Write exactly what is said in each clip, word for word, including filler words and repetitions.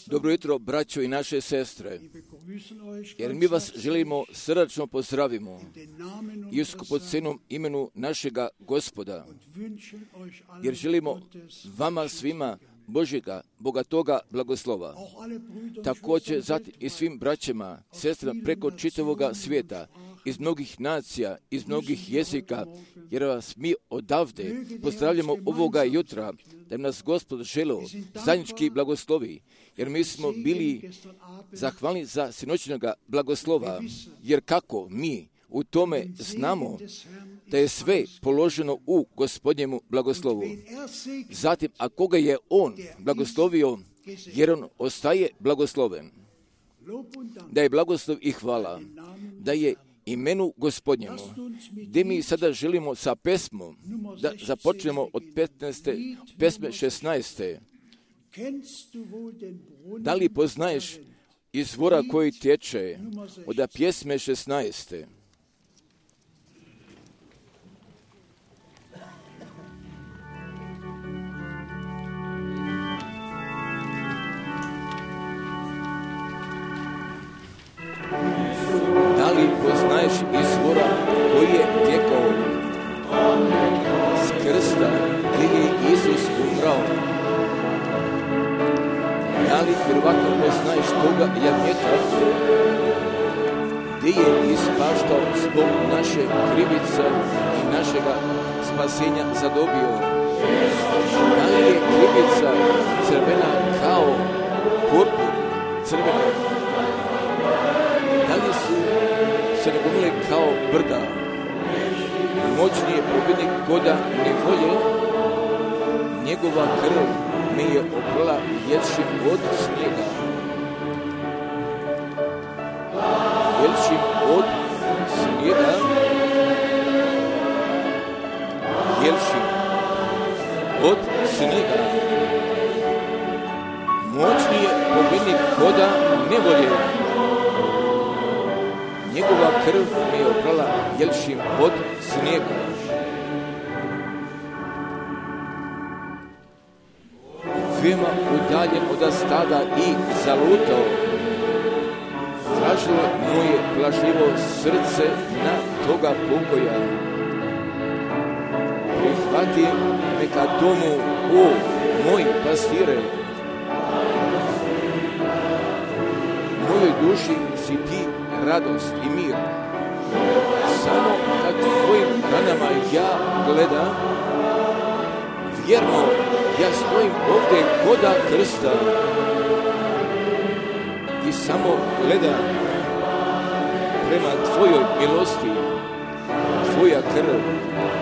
Dobro jutro, braćo i naše sestre, jer mi vas želimo srdačno pozdravimo i u skupocenom imenu našega Gospoda, jer želimo vama svima Božjega, bogatoga blagoslova. Također zatim i svim braćama, sestrama preko čitavoga svijeta, iz mnogih nacija, iz mnogih jezika, jer vas mi odavde pozdravljamo ovoga jutra, da nas Gospod želo zajednički blagoslovi, jer mi smo bili zahvalni za sinoćnoga blagoslova, jer kako mi u tome znamo da je sve položeno u Gospodnjemu blagoslovu. Zatim, a koga je On blagoslovio, jer On ostaje blagosloven. Da je blagoslov i hvala, da je imenu Gospodnjemu, gdje mi sada želimo sa pesmom, da započnemo od petnaeste, pesme šesnaeste. Da li poznaješ izvora koji tječe od pjesme šesnaeste? Da li poznaješ izvora koji je tjekao s krsta gdje je Isus umrao? Da li prvatno poznaješ toga jagnjeta gdje je ispaštao zbog naše krivice i našega spasenja zadobio? Da li je krivica crvena kao purpur crvena? Da li su se nagomile kao brda? Moćni je pobjednik koda nevolje, njegova krv mi je oprala jelšim od snijega. Jelšim od snijega, jelšim od snijega. Moćni je pobjednik koda nevolje, njegova krv mi je oprala jelšim od snijega. Veoma udaljen od stada i zalutao, tražilo moje plašljivo srce na toga pokoja. Prihvati me ka domu, o moji pastire. Mojoj duši si ti radost i mir. Samo kad tvojim ranama ja gledam, vjerno ja stojim ovdje koda krsta i samo gledam prema tvojoj milosti. Tvoja krv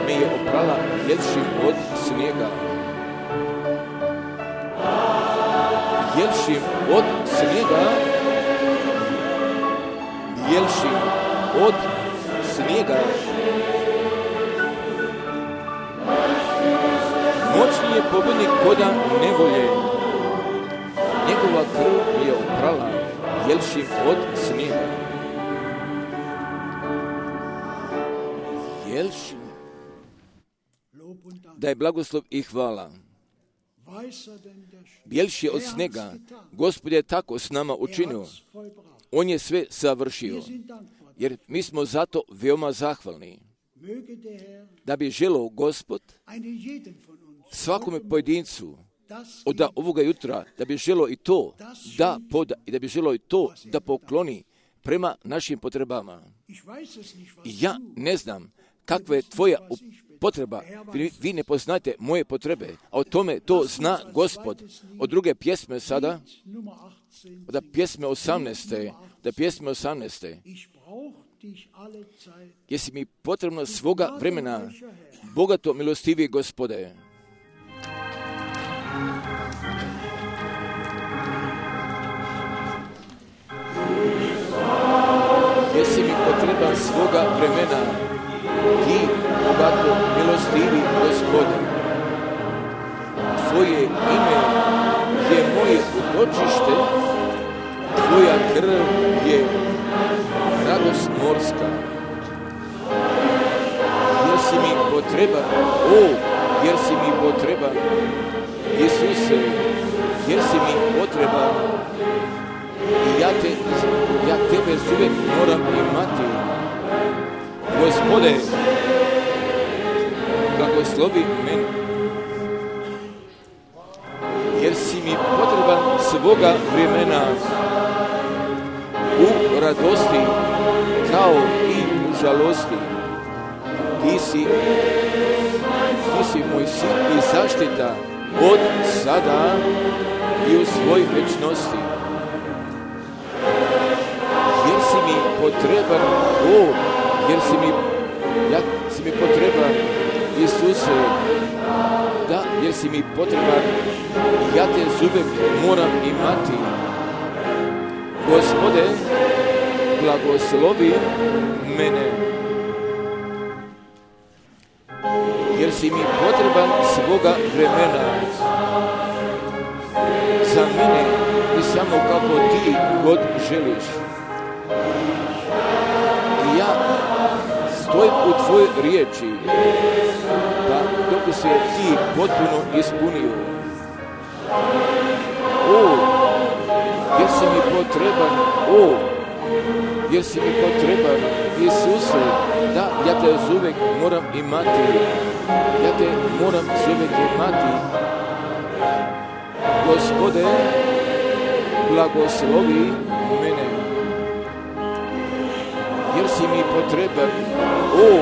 me je oprala jelšim od snijega. Jelšim od snijega, jelšim od snijega. Moćni je pobjednik koda nevolje, njegova krv mi je oprala jelšim od snijega. Jelšim. Da je blagoslov i hvala. Bjelši od snijega, Gospod je tako s nama učinio. On je sve savršio, jer mi smo zato veoma zahvalni. Da bi želeo Gospod svakome pojedincu od ovoga jutra, da bi želeo i to da poda i da bi želeo i to da pokloni prema našim potrebama. I ja ne znam kakva je tvoja potreba, vi, vi ne poznajete moje potrebe, a o tome to zna Gospod. Od druge pjesme sada, od pjesme osamnaeste, od pjesme osamnaeste, jesi mi potrebno svoga vremena, bogato milostivi Gospode. Jesi mi potreban svoga vremena, ti bogato milostivi Gospode. Tvoje ime je moje utočište, tvoja krv je radost morska. Jer si mi potreban, o, jer si mi potreban, Isuse, jer si mi potreban i ja, te, ja tebe uvijek moram imati. Gospode, blagoslovi mene, jer si mi potreban svoga vremena u radosti kao i u žalosti. Ti si, ti si moj sin i zaštita od sada i u svojoj večnosti. Jer si mi potreban, o, jer si mi, ja si mi potreban, Isuse, da, jer si mi potreban, ja te uvijek moram imati. Gospode, blagoslovi mene, jer si mi potreban svoga vremena za mene i samo kako ti god želiš. I ja stojim u tvojoj riječi, pa dok se ti potpuno ispunio. O, jer si mi potreban, o, jer si mi potreban, Isuse, da, ja te uvijek moram imati, ja te moram uvijek imati. Gospode, blagoslovi mene, jer si mi potreban, o,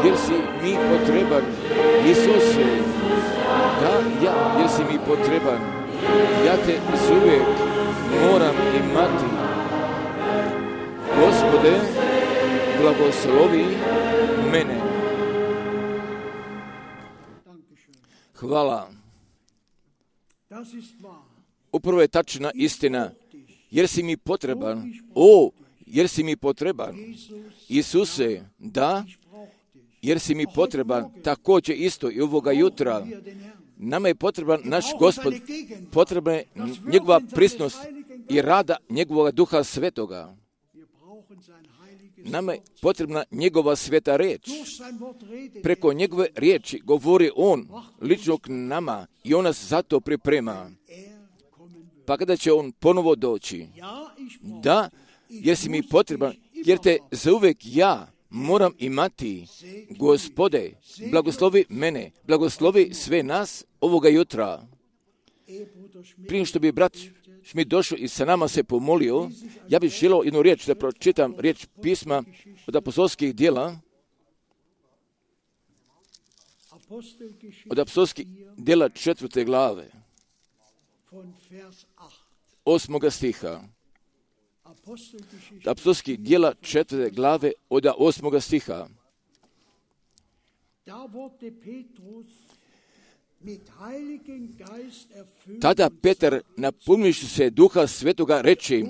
jer si mi potreban, Isuse, da, ja, jer si mi potreban, ja te uvijek moram imati. Gospode, blagoslovi mene. Hvala. Upravo je tačna istina, jer si mi potreban, o, jer si mi potreban, Isuse, da, jer si mi potreban, također isto i ovoga jutra. Nama je potreban naš Gospod, potrebna je njegova prisutnost i rada njegovog Duha Svetoga. Nama je potrebna njegova sveta riječ. Preko njegove riječi govori on lično k nama i on nas zato priprema. Pa kada će on ponovo doći? Da, jer si mi potreban, jer te zauvijek ja moram imati. Gospode, blagoslovi mene, blagoslovi sve nas ovoga jutra. Prije što bi brat Šmit došao i sa nama se pomolio, ja bih želio jednu riječ da pročitam, riječ pisma od apostolskih djela, od apostolskih djela četvrte glave, osmoga stiha. Apostolskih djela četvrte glave od osmoga stiha. Tada Petar, napunivši se Duha Svetoga, reče: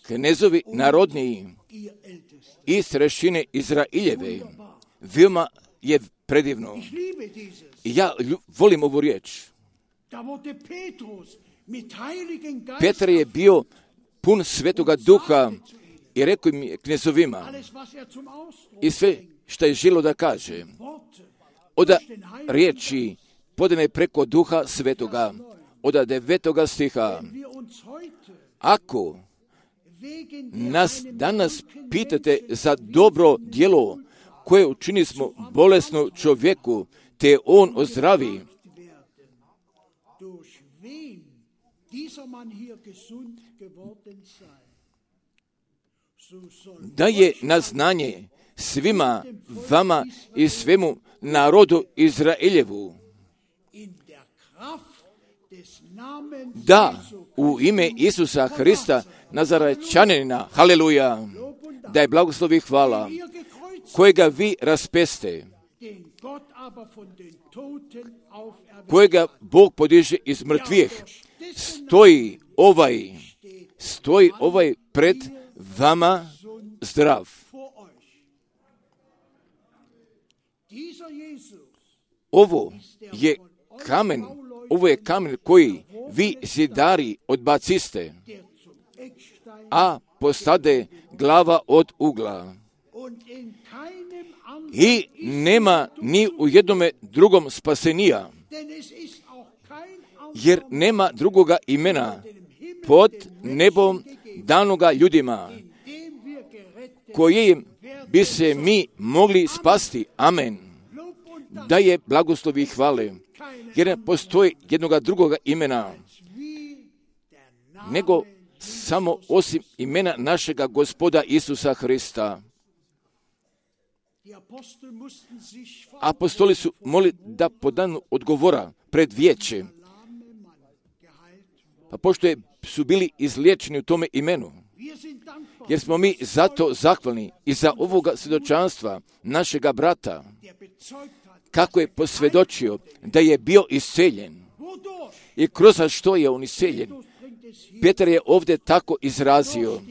knezovi narodniji i starešine Izraeljeve. Veoma je predivno. I ja volim ovu riječ. Petar je bio pun Svetoga Duha i rekao im knezovima i sve što je želio da kaže. Od riječi podane preko Duha Svetoga, od devetoga stiha. Ako nas danas pitate za dobro djelo koje učini smo bolesnom čovjeku, te on ozdravi, da je na znanje svima vama i svemu narodu Izraeljevu, da u ime Isusa Hrista Nazarečanina, haleluja, da je blagoslovi i hvala, kojega vi raspeste, kojega Bog podiže iz mrtvih, stoji ovaj, stoji ovaj pred vama zdrav. Ovo je kamen, ovo je kamen koji vi zidari odbaciste, a postade glava od ugla. I nema ni u jednome drugom spasenija, jer nema drugoga imena pod nebom danoga ljudima, kojim bi se mi mogli spasti. Amen. Da je blagoslovi i hvale, jer ne postoji jednoga drugoga imena, nego samo osim imena našega Gospoda Isusa Hrista. Apostoli su molili da podanu odgovora pred vijeće, pa pošto je, su bili izliječeni u tome imenu, jer smo mi zato zahvalni i za ovoga svjedočanstva našega brata, kako je posvjedočio da je bio isceljen i kroz što je on isceljen. Petar je ovdje tako izrazio: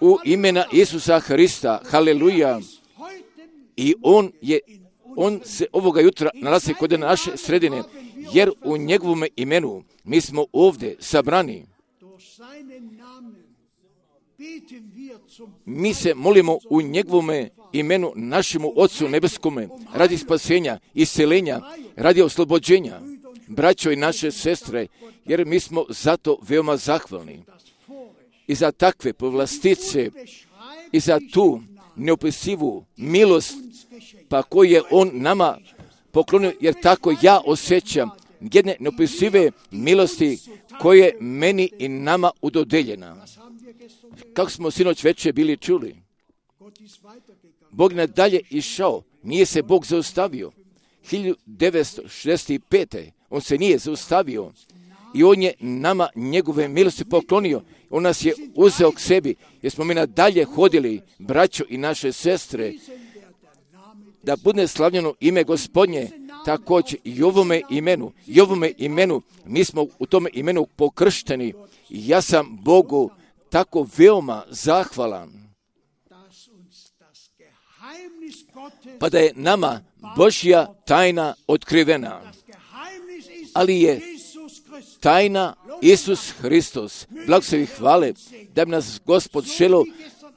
u imena Isusa Hrista, haleluja. I on je, on se ovoga jutra nalazi kod naše sredine, jer u njegovom imenu mi smo ovdje sabrani. Mi se molimo u njegovom imenu našemu Otcu Nebeskome radi spasenja, iscelenja, radi oslobođenja, braćo i naše sestre, jer mi smo zato veoma zahvalni i za takve povlastice i za tu neopisivu milost, pa koju je on nama poklonio, jer tako ja osjećam jedne neopisive milosti koje je meni i nama udodeljena. Kako smo sinoć večer bili čuli, Bog nadalje išao, nije se Bog zaustavio. hiljadu devetsto šezdeset pete. on se nije zaustavio i on je nama njegove milosti poklonio. On nas je uzeo k sebi, jer smo mi nadalje hodili, braćo i naše sestre, da bude slavljeno ime Gospodnje, također i ovome imenu, i ovome imenu, mi smo u tome imenu pokršteni i ja sam Bogu tako veoma zahvalan. Pa da je nama Božja tajna otkrivena, ali je tajna Isus Hristos. Blagoslovi hvale da bi nas Gospod želio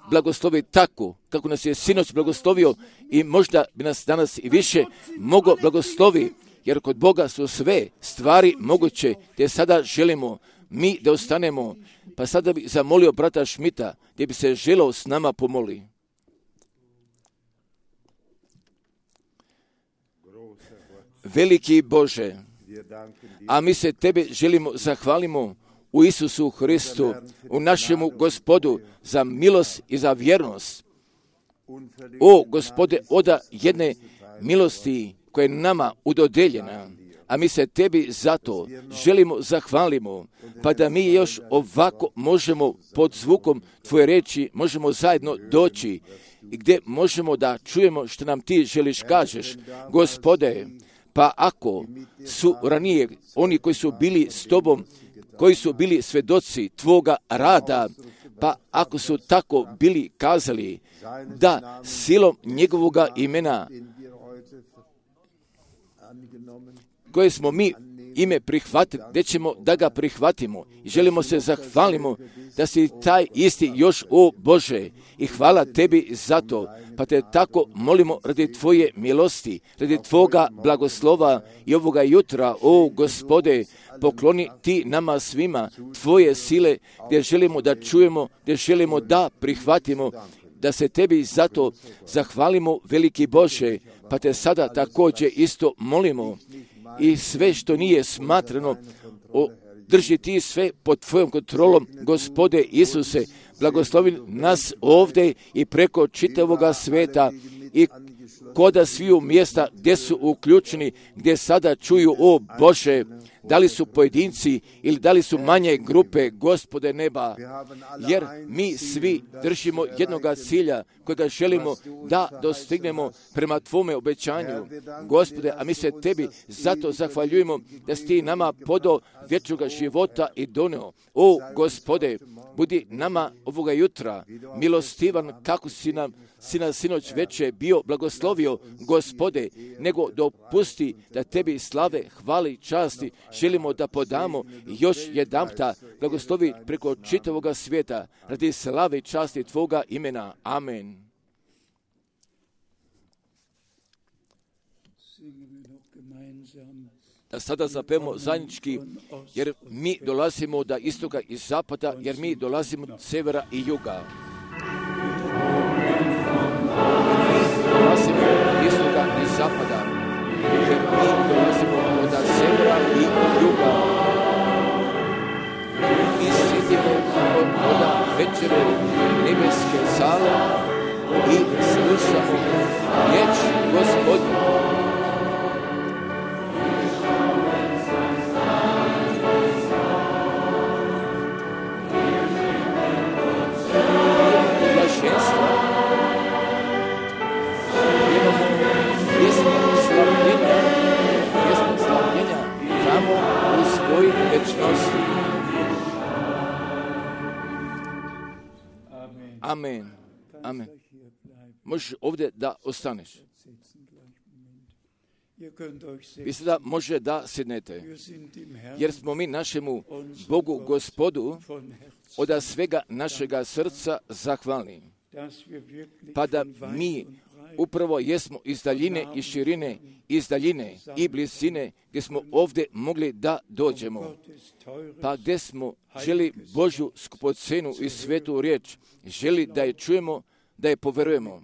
blagoslovi tako kako nas je sinoć blagoslovio i možda bi nas danas i više mogao blagoslovi, jer kod Boga su sve stvari moguće, te sada želimo mi da ostanemo. Pa sada bi zamolio brata Šmita gdje bi se želio s nama pomoli. Veliki Bože, a mi se Tebe želimo zahvalimo u Isusu Hristu, u našemu Gospodu, za milost i za vjernost. O Gospode, oda jedne milosti koja je nama udodeljena, a mi se Tebi zato želimo zahvalimo, pa da mi još ovako možemo pod zvukom Tvoje reči, možemo zajedno doći i gdje možemo da čujemo što nam Ti želiš kažeš. Gospode, pa ako su ranije oni koji su bili s Tobom, koji su bili svjedoci Tvoga rada, pa ako su tako bili kazali da silom njegovoga imena koje smo mi ime prihvatili, gdje ćemo da ga prihvatimo i želimo se zahvalimo da si taj isti još, o Bože, i hvala Tebi za to, pa te tako molimo radi Tvoje milosti, radi Tvoga blagoslova i ovoga jutra, o Gospode, pokloni Ti nama svima Tvoje sile, gdje želimo da čujemo, gdje želimo da prihvatimo, da se Tebi zato zahvalimo, veliki Bože, pa te sada također isto molimo i sve što nije smatrano, o, drži Ti sve pod Tvojom kontrolom, Gospode Isuse, blagoslovi nas ovdje i preko čitavoga sveta i koda sviju mjesta gdje su uključeni, gdje sada čuju, o Bože, da li su pojedinci ili da li su manje grupe, Gospode neba, jer mi svi držimo jednoga cilja kojega želimo da dostignemo prema Tvome obećanju, Gospode, a mi se Tebi zato zahvaljujemo da si Ti nama podao vječnoga života i doneo. O Gospode, budi nama ovoga jutra milostivan kako si nam si nas sinoć večer bio blagoslovio, Gospode, nego dopusti da Tebi slave, hvali, časti želimo da podamo još jedanputa, blagoslovi preko čitavoga svijeta radi slave i časti Tvoga imena. Amen. da sada zapevamo zajednički, jer mi dolazimo od istoka i zapada, jer mi dolazimo od severa i juga. Dolazimo od istoka i zapada, jer mi dolazimo od severa i juga. Mi sjedimo od voda večere nebeske sale i slušamo riječ Gospodnju. Amen. Amen. Možeš ovdje da ostaneš. Vi sada može da sjednete, jer smo mi našemu Bogu Gospodu od svega našega srca zahvalni. Pa da mi upravo jesmo iz daljine i širine, iz daljine i blizine, gdje smo ovdje mogli da dođemo. Pa gdje smo želi Božju skupocenu i svetu riječ, želi da je čujemo, da je poverujemo.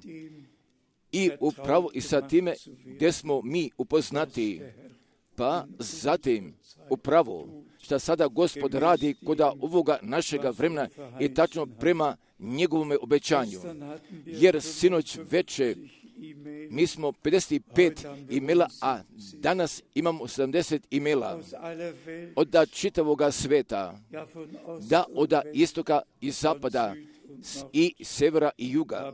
I upravo i sa time gdje smo mi upoznati, pa zatim upravo što sada Gospod radi kod ovoga našega vremena i tačno prema njegovome obećanju. Jer sinoć veče mi smo pedeset pet imela, a danas imamo sedamdeset imela od čitavoga sveta, da od istoka i zapada i severa i juga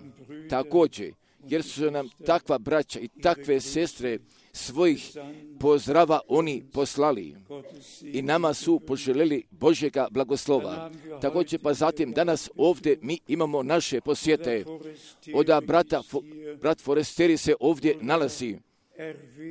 također, jer su nam takva braća i takve sestre svojih pozdrava oni poslali i nama su poželjeli Božjega blagoslova. Također pa zatim danas ovdje mi imamo naše posjete. Od brata, brat Foresteri se ovdje nalazi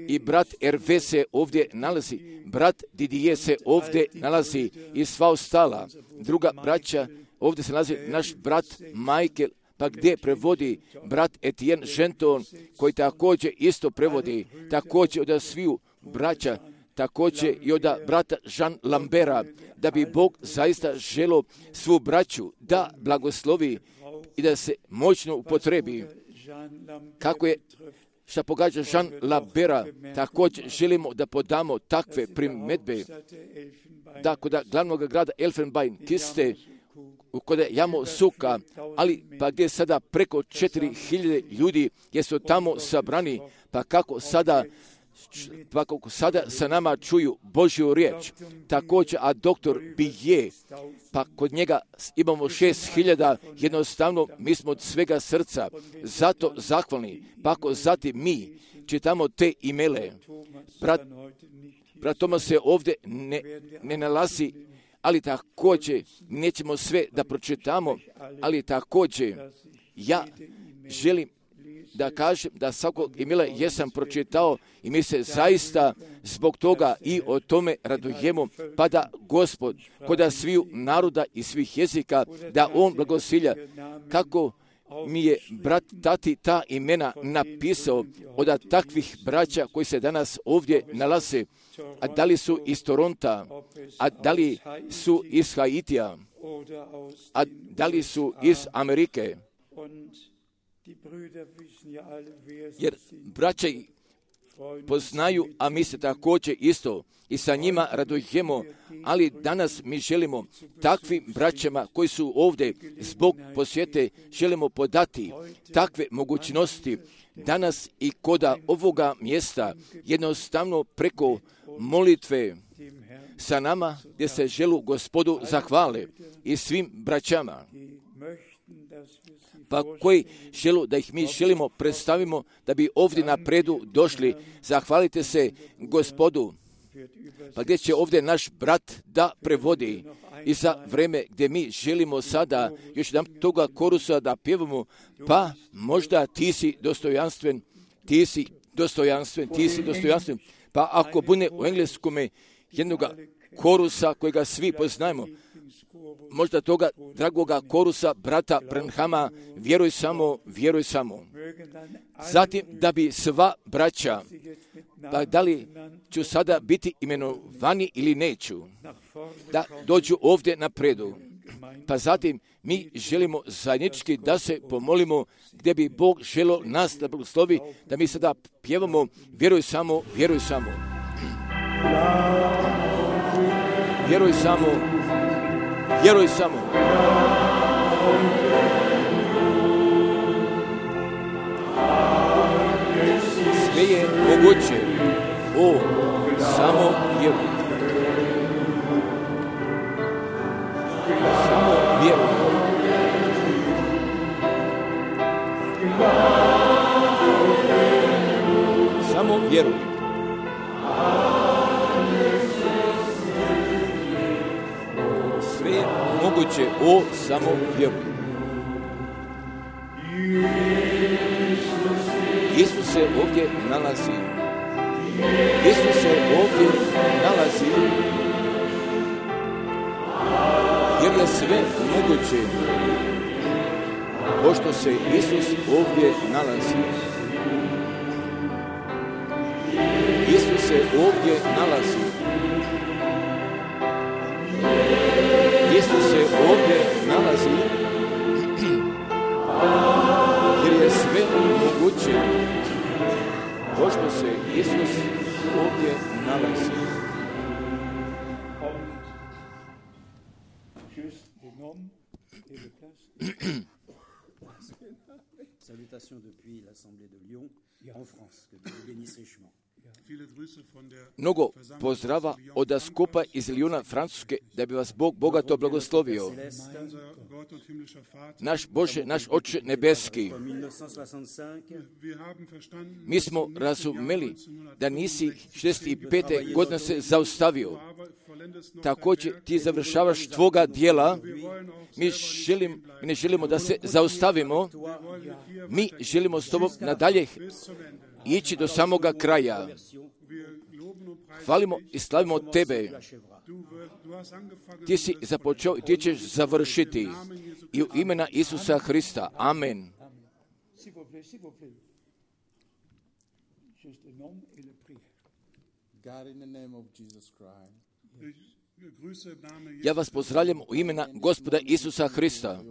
i brat Erve se ovdje nalazi, brat Didije se ovdje nalazi i sva ostala druga braća. Ovdje se nalazi naš brat Michael, pa gdje prevodi brat Etienne Genton, koji također isto prevodi, također od sviju braća, također i od brata Jean Lambera, da bi Bog zaista želo svu braću da blagoslovi i da se moćno upotrebi. Kako je što pogađa Jean Lambera, također želimo da podamo takve primjedbe, da kod glavnog grada Elfenbein, Kiste, kod Jamo Suka, ali pa gdje sada preko četiri hiljade ljudi gdje su tamo sabrani, pa kako sada pa kako sada sa nama čuju Božju riječ. Također, a doktor Bije, pa kod njega imamo šest hiljada, jednostavno mi smo od svega srca zato zahvalni. Pa ako zatim mi čitamo te imele, brat, brat Tomas se ovdje ne, ne nalazi, ali također nećemo sve da pročitamo, ali također ja želim da kažem da svakog imela jesam pročitao i mi se zaista zbog toga i o tome radujemo, pa da Gospod kod sviju naroda i svih jezika, da On blagosilja, kako mi je brat Tati ta imena napisao od takvih braća koji se danas ovdje nalaze, a da li su iz Toronta, a da li su iz Haitija, a da li su iz Amerike. Jer braća poznaju, a mi se također isto i sa njima radujemo, ali danas mi želimo takvim braćama koji su ovdje zbog posjete, želimo podati takve mogućnosti danas i koda ovoga mjesta, jednostavno preko molitve sa nama, gdje se želu Gospodu zahvale i svim braćama, pa koji želu da ih mi želimo predstavimo, da bi ovdje napredu došli. Zahvalite se Gospodu, pa gdje će ovdje naš brat da prevodi i za vreme gdje mi želimo sada još jedan toga korusa da pjevamo, pa možda ti si dostojanstven, ti si dostojanstven, ti si dostojanstven, pa ako bude u engleskome jednoga korusa kojega svi poznajemo, možda toga dragoga korusa brata Branhama, vjeruj samo, vjeruj samo. Zatim, da bi sva braća, pa da li ću sada biti imenovani ili neću, da dođu ovdje na predu. Pa zatim, mi želimo zajednički da se pomolimo gdje bi Bog želio nas da blagoslovi, da mi sada pjevamo vjeruj samo, vjeruj samo. Vjeruj samo, vjeruj samo. Sve je moguće, o, samo vjeruj. Samo vjeruj. Samo vjeruj. Sve je moguće, o, samo vjeruj. Isus se ovdje nalazi. Isus se ovdje nalazi. Jer je sve moguće, pošto se Isus ovdje nalazi. Isus se ovdje nalazi. Isus se ovdje nalazi. Jer je sve moguće, pošto se Isus ovdje nalazi. Salutations depuis l'Assemblée de Lyon en France, que Dieu bénisse richement. Mnogo pozdrava od skupa iz Lyona, Francuske, da bi vas Bog bogato blagoslovio. Naš Bože, naš Oče nebeski, mi smo razumeli da nisi šezdeset pete godine se zaustavio. Također ti završavaš tvoga dijela. Mi, želim, mi ne želimo da se zaustavimo. Mi želimo s tobom nadalje ići do samoga kraja. Hvalimo i slavimo tebe. Ti si započeo i ti ćeš završiti. I u imena Isusa Hrista. Amen. God, in the name of Jesus Christ. Ja vas pozdravljam u imena Gospoda Isusa Hrista.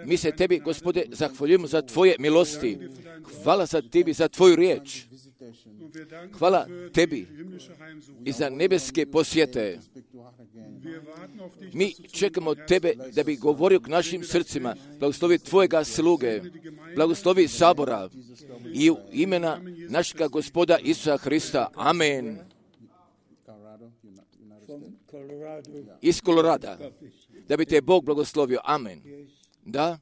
Mi se tebi, Gospode, zahvaljujemo za tvoje milosti. Hvala za tebi, za tvoju riječ. Hvala tebi i za nebeske posjete. Mi čekamo tebe da bi govorio k našim srcima. Blagoslovi tvojega sluge. Blagoslovi sabora. I u imena našega Gospoda Isusa Hrista. Amen. Iz Kolorada. Da bi te Bog blagoslovio. Amen. Da?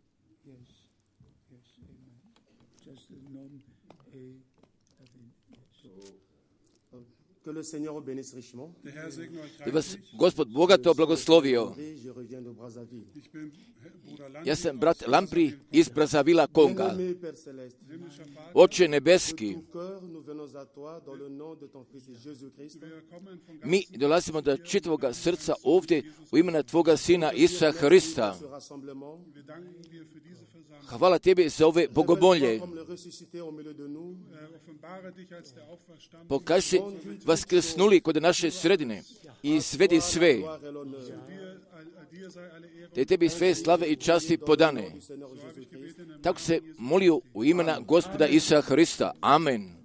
Da vas Gospod bogato blagoslovio. Ja sam brat Lampri iz Brazzavilla, Konga. Oče nebeski, mi dolazimo do čitavoga srca ovdje u imena tvoga Sina Isusa Hrista. Hvala tebi za ove bogomolje. Pokaži se vaskrsnuli kod naše sredine i izvedi sve. Te tebi sve slave i časti podane. Tako se molio u imena Gospoda Isusa Hrista. Amen.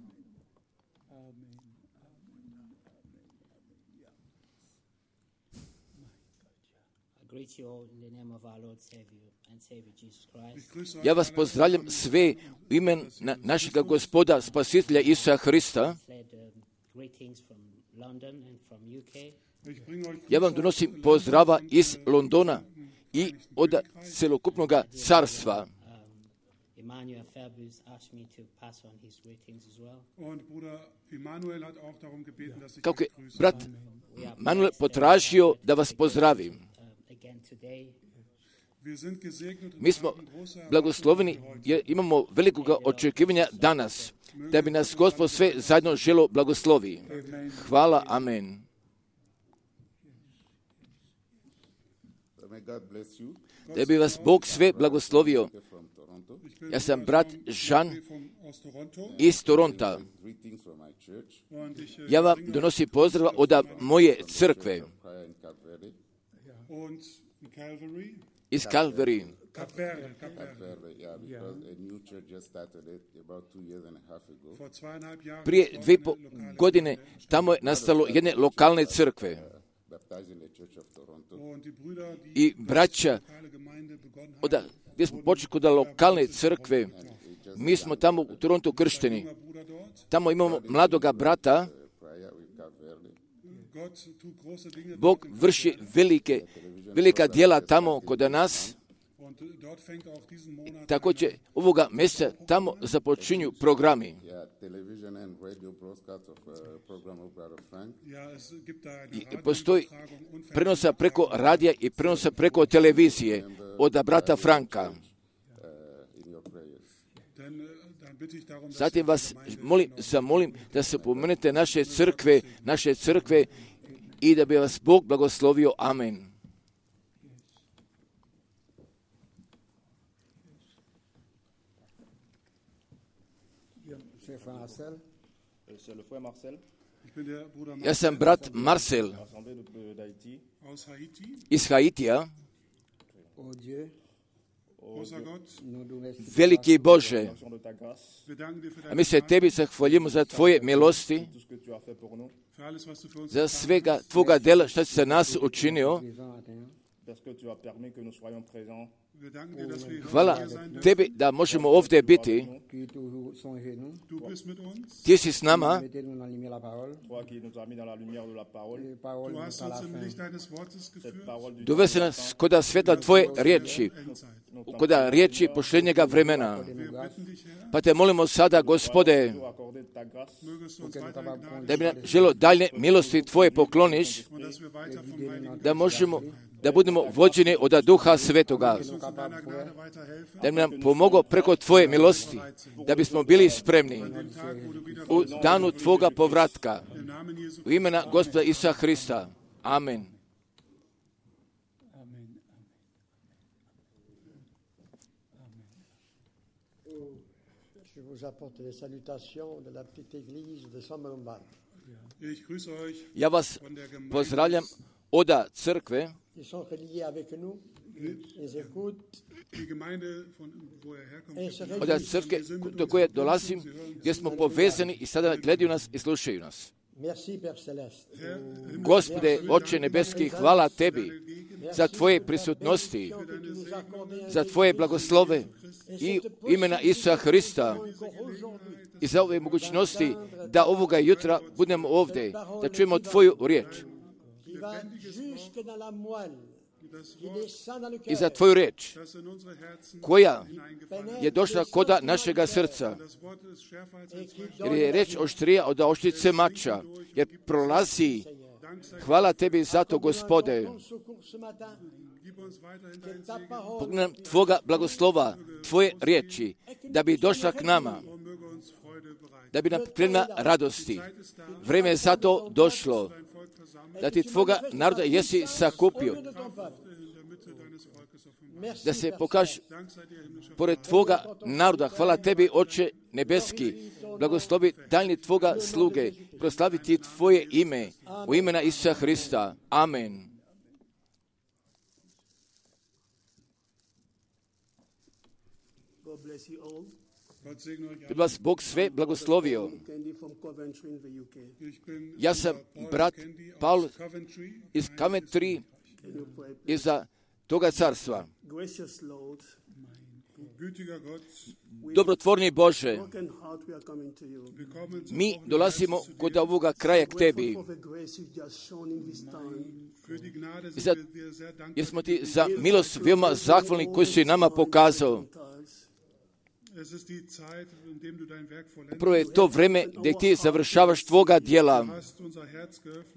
Ja vas pozdravljam sve u ime našega Gospoda Spasitelja Isusa Hrista. Ja vam donosim pozdrava iz Londona i od celokupnog carstva. Kako je brat Manuel potražio da vas pozdravim. Mi smo blagosloveni jer imamo velikog očekivanja danas, da bi nas Gospod sve zajedno želo blagoslovi. Hvala, amen. Da bi vas Bog sve blagoslovio. Ja sam brat Jean iz Toronta. Ja vam donosim pozdrav od moje crkve iz Calvary. Prije dvije po godine tamo je nastalo jedne lokalne crkve. I braća, oda, gdje smo počeli kod lokalne crkve, mi smo tamo u Torontu kršteni. Tamo imamo mladoga brata. Bog vrši velike, velika djela tamo kod nas. Također ovoga mjeseca tamo započinju programi. I postoji prenosa preko radija i prenosa preko televizije od brata Franka. Zatim vas molim, zamolim da se pomenete naše crkve, naše crkve i da bi vas Bog blagoslovio. Amen. Ja sam brat Marcel iz Haitija. Veliki Bože, a mi se tebi zahvaljujemo za tvoje milosti, za svega tvoga dela što si za nas učinio. Hvala tebi da možemo ovdje biti. Ti si s nama. Dovesi nas kod sveta tvoje riječi, kod riječi posljednjega vremena. Pa te molimo sada, Gospode, da bi nam želo dalje milosti tvoje pokloniš, da možemo da budemo vođeni od Duha Svetoga, da bi nam pomogao preko tvoje milosti, da bismo bili spremni u danu tvoga povratka. U imena Gospoda Isusa Hrista. Amen. Ja vas pozdravljam od crkve, od crkve do koje dolazim, gdje smo povezani i sada gledaju nas i slušaju nas. Gospode, Oče nebeski, hvala tebi za tvoje prisutnosti, za tvoje blagoslove i imena Isusa Hrista i za ove mogućnosti da ovoga jutra budemo ovdje, da čujemo tvoju riječ. I za tvoju riječ, koja je došla koda našega srca, jer je riječ oštrija od oštrice mača, jer prolazi. Hvala tebi za to, Gospode. Pogledaj nam tvoga blagoslova, tvoje riječi, da bi došla k nama, da bi nam prenijela radosti. Vrijeme je za to došlo, da ti tvoga naroda jesi sakupio, da se pokaže pored tvoga naroda. Hvala tebi, Oče nebeski, blagoslovi daljnji tvoga sluge, proslaviti tvoje ime, u imena Isusa Hrista. Amen. Da bi vas Bog sve blagoslovio. Ja sam brat Paul iz Coventry, iza toga carstva. Dobrotvorni Bože, mi dolazimo kod ovoga kraja k tebi. Za, jer smo ti za milost veoma zahvalni koju si nama pokazao. Upravo je to vreme gdje ti završavaš tvoga djela.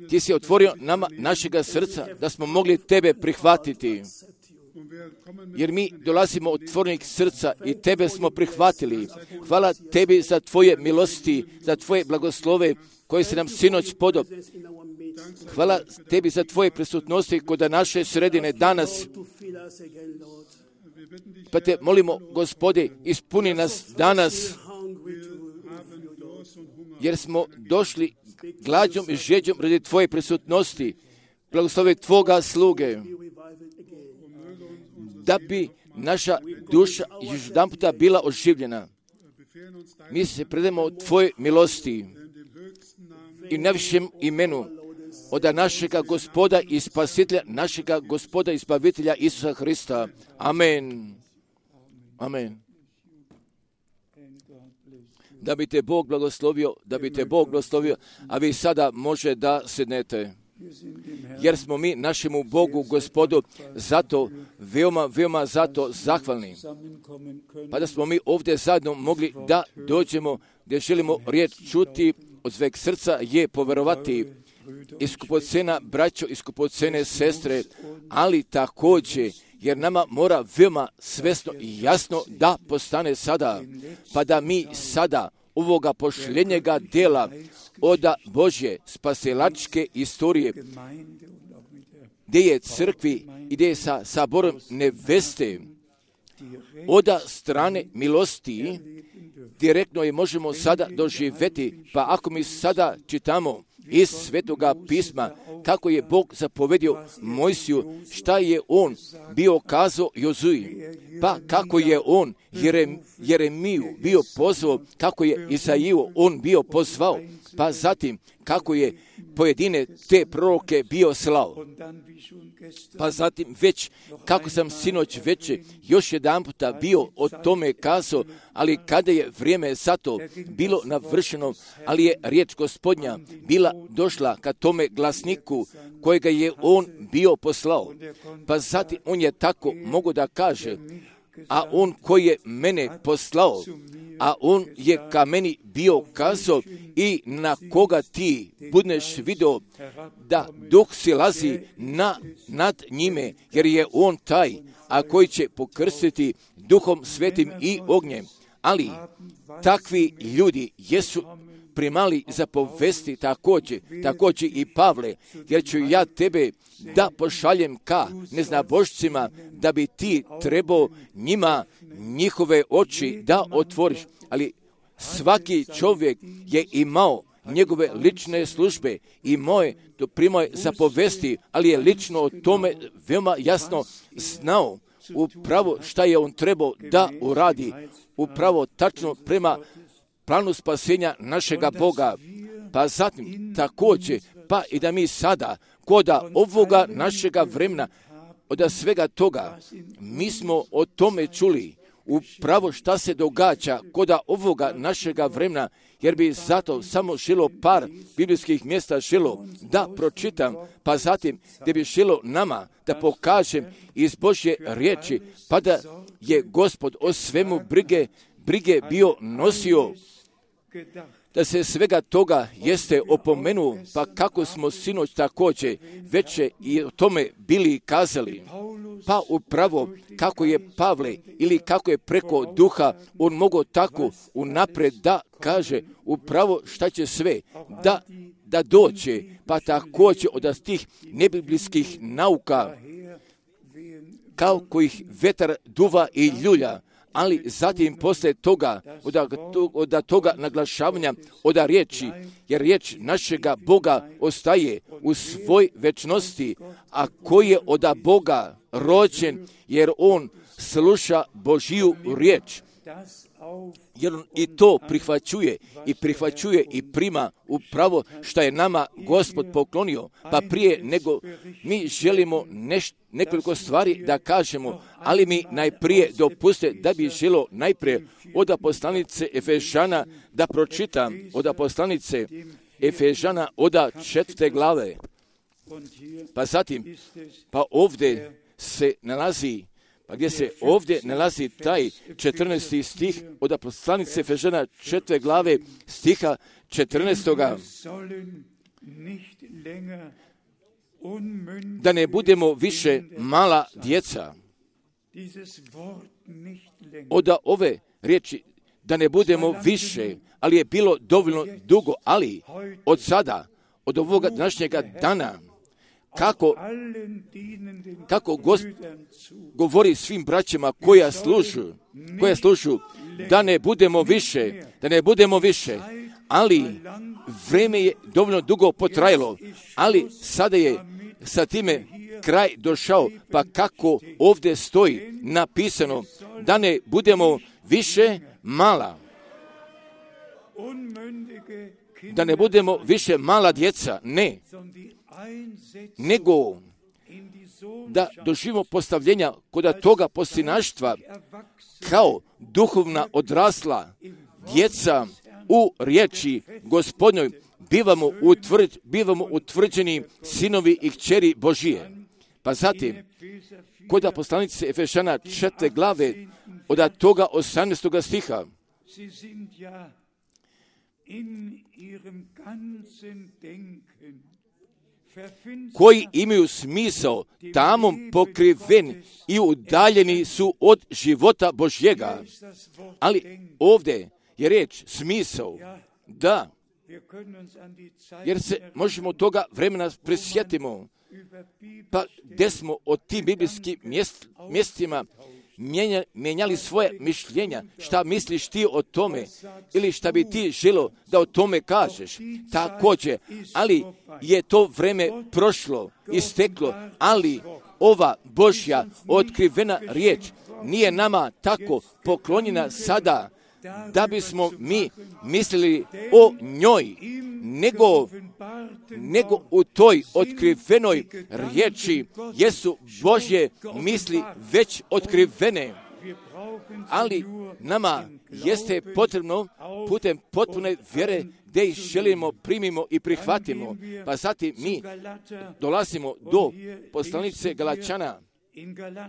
Ti si otvorio nama našega srca da smo mogli tebe prihvatiti. Jer mi dolazimo od otvorenih srca i tebe smo prihvatili. Hvala tebi za tvoje milosti, za tvoje blagoslove koje si nam sinoć podao. Hvala tebi za tvoje prisutnosti kod naše sredine danas. Pa te molimo, Gospode, ispuni nas danas, jer smo došli glađom i žeđom radi Tvoje prisutnosti, blagoslovi Tvoga sluge, da bi naša duša još jedan puta bila oživljena. Mi se predajemo Tvoje milosti i najvišem imenu od našega Gospoda i Spasitelja, našega Gospoda i Spavitelja Isusa Hrista. Amen. Amen. Da bi te Bog blagoslovio, da bi te Bog blagoslovio, a vi sada može da sednete. Jer smo mi našemu Bogu, Gospodu, zato, veoma, veoma zato zahvalni. Pa da smo mi ovdje zajedno mogli da dođemo, gdje želimo riječ čuti od sveg srca je poverovati iskupocena braćo, iskupocene sestre, ali također, jer nama mora veoma svesno i jasno da postane sada, pa da mi sada ovoga pošljenjega dela od Božje spasilačke istorije, gdje je crkvi i gdje je sa saborom neveste, od strane milosti, direktno je možemo sada doživjeti, pa ako mi sada čitamo iz Svetoga pisma, kako je Bog zapovedio Mojsiju, šta je on bio kazao Jozuji, pa kako je on Jerem, Jeremiju bio pozvao, kako je Isaiju on bio pozvao, pa zatim kako je pojedine te proroke bio slao. Pa zatim već, kako sam sinoć već još jedan puta bio o tome kazao, ali kada je vrijeme za to bilo navršeno, ali je riječ Gospodnja bila došla ka tome glasniku kojega je on bio poslao. Pa zatim on je tako mogo da kaže, a on koji je mene poslao, a on je ka meni bio kazao i na koga ti budeš vidio da duh silazi na, nad njime, jer je on taj, a koji će pokrstiti duhom svetim i ognjem. Ali takvi ljudi jesu primali za povesti također, također i Pavle, jer ću ja tebe da pošaljem ka neznabošcima, da bi ti trebao njima njihove oči da otvoriš. Ali svaki čovjek je imao njegove lične službe i moje to primao je za povesti, ali je lično o tome veoma jasno znao upravo šta je on trebao da uradi, upravo tačno prema planu spasenja našega Boga. Pa zatim također, pa i da mi sada, koda ovoga našega vremena, od svega toga, mi smo o tome čuli, upravo šta se događa koda ovoga našega vremena, jer bi zato samo želo par biblijskih mjesta želo da pročitam, pa zatim gdje bi želo nama da pokažem iz Božje riječi, pa da je Gospod o svemu brige, brige bio nosio, da se svega toga jeste opomenuo, pa kako smo sinoć također već i o tome bili kazali. Pa upravo kako je Pavle ili kako je preko duha on mogao tako unaprijed da kaže upravo šta će sve da, da dođe, pa također od tih nebiblijskih nauka kao kojih vetar duva i ljulja. Ali zatim poslije toga, od, od toga naglašavanja, od riječi, jer riječ našega Boga ostaje u svoj večnosti, a koji je od Boga rođen, jer on sluša Božiju riječ. Jer on i to prihvaćuje i prihvaćuje i prima upravo što je nama Gospod poklonio. Pa prije nego mi želimo neš, nekoliko stvari da kažemo, ali mi najprije dopuste da bi želo najprije od poslanice Efežana da pročitam, od poslanice Efežana od četvrte glave. Pa zatim, pa ovdje se nalazi Pa gdje se ovdje nalazi taj četrnaesti stih od poslanice Efežana četvrte glave stiha četrnaestoga. Da ne budemo više mala djeca. Od ove riječi da ne budemo više, ali je bilo dovoljno dugo, ali od sada, od ovoga današnjega dana, kako, kako Gospod govori svim braćama koja služu, koja služu, da ne budemo više, da ne budemo više, ali vrijeme je dovoljno dugo potrajalo, ali sada je sa time kraj došao, pa kako ovdje stoji napisano, da ne budemo više mala, da ne budemo više mala djeca, ne, nego da doživimo postavljenja kod toga postinaštva kao duhovna odrasla djeca u riječi Gospodnjoj, bivamo, utvrđ, bivamo utvrđeni sinovi i kćeri Božije. Pa zatim, kod poslanice Efešana četvrte glave, od toga osamnaestog stiha, koji imaju smisao tamom pokriven i udaljeni su od života Božjega. Ali ovdje je riječ smisao, da, jer se možemo toga vremena prisjetimo, pa gdje smo od tim biblijskim mjest, mjestima mijenja, mijenjali svoje mišljenja, šta misliš ti o tome, ili šta bi ti želo da o tome kažeš, također, ali je to vrijeme prošlo, isteklo, ali ova Božja otkrivena riječ nije nama tako poklonjena sada, da bismo mi mislili o njoj, nego, nego u toj otkrivenoj riječi jesu Božje misli već otkrivene. Ali nama jeste potrebno putem potpune vjere da ih želimo, primimo i prihvatimo. Pa zatim mi dolazimo do poslanice Galačana,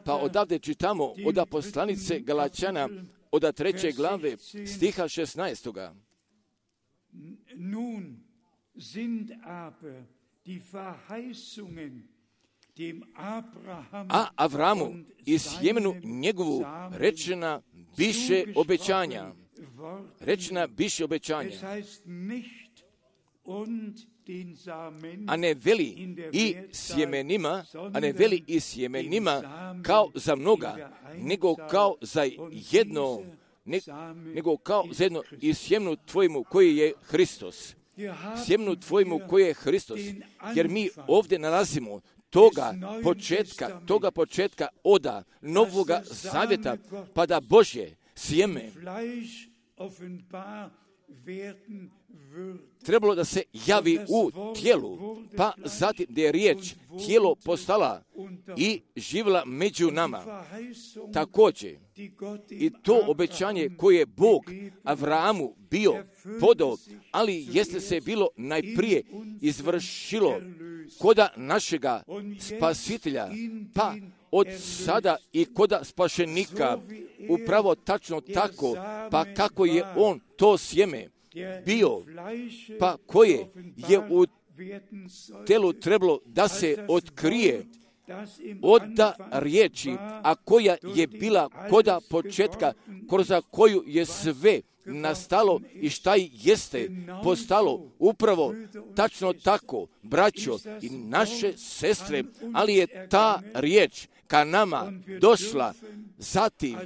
pa odavde čitamo od poslanice Galačana od treće glave stiha šesnaestoga. Nun sind aber die Verheißungen dem Abraham a Avramu i sjemenu njegovu rečena biše obećanja. Rečena biše obećanja. A ne veli i sjemenima, a ne veli i sjemenima kao za mnoga, nego kao za jedno, ne, nego kao za jedno i sjemenu tvojemu koji je Hristos. Sjemenu tvojemu koji je Hristos. Jer mi ovdje nalazimo toga početka, toga početka oda Novoga Zavjeta, pa da Božje sjeme trebalo da se javi u tijelu, pa zatim da je riječ tijelo postala i živjela među nama. Također, i to obećanje koje je Bog Avramu bio podao, ali jeste se bilo najprije izvršilo koda našega spasitelja, pa od sada i koda spašenika, upravo tačno tako, pa kako je on to sjeme bio, pa koje je u telu trebalo da se otkrije od da riječi, a koja je bila koda početka, kroz koju je sve nastalo i šta jeste postalo upravo tačno tako, braćo i naše sestre, ali je ta riječ ka nama došla, zatim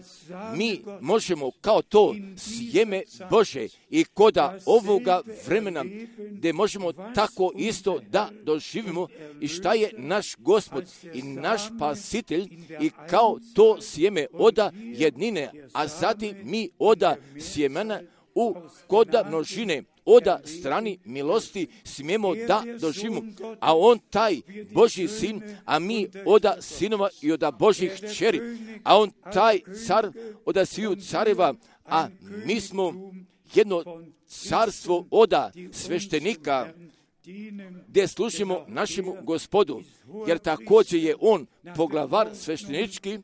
mi možemo kao to sjeme Bože i koda ovoga vremena gdje možemo tako isto da doživimo i šta je naš Gospod i naš Spasitelj i kao to sjeme oda jednine, a zatim mi oda sjemena u koda množine, oda strani milosti smijemo da doživimo, a on taj Božji sin, a mi oda sinova i oda Božjih kćeri, a on taj car oda sviju careva, a mi smo jedno carstvo oda sveštenika, gdje služimo našemu Gospodu, jer također je on poglavar sveštenički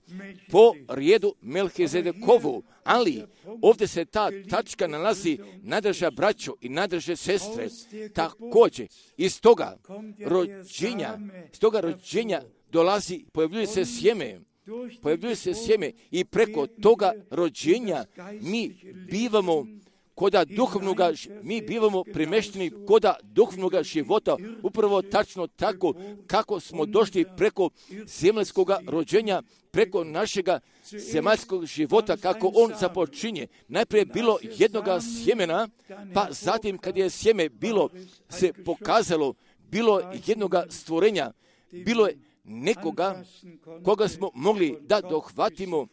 po rijedu Melhizedekovu, ali ovdje se ta tačka nalazi, nadrže braćo i nadrže sestre, također iz toga rođenja, iz toga rođenja dolazi, pojavljuje se sjeme, pojavljuje se sjeme i preko toga rođenja mi bivamo koda duhovnoga, mi bivamo premješteni koda duhovnoga života, upravo tačno tako kako smo došli preko zemaljskoga rođenja, preko našega zemaljskog života, kako on započinje. Najprije bilo jednoga sjemena, pa zatim kad je sjeme bilo se pokazalo, bilo jednoga stvorenja, bilo je nekoga koga smo mogli da dohvatimo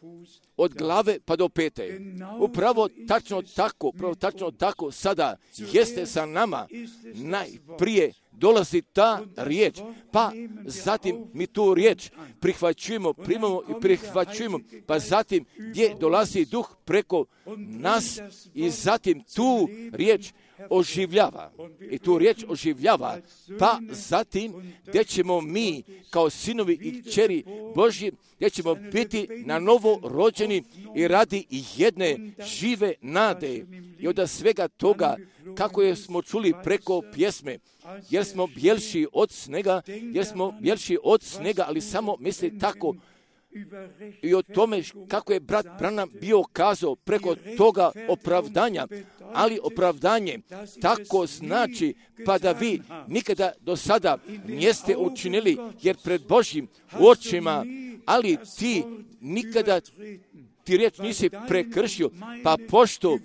od glave pa do pete. Upravo tačno tako, upravo tačno tako sada jeste sa nama. Najprije dolazi ta riječ, pa zatim mi tu riječ prihvaćujemo, primamo i prihvaćujemo, pa zatim gdje dolazi duh preko nas i zatim tu riječ oživljava. I tu riječ oživljava, pa zatim gdje ćemo mi kao sinovi i kćeri Božji, gdje ćemo biti na novo rođeni i radi jedne žive nade. I od svega toga, kako je smo čuli preko pjesme, jer smo bjelši od snega, jer smo bjelši od snega, ali samo misli tako i o tome kako je brat Branham bio kazao preko toga opravdanja, ali opravdanje tako znači pa da vi nikada do sada niste učinili, jer pred Božjim očima, ali ti nikada ti riječ nisi prekršio, pa pošto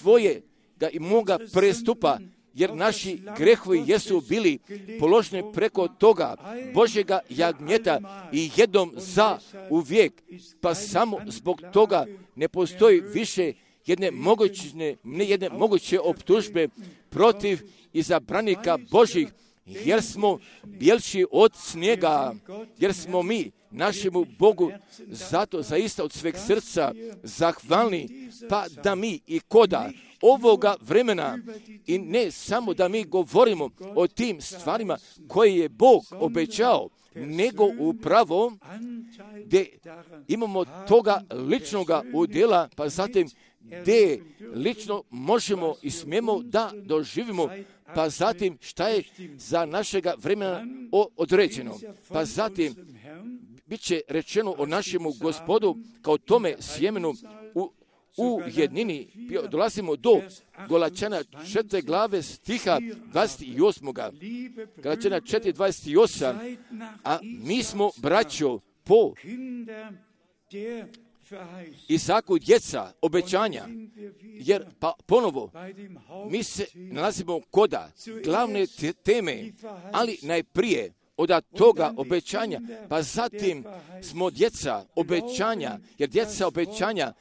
tvoje ga i moga prestupa, jer naši grehovi jesu bili položeni preko toga Božjega jagnjeta i jednom za uvijek, pa samo zbog toga ne postoji više jedne moguće, ne jedne moguće optužbe protiv izabranika Božjih, jer smo bjelši od snijega, jer smo mi našemu Bogu zato zaista od sveg srca zahvalni, pa da mi i koda ovoga vremena i ne samo da mi govorimo o tim stvarima koje je Bog obećao, nego upravo gdje imamo toga ličnoga udjela, pa zatim gdje lično možemo i smijemo da doživimo, pa zatim šta je za našega vremena određeno. Pa zatim bit će rečeno o našemu Gospodu kao tome sjemenu u U jednini. Dolazimo do Galačana četvrte glave stiha dvadeset osam. Galačana četiri dvadeset osam. A mi smo, braćo, po Isaku djeca obećanja, jer pa ponovo mi se nalazimo koda glavne teme, ali najprije od toga obećanja, pa zatim smo djeca obećanja, jer djeca obećanja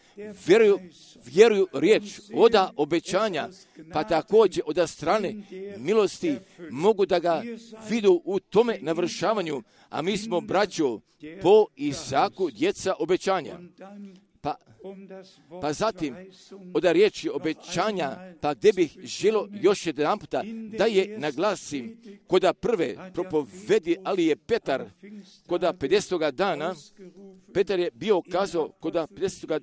vjeruju, vjeruju riječ oda obećanja, pa također od strane milosti mogu da ga vidu u tome navršavanju, a mi smo, braćo, po Isaku djeca obećanja. Pa, pa zatim, od riječi obećanja, pa gdje bih želio još jedan puta da je naglasim, koda prve propovedi, ali je Petar, koda pedesetoga dana, Petar je bio kazao, koda pedesetoga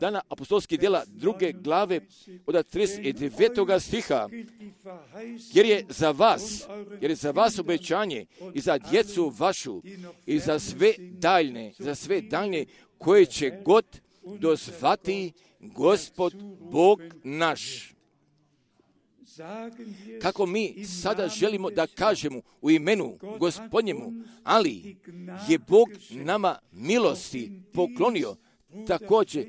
dana apostolskih djela druge glave, od trideset devetoga stiha, jer je za vas, jer je za vas obećanje i za djecu vašu i za sve daljne, za sve daljne koje će god dozvati Gospod Bog naš. Kako mi sada želimo da kažemo u imenu Gospodnjemu, ali je Bog nama milosti poklonio, također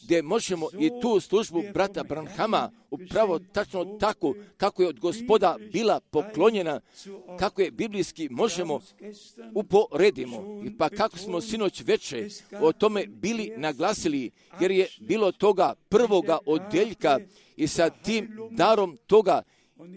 gdje možemo i tu službu brata Branhama upravo tačno tako kako je od Gospoda bila poklonjena, kako je biblijski možemo uporedimo. I pa kako smo sinoć veče o tome bili naglasili, jer je bilo toga prvoga odjeljka i sa tim darom toga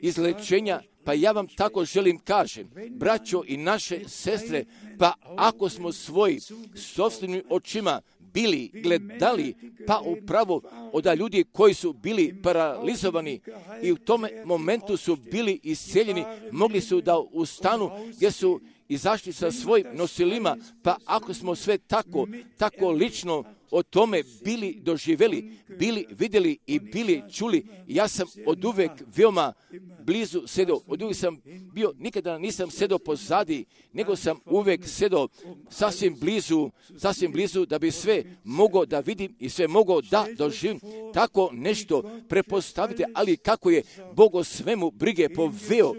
izlečenja, pa ja vam tako želim kažem, braćo i naše sestre, pa ako smo svoji sopstvenim očima bili gledali, pa upravo od ljudi koji su bili paralizovani i u tome momentu su bili isceljeni, mogli su da ustanu gdje su izašli sa svojim nosilima, pa ako smo sve tako, tako lično o tome bili doživjeli, bili vidjeli i bili čuli, ja sam od uvek veoma blizu sedao, od uvek sam bio, nikada nisam sedao pozadi, nego sam uvek sedao sasvim blizu, sasvim blizu da bi sve mogao da vidim i sve mogao da doživim. Tako nešto prepostavite, ali kako je Bog o svemu brige poveo.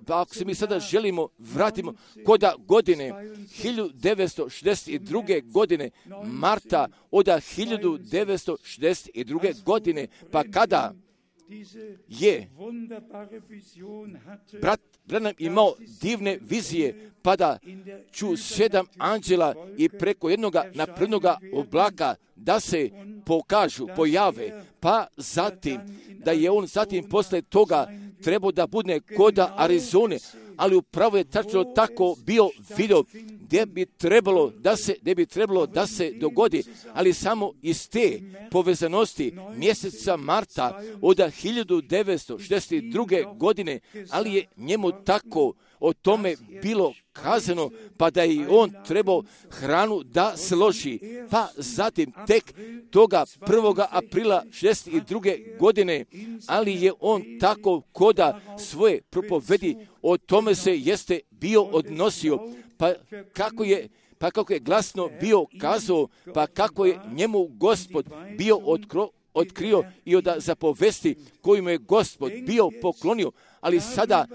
Pa ako se mi sada želimo, vratimo koda godine hiljadu devetsto šezdeset druge. godine, marta oda hiljadu devetsto šezdeset druge. godine, pa kada je brat Branham imao divne vizije, pa da ču sedam anđela i preko jednoga naprednoga oblaka da se pokažu, pojave, pa zatim da je on zatim posle toga trebao da bude koda Arizone, ali upravo je tačno tako bio video gdje bi trebalo da se, gdje bi trebalo da se dogodi, ali samo iz te povezanosti mjeseca marta od hiljadu devetsto šezdeset druge. godine, ali je njemu tako o tome bilo kazano, pa da je on trebao hranu da složi. Pa zatim tek toga prvoga aprila šezdeset druge. godine, ali je on tako koda svoje propovedi o tome se jeste bio odnosio, pa kako je pa kako je glasno bio kazao, pa kako je njemu Gospod bio otkro, otkrio i od zapovesti koju mu je Gospod bio poklonio. Ali sada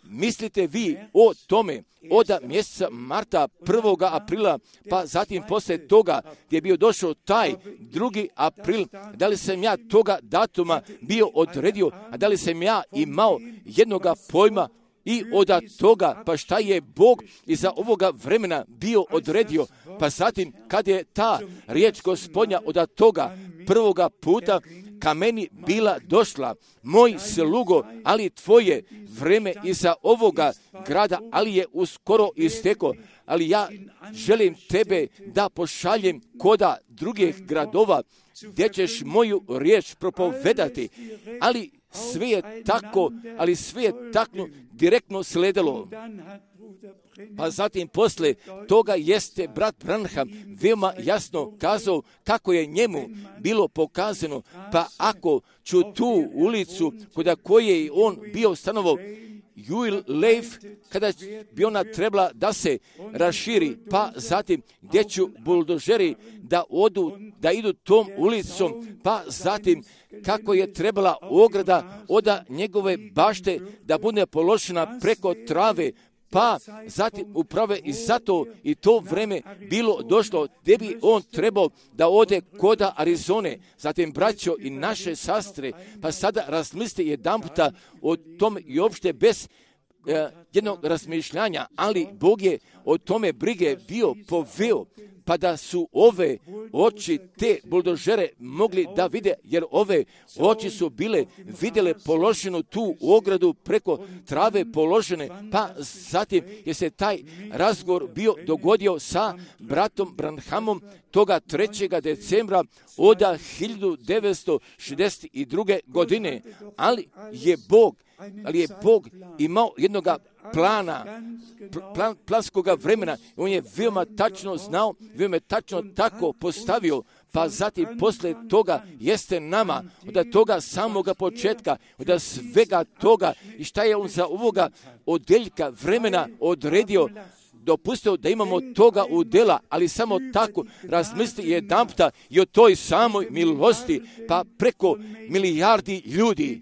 mislite vi o tome od mjeseca marta, prvoga aprila, pa zatim poslije toga gdje je bio došao taj drugi april, da li sam ja toga datuma bio odredio, a da li sam ja imao jednoga pojma i od toga, pa šta je Bog iza ovoga vremena bio odredio, pa zatim kad je ta riječ Gospodnja od toga prvoga puta ka meni bila došla, moj slugo, ali tvoje vreme iza ovoga grada, ali je uskoro isteko, ali ja želim tebe da pošaljem koda drugih gradova, gdje ćeš moju riječ propovedati, ali sve je tako, ali sve je tako direktno sledilo. Pa zatim posle toga jeste brat Branham veoma jasno kazao kako je njemu bilo pokazano, pa ako ću tu ulicu kod koje je on bio stanovao, Juil Leif, kada bi ona trebala da se raširi, pa zatim gdje ću buldožeri da odu, da idu tom ulicom, pa zatim kako je trebala ograda od njegove bašte da bude položena preko trave, pa zatim uprave i zato i to vreme bilo došlo gdje bi on trebao da ode koda Arizone. Zatim braćo i naše sestre, pa sada razmislite jedan puta o tome i uopšte bez eh, jednog razmišljanja, ali Bog je o tome brige bio poveo, pa da su ove oči te buldožere mogli da vide, jer ove oči su bile vidjele položenu tu ogradu preko trave položene, pa zatim je se taj razgovor bio dogodio sa bratom Branhamom toga trećeg decembra od hiljadu devetsto šezdeset druge. godine, ali je Bog, ali je Bog imao jednoga plana, plan, planskoga vremena. On je veoma tačno znao, veoma tačno tako postavio, pa zatim posle toga jeste nama, od toga samoga početka, od svega toga i šta je on za ovoga odeljka vremena odredio, dopustio da imamo toga udjela, ali samo tako razmisli jedan puta i o toj samoj milosti, pa preko milijardi ljudi,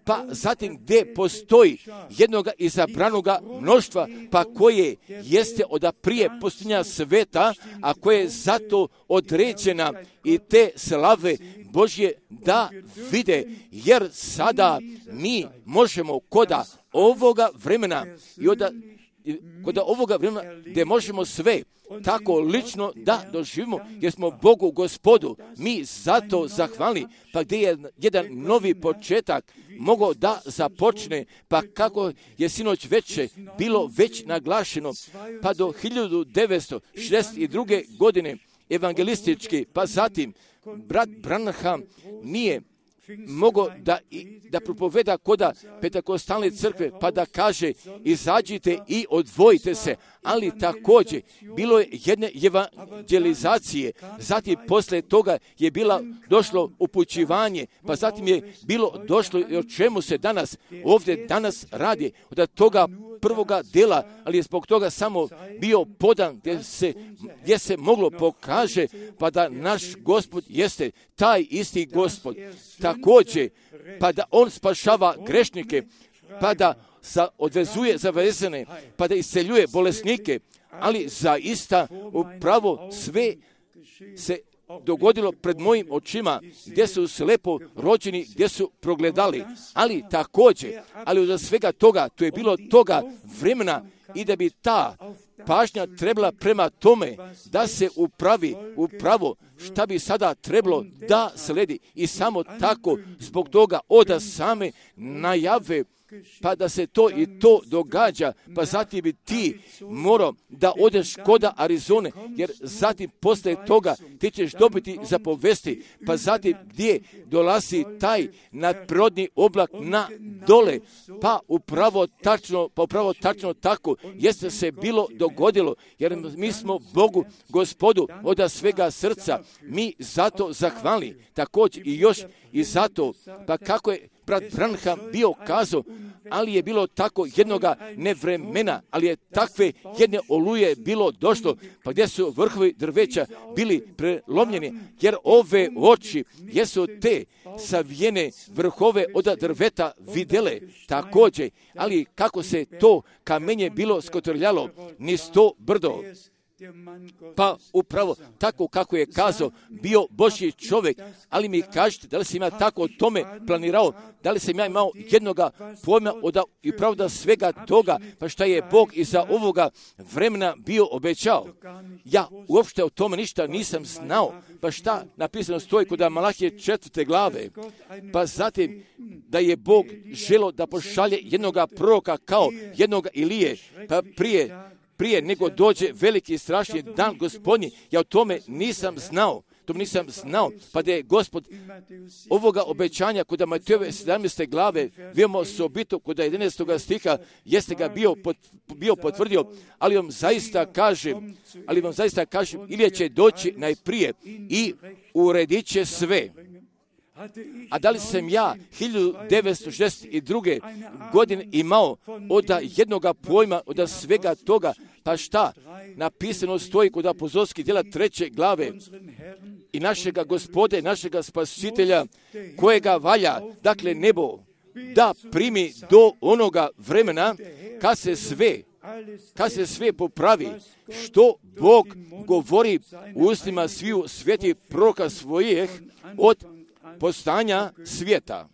pa zatim gdje postoji jednoga izabranoga mnoštva, pa koje jeste od prije postojanja sveta, a koje je zato određena i te slave Božje da vide, jer sada mi možemo koda ovoga vremena i od kod ovoga vremena gdje možemo sve tako lično da doživimo, jer smo Bogu Gospodu mi zato zahvalni, pa gdje je jedan novi početak mogao da započne, pa kako je sinoć veče bilo već naglašeno, pa do hiljadu devetsto šezdeset druge. godine evangelistički, pa zatim brat Branham nije mogao da, da propoveda koda Pentekostalne crkve, pa da kaže izađite i odvojite se, ali također bilo je jedne evangelizacije, zatim posle toga je bila došlo upućivanje, pa zatim je bilo došlo i o čemu se danas ovdje danas radi, od toga prvoga dela, ali je zbog toga samo bio podan gdje se, gdje se moglo pokaže, pa da naš Gospod jeste taj isti Gospod. Također, pa da on spašava grešnike, pa da sa, odvezuje zavezane, pa da isceljuje bolesnike, ali zaista upravo sve se dogodilo pred mojim očima, gdje su slepo rođeni, gdje su progledali, ali također, ali od svega toga, to je bilo toga vremena i da bi ta pažnja trebala prema tome da se upravi upravo šta bi sada trebalo da sledi i samo tako zbog toga oda same najave, pa da se to i to događa, pa zatim bi ti morao da odeš koda Arizone, jer zatim posle toga ti ćeš dobiti zapovesti, pa zatim gdje dolazi taj nadprirodni oblak na dole, pa upravo tačno, pa upravo tačno tako jeste se bilo dogodilo, jer mi smo Bogu, Gospodu, od svega srca, mi zato zahvali, također i još i zato, pa kako je brat Branham bio kazao, ali je bilo tako jednoga nevremena, ali je takve jedne oluje bilo došlo, pa gdje su vrhovi drveća bili prelomljeni, jer ove oči jesu te savijene vrhove od drveta videle također, ali kako se to kamenje bilo skotrljalo niz to brdo. Pa upravo tako kako je kazao, bio Božji čovjek, ali mi kažete da li sam ja tako o tome planirao, da li sam ja imao jednoga pojma od i pravda svega toga, pa šta je Bog iza ovoga vremena bio obećao. Ja uopšte o tome ništa nisam znao, pa šta napisano stoji kod Malahije četvrte glave, pa zatim da je Bog želio da pošalje jednoga proroka kao jednoga Ilije, pa prije prije nego dođe veliki i strašni dan Gospodnji, ja o tome nisam znao, to nisam znao, pa da je Gospod ovoga obećanja kod Matejove sedamnaeste glave, vidimo osobito kod jedanaestog stiha, jeste ga bio, pot, bio potvrdio, ali vam zaista kažem, ali vam zaista kažem, Ilija će doći najprije i uredit će sve. A da li sam ja hiljadu devetsto šezdeset druge. godine imao od jednoga pojma, od svega toga, pa šta? Napisano stoji kod apostolskih djela treće glave i našega Gospode, našega Spasitelja, kojega valja, dakle nebo, da primi do onoga vremena kad se sve kad se sve popravi, što Bog govori u ustima sviju svetih proroka svojih od postanja svijeta.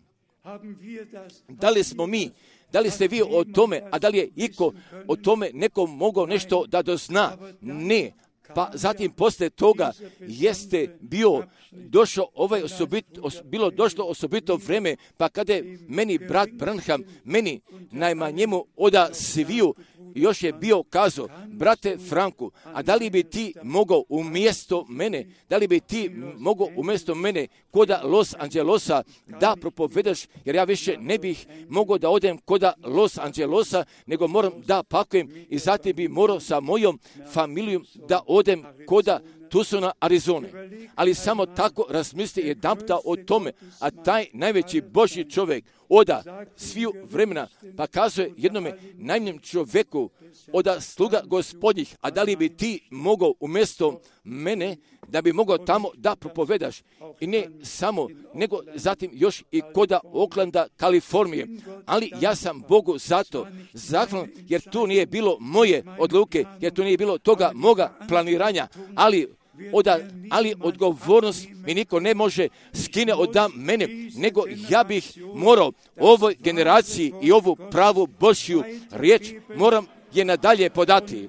Da li smo mi, da li ste vi o tome, a da li je iko o tome nekom mogao nešto da dozna? Ne. Pa zatim posle toga jeste bio došao ovaj osobit, os, bilo došlo osobito vreme, pa kada je meni brat Branham, meni najmanjemu oda sviju, još je bio kazao, brate Franku, a da li bi ti mogao umjesto mene, da li bi ti mogao umjesto mene koda Los Angelesa da propovedaš, jer ja više ne bih mogao da odem koda Los Angelosa, nego moram da pakujem i zatim bi morao sa mojom familijom da odem koda Tucsona, Arizone. Ali samo tako razmisli jedanputa o tome, a taj najveći Božji čovjek oda sviju vremena, pa kazuje jednome najmanjem čovjeku oda sluga Gospodnjih, a da li bi ti mogao umjesto mene da bi mogao tamo da propovedaš. I ne samo, nego zatim još i koda Oaklanda, Kalifornije. Ali ja sam Bogu zato zahvalan, jer tu nije bilo moje odluke, jer tu nije bilo toga moga planiranja, ali Oda, ali odgovornost mi niko ne može skine od mene, nego ja bih morao ovoj generaciji i ovu pravu Božju riječ moram je nadalje podati.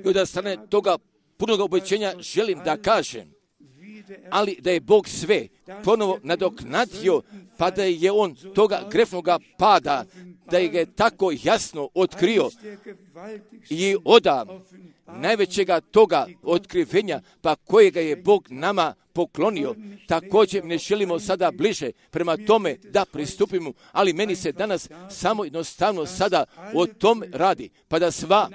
I od strane toga punog obećenja želim da kažem, ali da je Bog sve ponovo nadoknadio, pa da je on toga grefnoga pada, da je ga tako jasno otkrio i oda najvećega toga otkrivenja, pa kojega je Bog nama poklonio, također ne želimo sada bliže prema tome da pristupimo, ali meni se danas samo jednostavno sada o tom radi, pa da sva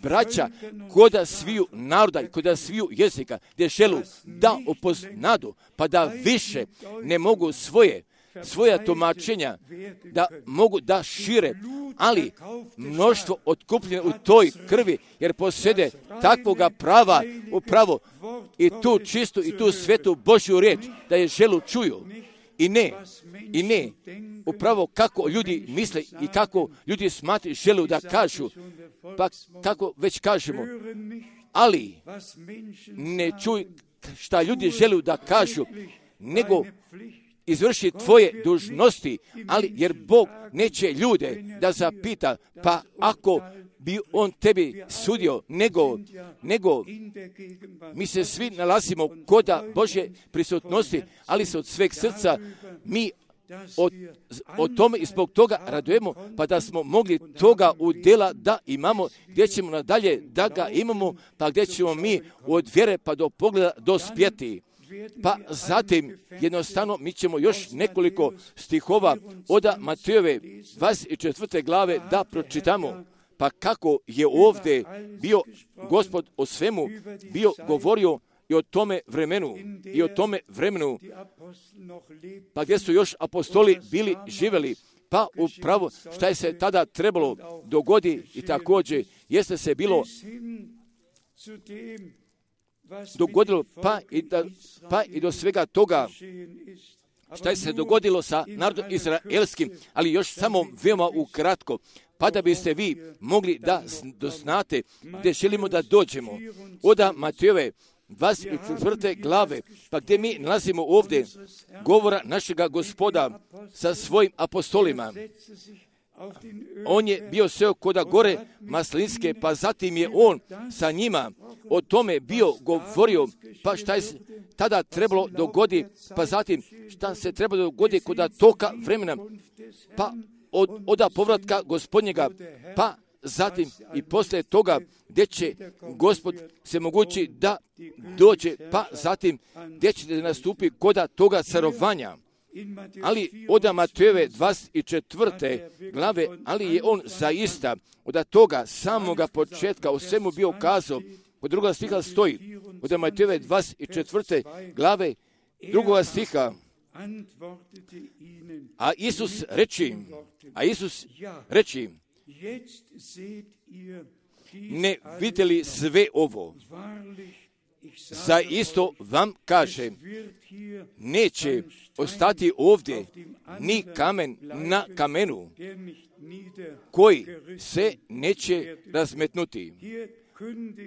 braća koda sviju naroda i koda sviju jezika gdje želu da upoznadu, pa da više ne mogu svoje svoja tumačenja da mogu da šire, ali mnoštvo otkupljeno u toj krvi, jer posjede takvoga prava upravo i tu čistu i tu svetu Božju riječ, da je želu čuju. I ne, i ne, upravo kako ljudi misle i kako ljudi smatri želu da kažu, pa kako već kažemo, ali ne čuj šta ljudi želu da kažu, nego izvrši tvoje dužnosti, ali jer Bog neće ljude da zapita, pa ako bi on tebi sudio, nego, nego mi se svi nalazimo koda Božje prisutnosti, ali se od sveg srca mi o, o tome i zbog toga radujemo, pa da smo mogli toga udjela da imamo, gdje ćemo nadalje da ga imamo, pa gdje ćemo mi od vjere pa do pogleda dospjeti. Pa zatim jednostavno mi ćemo još nekoliko stihova od Matejove dvadeset četvrte glave da pročitamo. Pa kako je ovdje bio Gospod o svemu bio govorio i o tome vremenu, i o tome vremenu, pa gdje su još apostoli bili živjeli, pa upravo šta je se tada trebalo dogodi i također jeste se bilo dogodilo, pa i, da, pa i do svega toga šta je se dogodilo sa narodom izraelskim, ali još samo veoma ukratko, pa da biste vi mogli da doznate gdje želimo da dođemo. Od Matejove dvadeset četvrte glave, pa gdje mi nalazimo ovdje govora našega Gospoda sa svojim apostolima. On je bio seo koda gore Maslinske, pa zatim je on sa njima o tome bio govorio, pa šta je tada trebalo dogodi, pa zatim šta se trebalo dogodi koda toka vremena, pa od, od povratka Gospodnjega, pa zatim i poslije toga gdje će Gospod se mogući da dođe, pa zatim gdje će da nastupi koda toga carovanja. Ali od Matejove dvadeset četvrte glave, ali je on zaista od toga samoga početka o svemu bio kazao. Od druga stiha stoji, od Matejove dvadeset četvrte glave, drugoga stiha, a Isus reči, a Isus reči, ne vidjeli sve ovo? Zaisto vam kažem, neće ostati ovdje ni kamen na kamenu koji se neće razmetnuti.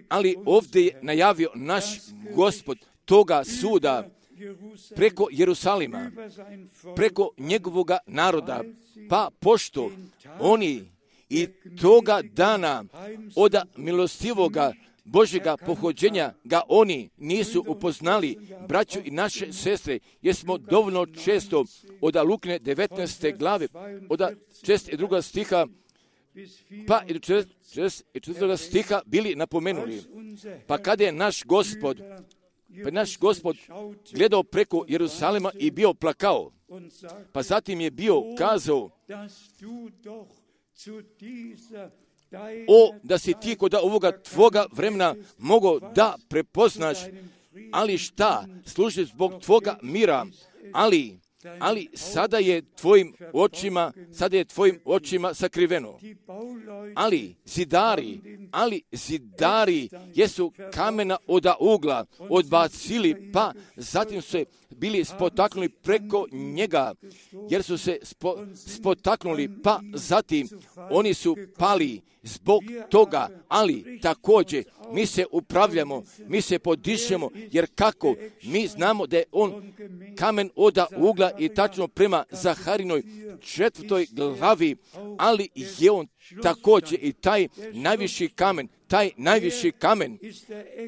Ali ovdje je najavio naš Gospod toga suda preko Jerusalima, preko njegovoga naroda, pa pošto oni i toga dana od milostivoga Božjega pohođenja ga oni nisu upoznali, braću i naše sestre, jer smo dovoljno često od Lukine devetnaeste glave, od šest druga stiha, pa i do šest četvrtoga stiha bili napomenuli. Pa kada je naš Gospod, pa naš Gospod gledao preko Jerusalima i bio plakao, pa zatim je bio kazao, o, da si ti kod ovoga tvoga vremena mogao da prepoznaš, ali šta, služi zbog tvoga mira, ali, ali sada je tvojim očima, sada je tvojim očima sakriveno. Ali zidari, ali zidari jesu kamena od ugla odbacili, pa zatim su se bili spotaknuli preko njega, jer su se spo, spotaknuli, pa zatim oni su pali zbog toga, ali također mi se upravljamo, mi se podišemo, jer kako mi znamo da je on kamen od ugla i tačno prema Zaharinoj četvrtoj glavi, ali je on također i taj najviši kamen, taj najviši kamen,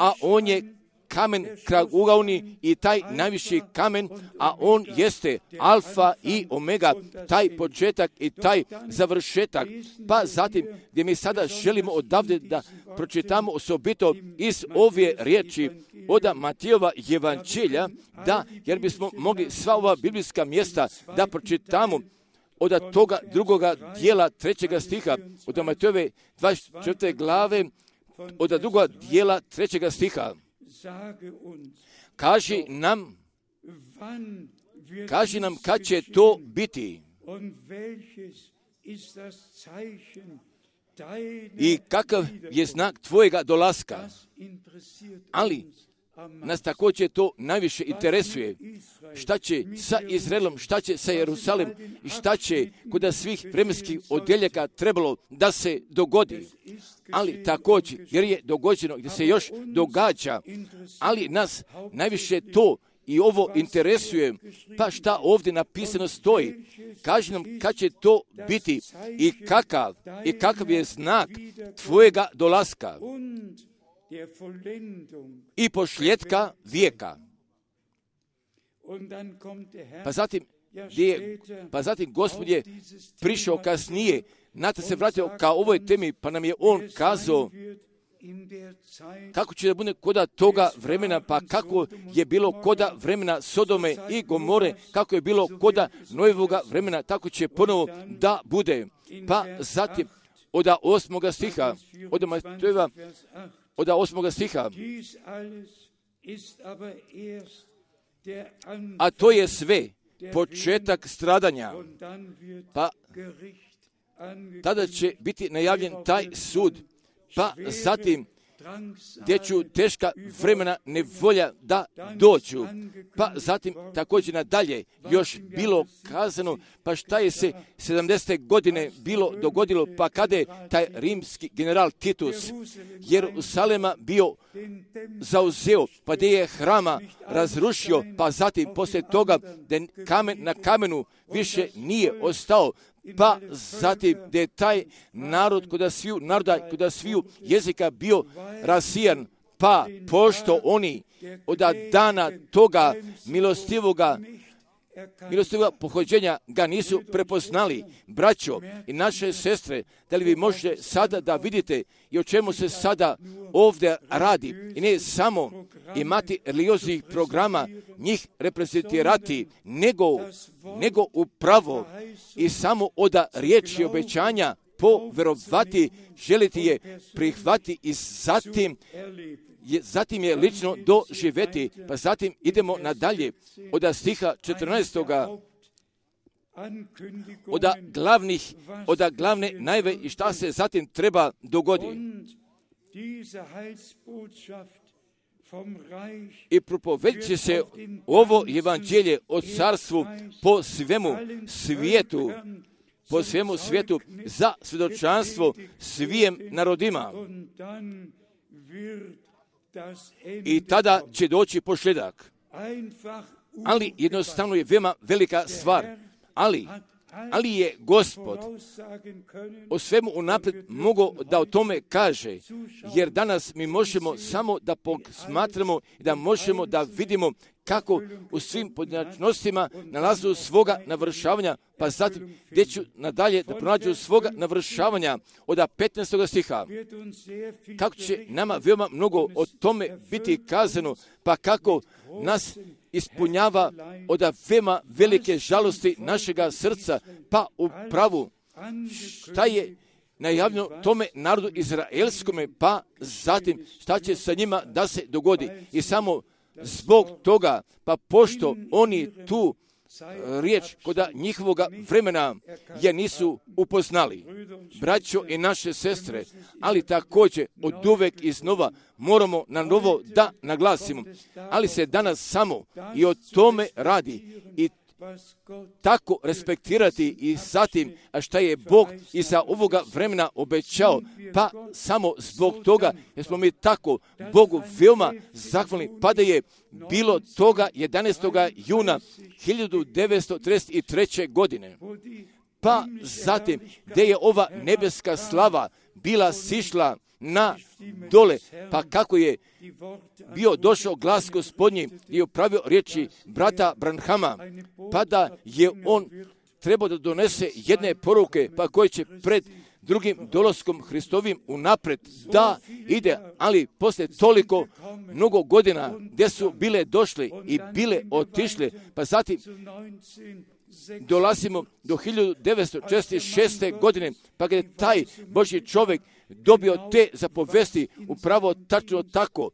a on je kamen kragugaoni i taj najviši kamen, a on jeste alfa i omega, taj početak i taj završetak. Pa zatim, gdje mi sada želimo odavde da pročitamo osobito iz ove riječi od Matijeva evanđelja, da, jer bismo mogli sva ova biblijska mjesta da pročitamo od toga drugoga dijela trećega stiha, od Matijeve dvadeset četvrte glave, od drugoga dijela trećega stiha. Kaži nam, kaži nam kad će to biti i kakav je znak tvojega dolaska. Ali nas također to najviše interesuje. Šta će sa Izraelom, šta će sa Jerusalim i šta će kod svih vremenskih odjeljaka trebalo da se dogodi. Ali također, jer je dogođeno gdje se još događa, ali nas najviše to i ovo interesuje, pa šta ovdje napisano stoji. Kaži nam kad će to biti i kakav, i kakav je znak tvojega dolaska i pošljetka vijeka. Pa zatim, je, pa zatim Gospod je prišao kasnije, znate se vratio ka ovoj temi, pa nam je on kazao kako će da bude koda toga vremena, pa kako je bilo koda vremena Sodome i Gomore, kako je bilo koda Nojevoga vremena, tako će ponovo da bude. Pa zatim, od osmoga stiha, od Matejeva, od osmoga stiha, a to je sve početak stradanja, pa tada će biti najavljen taj sud, pa zatim gdje ću teška vremena nevolja da dođu, pa zatim također nadalje još bilo kazano, pa šta je se sedamdesete godine bilo dogodilo, pa kada je taj rimski general Titus Jerusalema bio zauzeo, pa gdje je hrama razrušio, pa zatim poslije toga da kamen na kamenu više nije ostao, pa zatim da je taj narod kod sviju naroda, kod sviju jezika bio rasijan, pa pošto oni od dana toga milostivoga milostivoga pohođenja ga nisu prepoznali. Braćo i naše sestre, da li vi možete sada da vidite i o čemu se sada ovdje radi, i ne samo imati religioznih programa, njih reprezentirati, nego, nego upravo i samo od riječi obećanja poverovati, želiti je prihvati i zatim je, zatim je lično doživjeti. Pa zatim idemo nadalje od stiha četrnaestoga od glavnih, od glavne najve i šta se zatim treba dogoditi. I propovedit će se ovo evanđelje o carstvu po svemu svijetu, po svemu svijetu za svjedočanstvo svijem narodima. I tada će doći pošljedak. Ali jednostavno je veoma velika stvar. Ali, ali je Gospod o svemu unaprijed mogao da o tome kaže, jer danas mi možemo samo da posmatramo i da možemo da vidimo kako u svim pojedinačnostima nalazu svoga navršavanja, pa zatim gdje ću nadalje da pronađu svoga navršavanja od petnaestog stiha. Kako će nama veoma mnogo o tome biti kazano, pa kako nas ispunjava od veoma velike žalosti našega srca, pa u pravu šta je najavljeno tome narodu izraelskome, pa zatim šta će sa njima da se dogodi. I samo zbog toga, pa pošto oni tu riječ koda njihovoga vremena je nisu upoznali. Braćo i naše sestre, ali također od uvek iznova moramo na novo da naglasimo. Ali se danas samo i o tome radi i tako respektirati i zatim a šta je Bog iza ovoga vremena obećao, pa samo zbog toga jer smo mi tako Bogu veoma zahvalni, pa da je bilo toga jedanaestog juna hiljadu devetsto trideset treće. godine. Pa zatim gdje je ova nebeska slava bila sišla na dole, pa kako je bio došao glas Gospodnji i upravio riječi brata Branhama, pa da je on trebao da donese jedne poruke, pa koje će pred drugim dolaskom Hristovim unapred, da ide, ali poslije toliko mnogo godina gdje su bile došle i bile otišle, pa zatim dolazimo do hiljadu devetsto četrdeset šeste. godine, pa kad je taj Božji čovjek dobio te zapovesti upravo tačno tako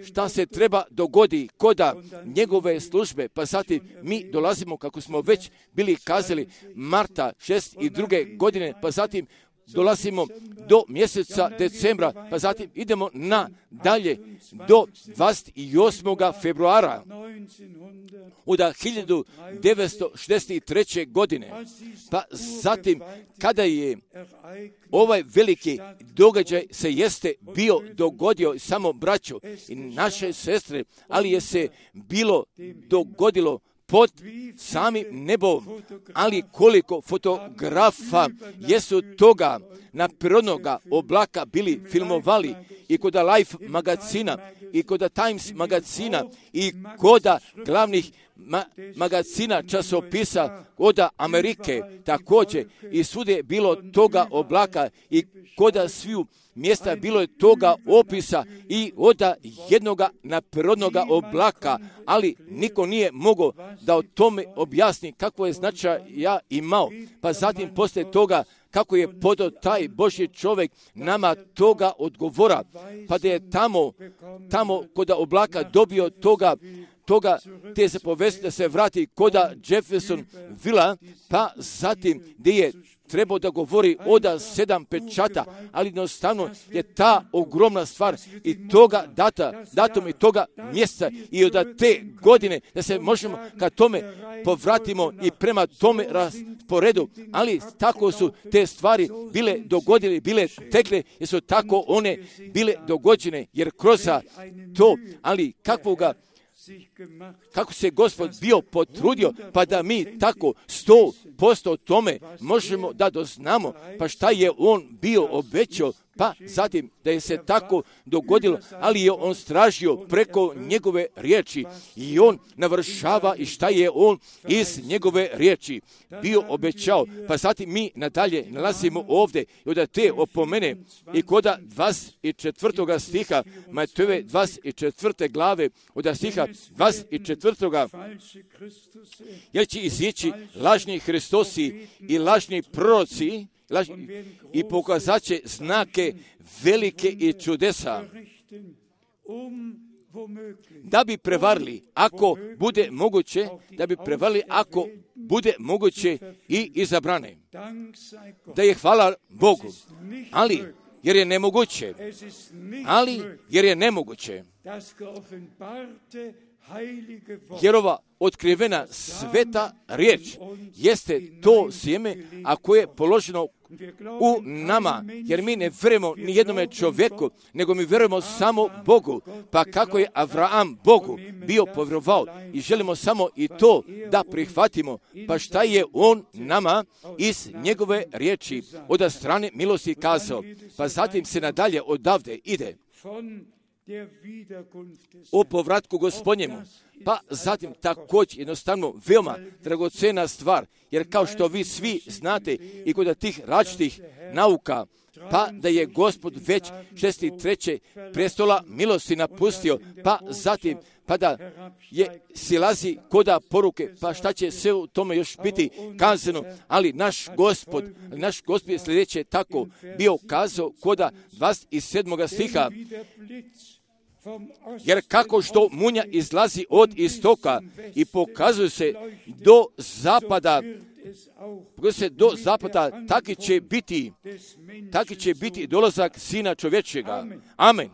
šta se treba dogodi koda njegove službe, pa zatim mi dolazimo, kako smo već bili kazali, marta šezdeset druge. godine, pa zatim dolazimo do mjeseca decembra, pa zatim idemo na dalje do dvadeset osmog februara od hiljadu devetsto šezdeset treće. godine. Pa zatim, kada je ovaj veliki događaj se jeste bio dogodio, samo braćo i naše sestre, ali je se bilo dogodilo pod samim nebom, ali koliko fotografa jesu toga naprirodnoga oblaka bili filmovali i kod Life magazina i kod Times magazina i kod glavnih ma- magazina časopisa od Amerike također i svude je bilo toga oblaka i kod sviju mjesta bilo je toga opisa i od jednoga naprirodnoga oblaka, ali niko nije mogao da o tome objasni kako je značaj ja imao. Pa zatim poslije toga kako je podao taj Božji čovjek nama toga odgovora, pa da je tamo, tamo kod oblaka dobio toga, toga te zapovesti da se vrati koda Jefferson Villa, pa zatim gdje je trebao da govori od sedam pečata, ali jednostavno je ta ogromna stvar i toga data, datum i toga mjeseca i od te godine da se možemo ka tome povratimo i prema tome rasporedu, ali tako su te stvari bile dogodile, bile tekle, jer su tako one bile dogođene, jer kroz to, ali kakvoga kako se Gospod bio potrudio, pa da mi tako sto posto tome možemo da doznamo, pa šta je on bio obećao, pa zatim da je se tako dogodilo, ali je on stražio preko njegove riječi i on navršava i šta je on iz njegove riječi bio obećao. Pa zatim mi nadalje nalazimo ovdje i od te opomene i koda dvadeset četvrtog stiha Matejove dvadeset četvrte glave od stiha dvadeset četvrtog jer će izići lažni Hristosi i lažni proroci i pokazat će znake velike i čudesa da bi prevarili, ako bude moguće, da bi prevarili, ako bude moguće i izabrane. Da je hvala Bogu, ali jer je nemoguće, ali jer je nemoguće, jer ova otkrivena sveta riječ jeste to sjeme, a koje je položeno u nama, jer mi ne vjerujemo ni jednome čovjeku, nego mi vjerujemo samo Bogu. Pa kako je Avraham Bogu bio povjerovao i želimo samo i to da prihvatimo, pa šta je on nama iz njegove riječi od strane milosti kazao. Pa zatim se nadalje odavde ide o povratku Gospodnjemu. Pa zatim također jednostavno veoma dragocena stvar, jer kao što vi svi znate i kod tih različitih nauka, pa da je Gospod već šezdeset treće prestola milosti napustio, pa zatim pa da je silazi koda poruke, pa šta će sve u tome još biti kazano, ali naš Gospod, naš Gospod je sljedeće tako bio kazao koda dvadeset sedmog stiha, jer kako što munja izlazi od istoka i pokazuje se do zapada, pokazuje se do zapada, taki će biti, taki će biti dolazak Sina čovječega. Amen.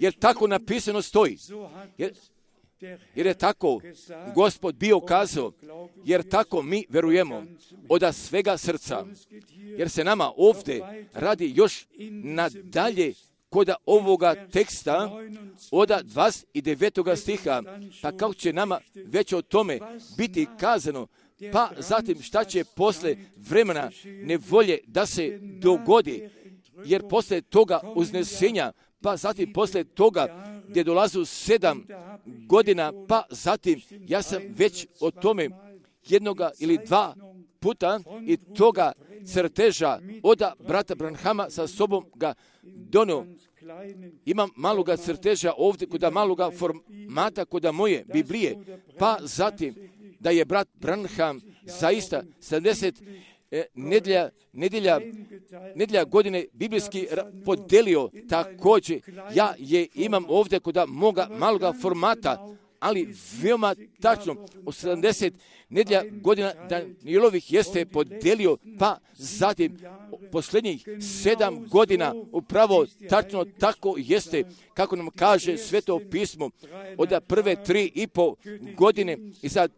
Jer tako napisano stoji. Jer, jer je tako Gospod bio kazao, jer tako mi verujemo od svega srca. Jer se nama ovdje radi još nadalje kod ovoga teksta od dvadeset devetog stiha, pa kako će nama već o tome biti kazano, pa zatim šta će posle vremena nevolje da se dogodi, jer posle toga uznesenja, pa zatim posle toga gdje dolazu sedam godina, pa zatim ja sam već o tome jednoga ili dva puta i toga crteža oda brata Branhama sa sobom ga donio. Imam maloga crteža ovdje kod maloga formata kod moje Biblije, pa zatim da je brat Branham zaista sedamdeset nedjelja, nedjelja, nedjelja godine biblijski podelio također. Ja je imam ovdje kod moga maloga formata, ali veoma tačno u sedamdeset nedjelja godina Danijelovih jeste podelio, pa zatim posljednjih sedam godina upravo tačno tako jeste, kako nam kaže Sveto pismo, od prve tri i po godine i za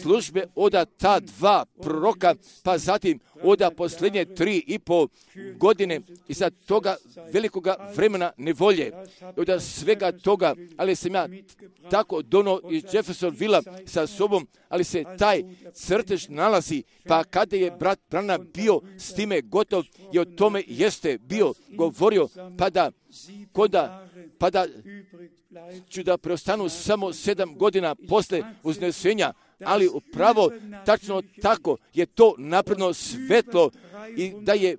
službe od ta dva proroka, pa zatim od posljednje tri i po godine i za toga velikoga vremena nevolje, od svega toga, ali sam ja tako dono iz Jeffersonvilla sa sobom, ali se taj crtež nalazi, pa kada je brat Branham bio s time gotov i o tome jeste bio govorio, pa da, koda, pa da ću da preostanu samo sedam godina posle uznesenja, ali upravo tačno tako je to napredno svetlo i da je,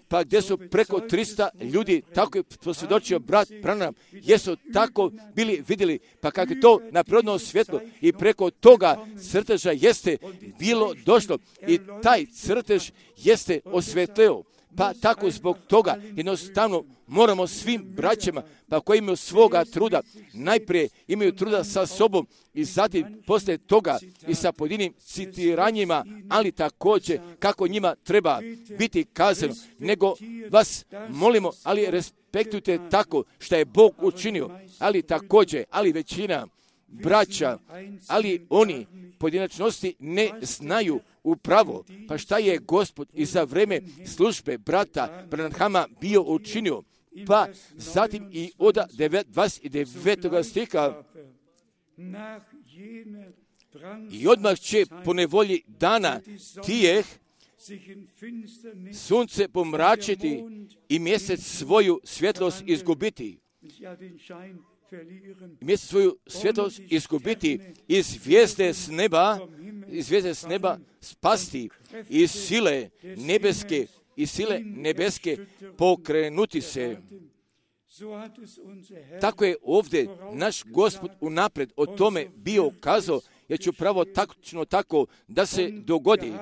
pa gdje su preko trista ljudi, tako je posvjedočio brat Branham, jesu tako bili vidjeli, pa kako je to napredno svjetlo i preko toga crteža jeste bilo došlo i taj crtež jeste osvetleo. Pa tako zbog toga jednostavno moramo svim braćama, pa koji imaju svoga truda, najprije imaju truda sa sobom i zatim poslije toga i sa pojedinim citiranjima, ali također kako njima treba biti kazano, nego vas molimo, ali respektujte tako što je Bog učinio, ali također, ali većina braća, ali oni pojedinačnosti ne znaju upravo, pa šta je Gospod i za vreme službe brata Branhama bio učinio, pa zatim i od dvadeset devetog stiha i odmah će po nevolji dana tijeh sunce pomračiti i mjesec svoju svjetlost izgubiti. Mjesec svoju svjetlost izgubiti i zvijezde s neba, i zvijezde s neba spasti i sile nebeske i sile nebeske pokrenuti se. Tako je ovdje naš Gospod unaprijed o tome bio kazao, jer ću pravo tačno tako da se dogodi.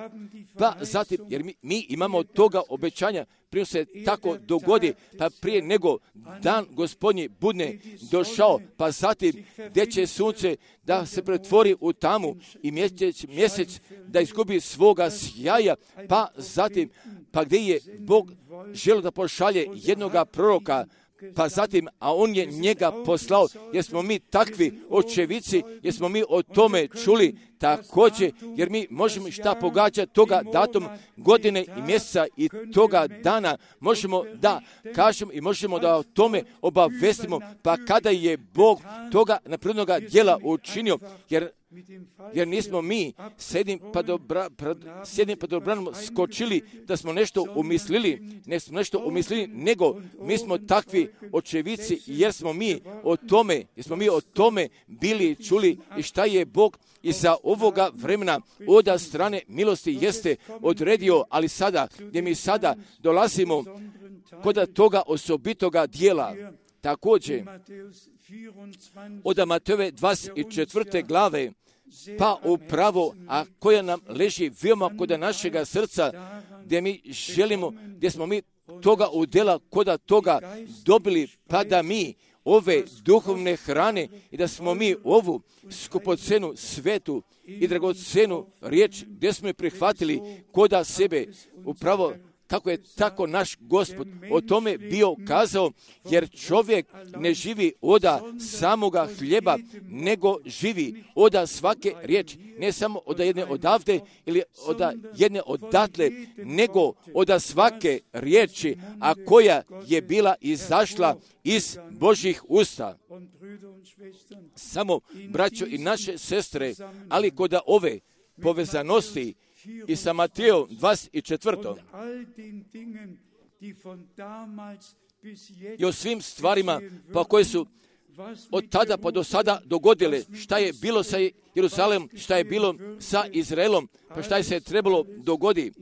Pa zatim, jer mi, mi imamo toga obećanja, prije se tako dogodi, pa prije nego dan Gospodnji budne došao, pa zatim gdje će sunce da se pretvori u tamu i mjesec, mjesec da izgubi svoga sjaja, pa zatim, pa gdje je Bog želio da pošalje jednoga proroka, pa zatim, a on je njega poslao, jer smo mi takvi očevici, jer smo mi o tome čuli također, jer mi možemo šta pogađati toga datum, godine i mjeseca i toga dana, možemo da kažemo i možemo da o tome obavestimo, pa kada je Bog toga naprednoga djela učinio, jer jer nismo mi sjednim pa dobra, sjednim pa dobrano skočili da smo nešto umislili, ne smo nešto umislili, nego mi smo takvi očevici jer smo mi o tome, jer smo mi o tome bili čuli i šta je Bog iza ovoga vremena od strane milosti jeste odredio, ali sada, gdje mi sada dolazimo kod toga osobitoga dijela, također od Matejove dvadeset četvrte glave, pa upravo, a koja nam leži veoma kod našega srca, gdje mi želimo, gdje smo mi toga udjela kod toga dobili, pa da mi ove duhovne hrane i da smo mi ovu skupocenu svetu i dragocenu riječ gdje smo je prihvatili koda sebe, upravo kako je tako naš Gospod o tome bio kazao, jer čovjek ne živi oda samoga hljeba, nego živi oda svake riječi, ne samo oda jedne odavde ili oda jedne odatle, nego oda svake riječi, a koja je bila izašla iz Božjih usta. Samo, braćo i naše sestre, ali kod ove povezanosti i sa Matejom dvadeset četvrtom i o svim stvarima pa koje su od tada pa do sada dogodile, šta je bilo sa Jerusalemom, šta je bilo sa Izraelom, pa šta je se trebalo dogodi,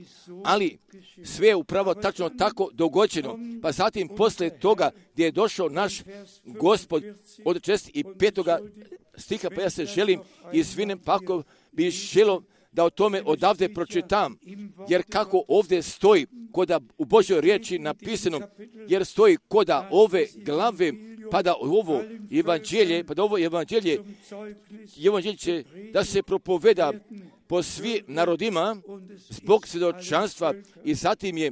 ali sve je upravo tačno tako dogođeno. Pa zatim posle toga gdje je došao naš Gospod od četrdeset petoga stiha, pa ja se želim izvinem, pa ako bi želio da o tome odavde pročitam, jer kako ovdje stoji koda u Božoj riječi napisano, jer stoji koda ove glave, pa da ovo evanđelje, pa da ovo evanđelje, evanđelje će da se propoveda po svim narodima zbog svjedočanstva i zatim je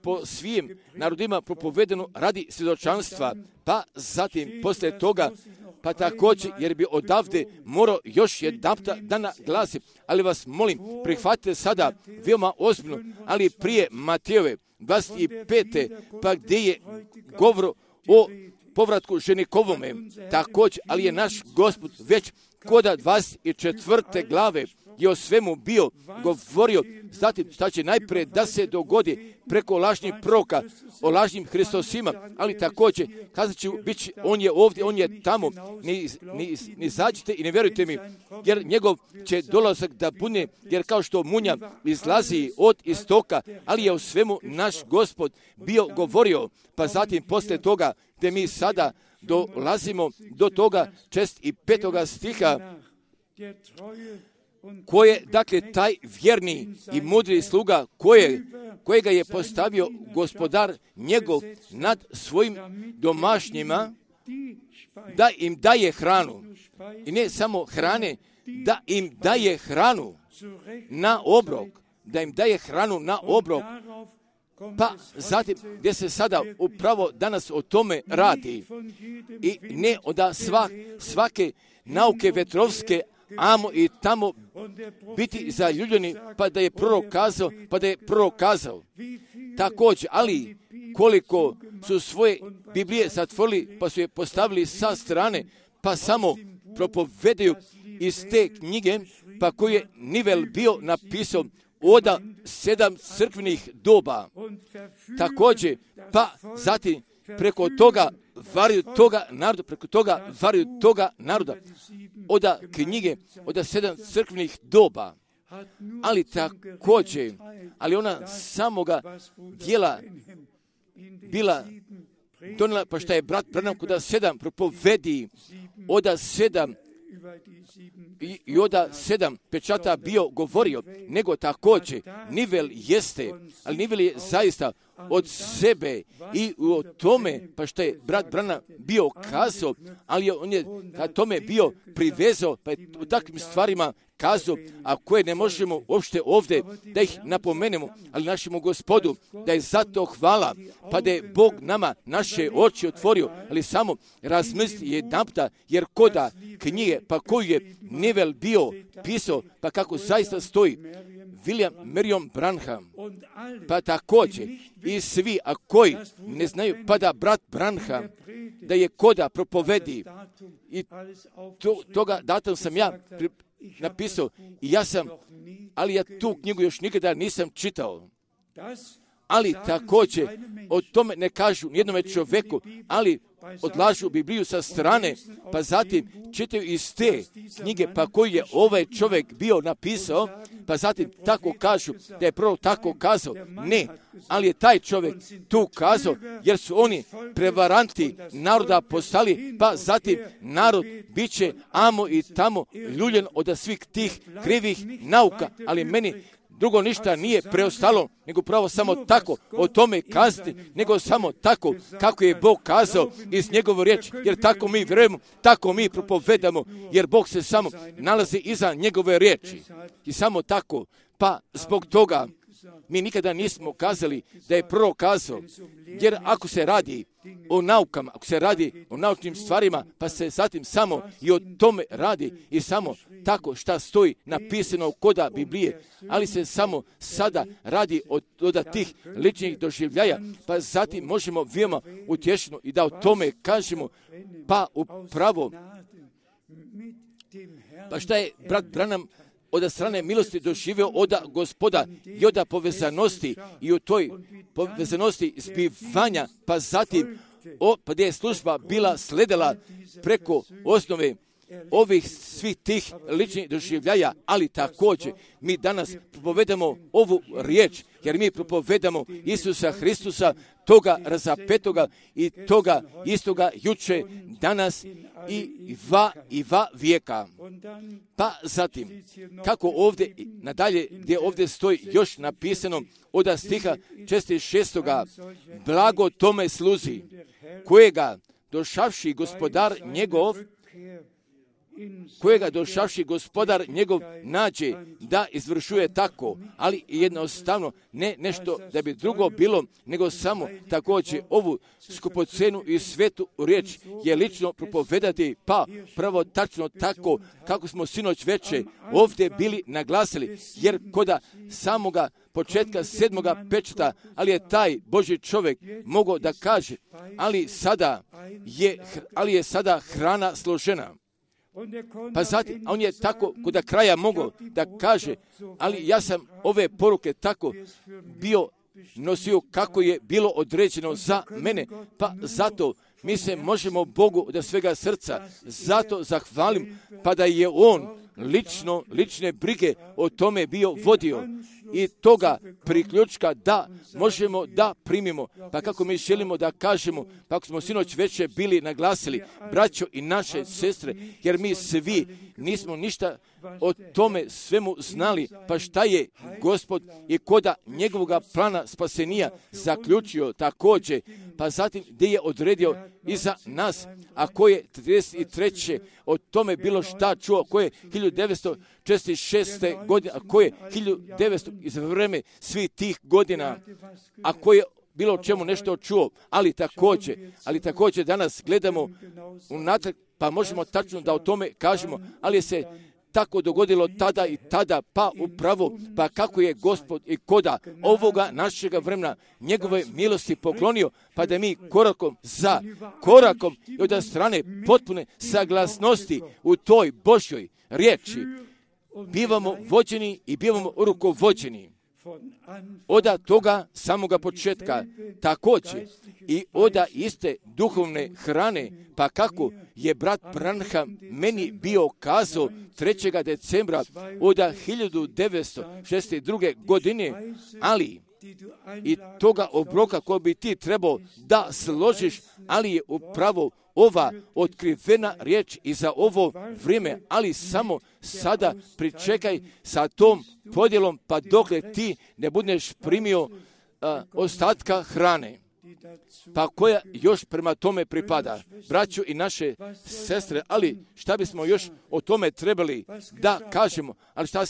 po svim narodima propovedeno radi svjedočanstva, pa zatim posle toga pa također, jer bi odavde morao još jedanputa da naglasim, ali vas molim, prihvatite sada veoma ozbiljno, ali prije Matejove dvadeset pete, pa gdje je govor o povratku ženikovome, također, ali je naš Gospod već koda dvadeset četvrte glave je o svemu bio govorio, zatim šta će najprije da se dogodi preko lažnih proroka o lažnim Hristosima, ali također kazat ću, bit će, on je ovdje, on je tamo, ni, ni, ni zađite i ne vjerujte mi, jer njegov će dolazak da bude, jer kao što munja izlazi od istoka, ali je o svemu naš Gospod bio govorio, pa zatim posle toga gdje mi sada dolazimo do toga četrdeset petoga stiha, koje, dakle, taj vjerni i mudri sluga koje, kojega je postavio gospodar njegov nad svojim domašnjima, da im daje hranu. I ne samo hrane, da im daje hranu na obrok. Da im daje hranu na obrok. Pa zatim, gdje se sada upravo danas o tome radi. I ne da svak, svake nauke vetrovske amo i tamo biti zaljubljeni, pa da je prorok kazao, pa da je prorok kazao. Također, ali koliko su svoje Biblije zatvorili, pa su je postavili sa strane, pa samo propovedaju iz te knjige, pa koju je Nivel bio napisao od sedam crkvenih doba. Također, pa zatim preko toga varaju toga naroda, preko toga varaju toga naroda, od knjige, od sedam crkvenih doba. Ali također, ali ona samoga dijela bila donijela, pa šta je brat Branham kod sedam propovedi, od sedam i, i od sedam pečata bio govorio, nego također Nivel jeste, ali Nivel je zaista od sebe i o tome, pa što je brat Branham bio kazao, ali on je ka tome bio privezao, pa je u takvim stvarima kazao, a koje ne možemo uopšte ovdje da ih napomenemo, ali našemu Gospodu, da je zato hvala, pa da je Bog nama naše oči otvorio, ali samo razmisli jedanputa, jer koda knjige, pa koju je Nivel bio pisao, pa kako zaista stoji, William Marion Branham, pa također i svi, a koji ne znaju, pa da brat Branham, da je koda propovedi, i to, toga datum sam ja pri, napisao, i ja sam, ali ja tu knjigu još nikada nisam čitao. Ali također o tome ne kažu nijednome čovjeku, ali odlažu Bibliju sa strane, pa zatim čitaju iz te knjige, pa koju je ovaj čovjek bio napisao, pa zatim tako kažu da je prvo tako kazao. Ne, ali je taj čovjek tu kazao, jer su oni prevaranti naroda postali, pa zatim narod bit će amo i tamo ljuljen od svih tih krivih nauka, ali meni drugo ništa nije preostalo, nego pravo samo tako o tome kazati, nego samo tako kako je Bog kazao iz njegove riječi, jer tako mi vjerujemo, tako mi propovedamo, jer Bog se samo nalazi iza njegove riječi. I samo tako, pa zbog toga mi nikada nismo kazali da je prorok kazao, jer ako se radi o naukama, ako se radi o naučnim stvarima, pa se zatim samo i o tome radi i samo tako šta stoji napisano koda Biblije, ali se samo sada radi od, od tih ličnih doživljaja, pa zatim možemo veoma utješeno i da o tome kažemo, pa upravo, pa šta je brat Branham od strane milosti doživio od Gospoda i od povezanosti i u toj povezanosti zbivanja, pa zatim o, pa gdje je služba bila sledila preko osnove ovih svih tih ličnih doživljaja, ali također mi danas propovedamo ovu riječ, jer mi propovedamo Isusa Hristusa, toga razapetoga i toga istoga juče, danas i va i va vijeka. Pa zatim, kako ovdje nadalje, gdje ovdje stoji još napisano od stiha četrdeset šestoga blago tome sluzi, kojega došavši gospodar njegov, kojega došavši gospodar njegov nađe da izvršuje tako, ali jednostavno ne nešto da bi drugo bilo, nego samo također ovu skupocenu i svetu riječ je lično propovedati, pa pravo tačno tako kako smo sinoć veče ovdje bili naglasili, jer koda samoga početka sedmoga pečata, ali je taj Božji čovjek mogao da kaže, ali sada je, ali je sada hrana složena. Pa zatim, a on je tako kod kraja mogao da kaže, ali ja sam ove poruke tako bio nosio kako je bilo određeno za mene, pa zato mi se možemo Bogu od svega srca zato zahvalim, pa da je On lično, lične brige o tome bio vodio i toga priključka da možemo da primimo. Pa kako mi želimo da kažemo, pa ako smo sinoć veće bili naglasili, braćo i naše sestre, jer mi svi nismo ništa o tome svemu znali, pa šta je Gospod i koda njegovoga plana spasenija zaključio također, pa zatim gdje je odredio i za nas, a ko je trideset treće o tome bilo šta čuo, ko je hiljadu devetsto četrdeset šeste godine, a ko je hiljadu devetsto iz vreme svih tih godina, a ko je bilo o čemu nešto čuo, ali također, ali također danas gledamo unatrag, pa možemo tačno da o tome kažemo, ali se tako dogodilo tada i tada, pa upravo, pa kako je Gospod i koda ovoga našega vremena njegove milosti poklonio, pa da mi korakom za korakom i od strane potpune saglasnosti u toj Božjoj riječi bivamo vođeni i bivamo rukovođeni. Oda toga samoga početka, također i oda iste duhovne hrane, pa kako je brat Branham meni bio kazao trećeg decembra oda hiljadu devetsto šezdeset druge godine, ali i toga obroka koji bi ti trebao da složiš, ali je upravo ova otkrivena riječ i za ovo vrijeme, ali samo sada pričekaj sa tom podjelom, pa dokle ti ne budeš primio a, ostatka hrane, pa koja još prema tome pripada. Braćo i naše sestre, ali šta bismo još o tome trebali da kažemo, ali šta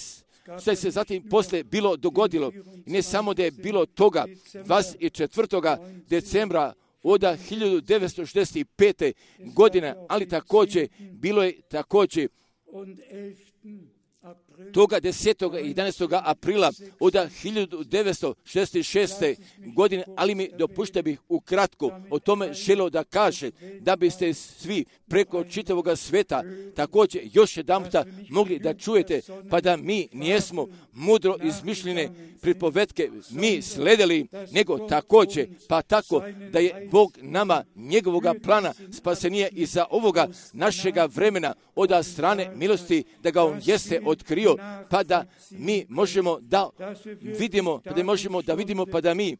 što se zatim poslije bilo dogodilo. I ne samo da je bilo toga dvadeset četvrtog decembra od hiljadu devetsto šezdeset pete. godine, ali također bilo je također toga desetog i jedanaestog aprila od hiljadu devetsto šezdeset šeste. godine, ali mi dopušte bih ukratko o tome želio da kaže, da biste svi preko čitavog sveta također još jedanputa mogli da čujete, pa da mi nijesmo mudro izmišljene pripovetke mi sledili, nego također, pa tako da je Bog nama njegovoga plana spasenija i za ovoga našega vremena od strane milosti, da ga on jeste otkrio, pa da mi možemo da vidimo, pa da možemo da vidimo, pa da mi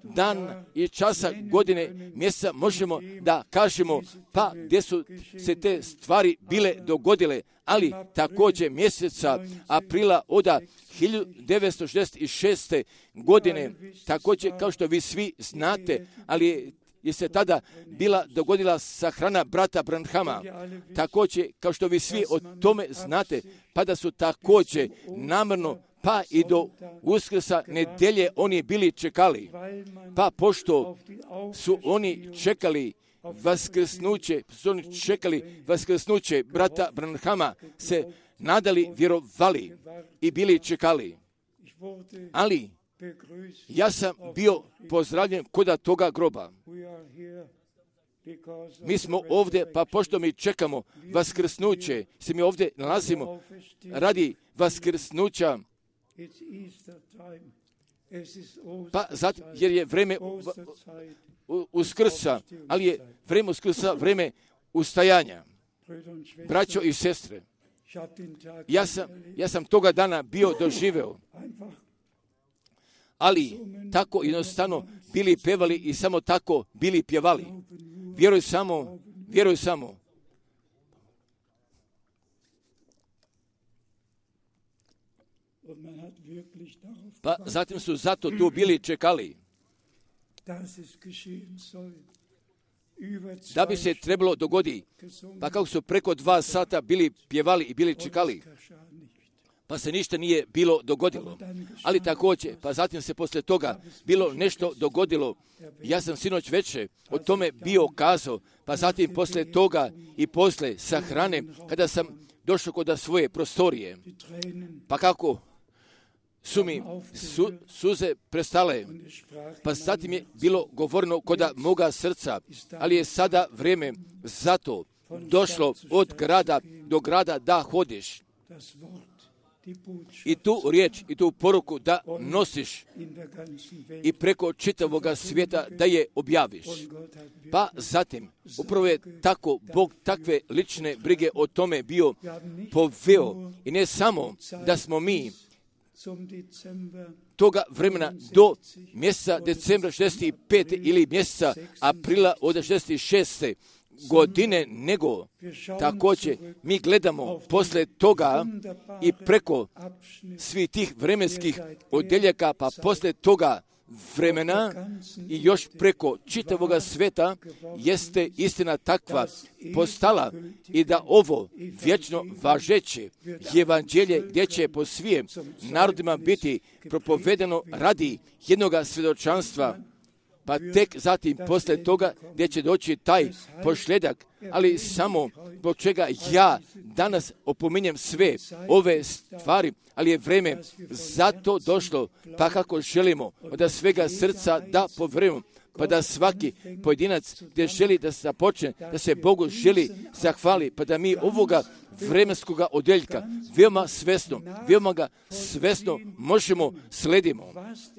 dan i časa, godine, mjeseca možemo da kažemo, pa gdje su se te stvari bile dogodile, ali također mjeseca aprila od hiljadu devetsto šezdeset šeste. godine, također kao što vi svi znate, ali je se tada bila dogodila sahrana brata Branhama. Također, kao što vi svi o tome znate, pa da su također namjerno, pa i do Uskrsa nedjelje oni bili čekali. Pa pošto su oni čekali vaskrsnuće, su oni čekali vaskrsnuće brata Branhama, se nadali, vjerovali i bili čekali. Ali ja sam bio pozdravljen kod toga groba. Mi smo ovdje, pa pošto mi čekamo vaskrsnuće, se mi ovdje nalazimo radi vaskrsnuća, Pa zato, jer je vreme Uskrsa, ali je vreme Uskrsa vreme ustajanja. Braćo i sestre, ja sam, ja sam toga dana bio doživeo, ali tako jednostavno bili pevali i samo tako bili pjevali. Vjeruj samo, vjeruj samo. Pa zatim su zato tu bili čekali da bi se trebalo dogodi. Pa kako su preko dva sata bili pjevali i bili čekali, pa se ništa nije bilo dogodilo. Ali također, pa zatim se poslije toga bilo nešto dogodilo. Ja sam sinoć večer o tome bio kazao, pa zatim poslije toga i poslije sahrane, kada sam došao kod svoje prostorije, pa kako su mi su, suze prestale, pa zatim je bilo govoreno kod moga srca, ali je sada vrijeme zato došlo od grada do grada da hodiš i tu riječ i tu poruku da nosiš i preko čitavoga svijeta da je objaviš. Pa zatim, upravo je tako Bog takve lične brige o tome bio poveo i ne samo da smo mi toga vremena do mjeseca decembra šezdeset pete ili mjeseca aprila od šezdeset šeste godine, nego također mi gledamo poslije toga i preko svih tih vremenskih odjeljaka, pa poslije toga vremena i još preko čitavoga sveta jeste istina takva postala i da ovo vječno važeće evanđelje gdje će po svijem narodima biti propovedeno radi jednoga svjedočanstva, pa tek zatim poslije toga gdje će doći taj pošljedak, ali samo zbog čega ja danas opominjem sve ove stvari, ali je vrijeme zato došlo, pa kako želimo od svega srca da povjerujemo, pa da svaki pojedinac gdje želi da se započne, da se Bogu želi zahvali, pa da mi ovoga vremenskoga odjeljka veoma svesno, veoma ga svesno možemo sledimo.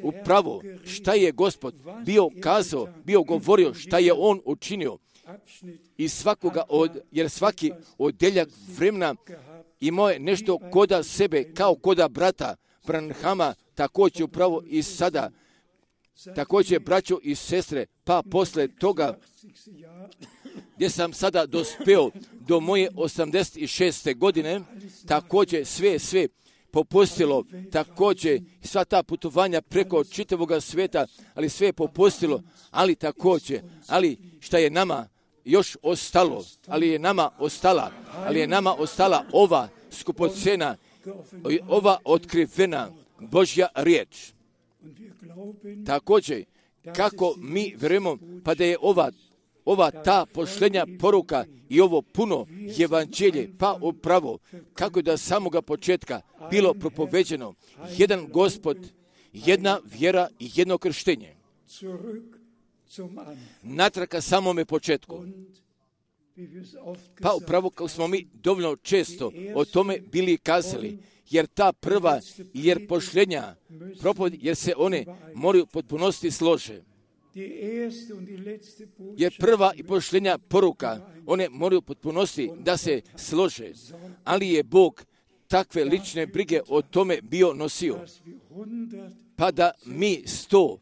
Upravo šta je Gospod bio kazao, bio govorio, šta je On učinio. I svakoga od, jer svaki odjeljak vremena imao je nešto koda sebe, kao koda brata Branhama, također upravo i sada. Također, braćo i sestre, pa posle toga gdje sam sada dospeo do moje osamdeset šeste godine, također sve, sve popustilo, također sva ta putovanja preko čitavoga svijeta, ali sve je popustilo, ali također, ali šta je nama još ostalo, ali je nama ostala, ali je nama ostala ova skupocena, ova otkrivena Božja riječ. Također, kako mi vjerujemo, pa da je ova, ova ta pošlenja poruka i ovo puno evanđelje, pa upravo, kako da samoga početka bilo propoveđeno, jedan Gospod, jedna vjera i jedno krštenje. Natrag ka samome početku. Pa upravo kako smo mi dovoljno često o tome bili kazali, jer ta prva, jer pošljenja, propovjed, jer se one moraju potpunosti slože. Jer prva i pošljenja poruka, one moraju potpunosti da se slože, ali je Bog takve lične brige o tome bio nosio. Pa da mi sto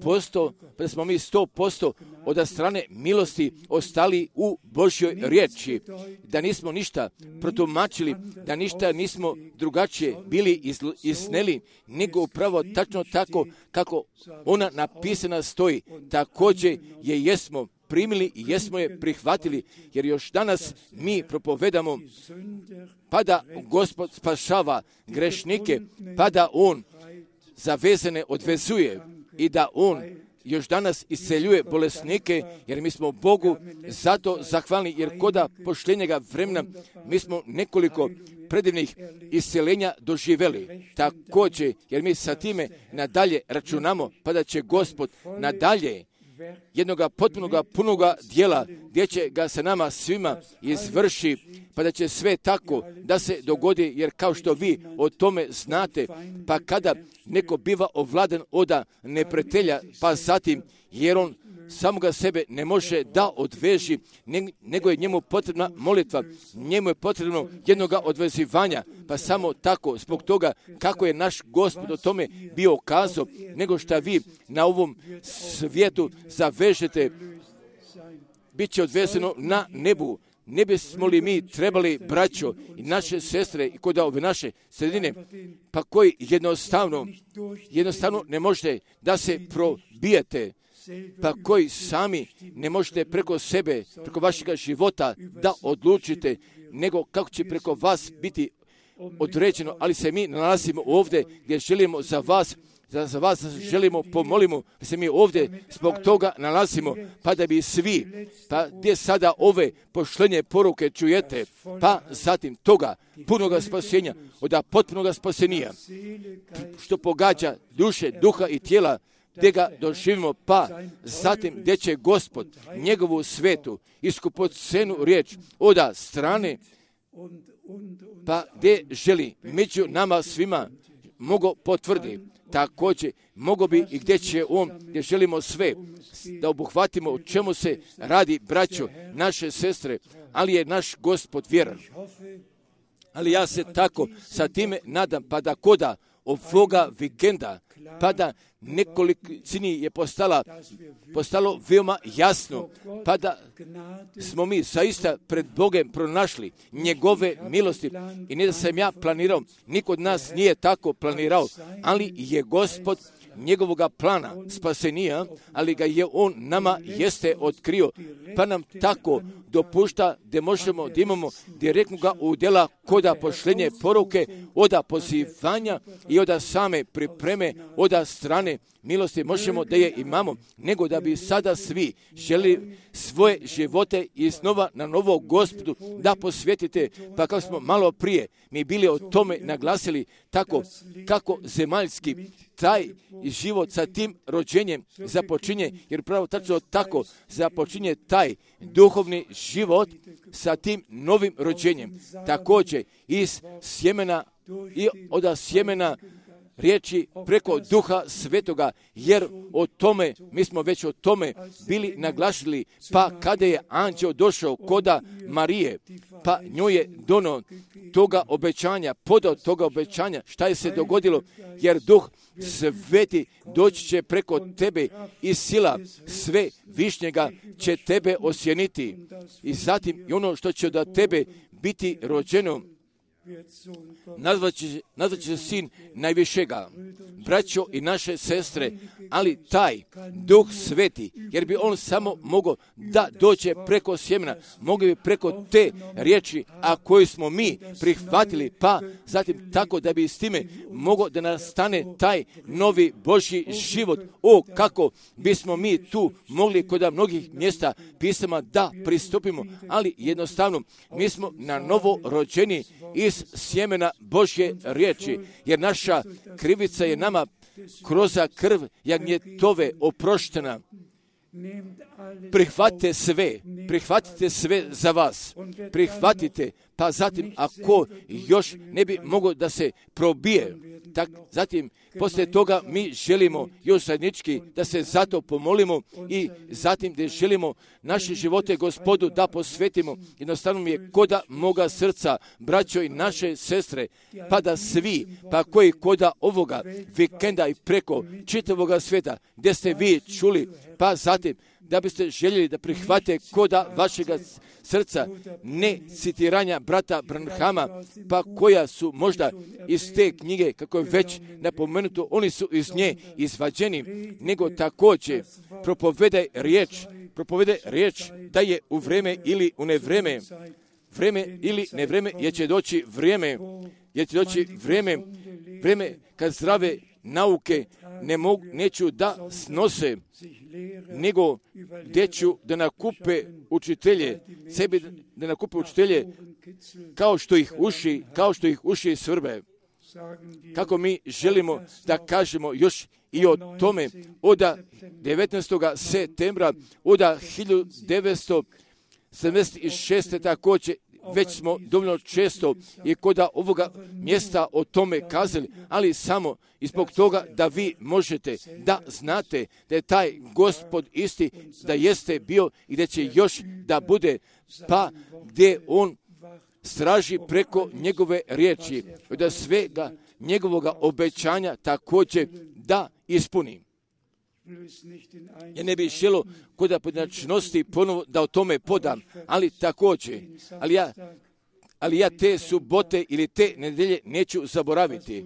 posto, pa da smo mi sto posto od strane milosti ostali u Božjoj riječi, da nismo ništa protumačili, da ništa nismo drugačije bili isneli, nego upravo tačno tako kako ona napisana stoji, također je jesmo primili i jesmo je prihvatili, jer još danas mi propovedamo, pa da Gospod spašava grešnike, pa da On zavezane odvezuje i da On još danas isceljuje bolesnike, jer mi smo Bogu zato zahvalni, jer koda pošljenjega vremena mi smo nekoliko predivnih isceljenja doživjeli. Također, jer mi sa time nadalje računamo, pa da će Gospod nadalje jednoga potpunoga punoga dijela, gdje će ga sa nama svima izvrši, pa da će sve tako da se dogodi, jer kao što vi o tome znate, pa kada neko biva ovladan od neprijatelja, pa zatim, jer on samoga sebe ne može da odveži, nego je njemu potrebna molitva, njemu je potrebno jednoga odvezivanja, pa samo tako, zbog toga kako je naš Gospod o tome bio kazao, nego što vi na ovom svijetu zavežete, bit će odvezeno na nebu. Ne bismo li mi trebali, braćo i naše sestre, i kod ove naše sredine, pa koji jednostavno, jednostavno ne možete da se probijete, pa koji sami ne možete preko sebe, preko vašega života da odlučite, nego kako će preko vas biti određeno, ali se mi nalazimo ovdje gdje želimo za vas, za, za vas želimo pomolimo, da se mi ovdje zbog toga nalazimo, pa da bi svi, pa gdje sada ove pošlenje poruke čujete, pa zatim toga punoga spasenja, od potpunoga spasenija, što pogađa duše, duha i tijela, gdje ga doživimo, pa zatim gdje će Gospod njegovu svetu iskupocenu riječ oda strane, pa gdje želi među nama svima mogo potvrdi. Također, mogo bi i gdje će on, gdje želimo sve da obuhvatimo o čemu se radi, braćo, naše sestre, ali je naš Gospod vjeran. Ali ja se tako sa time nadam, pa da koda ovoga vikenda, pa da nekolicini je postala, postalo veoma jasno, pa da smo mi zaista pred Bogem pronašli njegove milosti. I ne da sam ja planirao, niko od nas nije tako planirao, ali je Gospod njegovoga plana spasenija, ali ga je on nama jeste otkrio, pa nam tako dopušta da možemo da imamo direktnoga udjela koda pošlenje poruke, oda pozivanja i oda same pripreme, oda strane milosti možemo da je imamo, nego da bi sada svi želi svoje živote iznova na novo Gospodu da posvetite, pa kako smo malo prije mi bili o tome naglasili, tako kako zemaljski taj život sa tim rođenjem započinje, jer pravo tačno tako započinje taj duhovni život sa tim novim rođenjem. Također iz sjemena i od sjemena riječi preko Duha Svetoga, jer o tome, mi smo već o tome bili naglašili, pa kada je anđeo došao koda Marije, pa njoj je dono toga obećanja, podao toga obećanja, šta je se dogodilo, jer Duh Sveti doći će preko tebe i sila sve višnjega će tebe osjeniti. I zatim i ono što će od tebe biti rođeno, nazvaće, nazvaće se sin najvišega, braćo i naše sestre, ali taj Duh Sveti, jer bi on samo mogao da dođe preko sjemena, mogao bi preko te riječi, a koju smo mi prihvatili, pa zatim tako da bi s time mogao da nastane taj novi Božji život. O, kako bismo mi tu mogli kod mnogih mjesta pisama da pristupimo, ali jednostavno mi smo na novo rođeni iz sjemena Božje riječi, jer naša krivica je nama kroz krv jagnjetove oproštena. Prihvatite sve, prihvatite sve za vas, prihvatite, pa zatim ako još ne bi moglo da se probije, tak, zatim poslije toga mi želimo još zajednički da se zato pomolimo i zatim da želimo naše živote Gospodu da posvetimo. Jednostavno mi je koda moga srca, braćo i naše sestre, pa da svi, pa koji koda ovoga vikenda i preko čitavoga svijeta, gdje ste vi čuli, pa zatim da biste željeli da prihvate koda vašega srca ne citiranja brata Branhama, pa koja su možda iz te knjige, kako je već napomenuto, oni su iz nje izvađeni, nego također propovedaj riječ, propovedaj riječ da je u vreme ili u nevreme, vreme ili nevreme, jer će doći vrijeme, jer će doći vrijeme, vrijeme kad zdrave nauke ne mogu, neću da snose, nego gdje ću da nakupe učitelje, sebi da nakupe učitelje kao što ih uši, kao što ih uši svrbe. Kako mi želimo da kažemo još i o tome od devetnaestog septembra od hiljadu devetsto sedamdeset šeste također, već smo dovoljno često i kod ovoga mjesta o tome kazali, ali samo i zbog toga da vi možete da znate da je taj Gospod isti, da jeste bio i da će još da bude, pa gdje on straži preko njegove riječi, da svega njegovoga obećanja također da ispuni. Ja ne bih želio kod pojedinačnosti ponovo da o tome podam, ali također, ali ja, ali ja te subote ili te nedelje neću zaboraviti.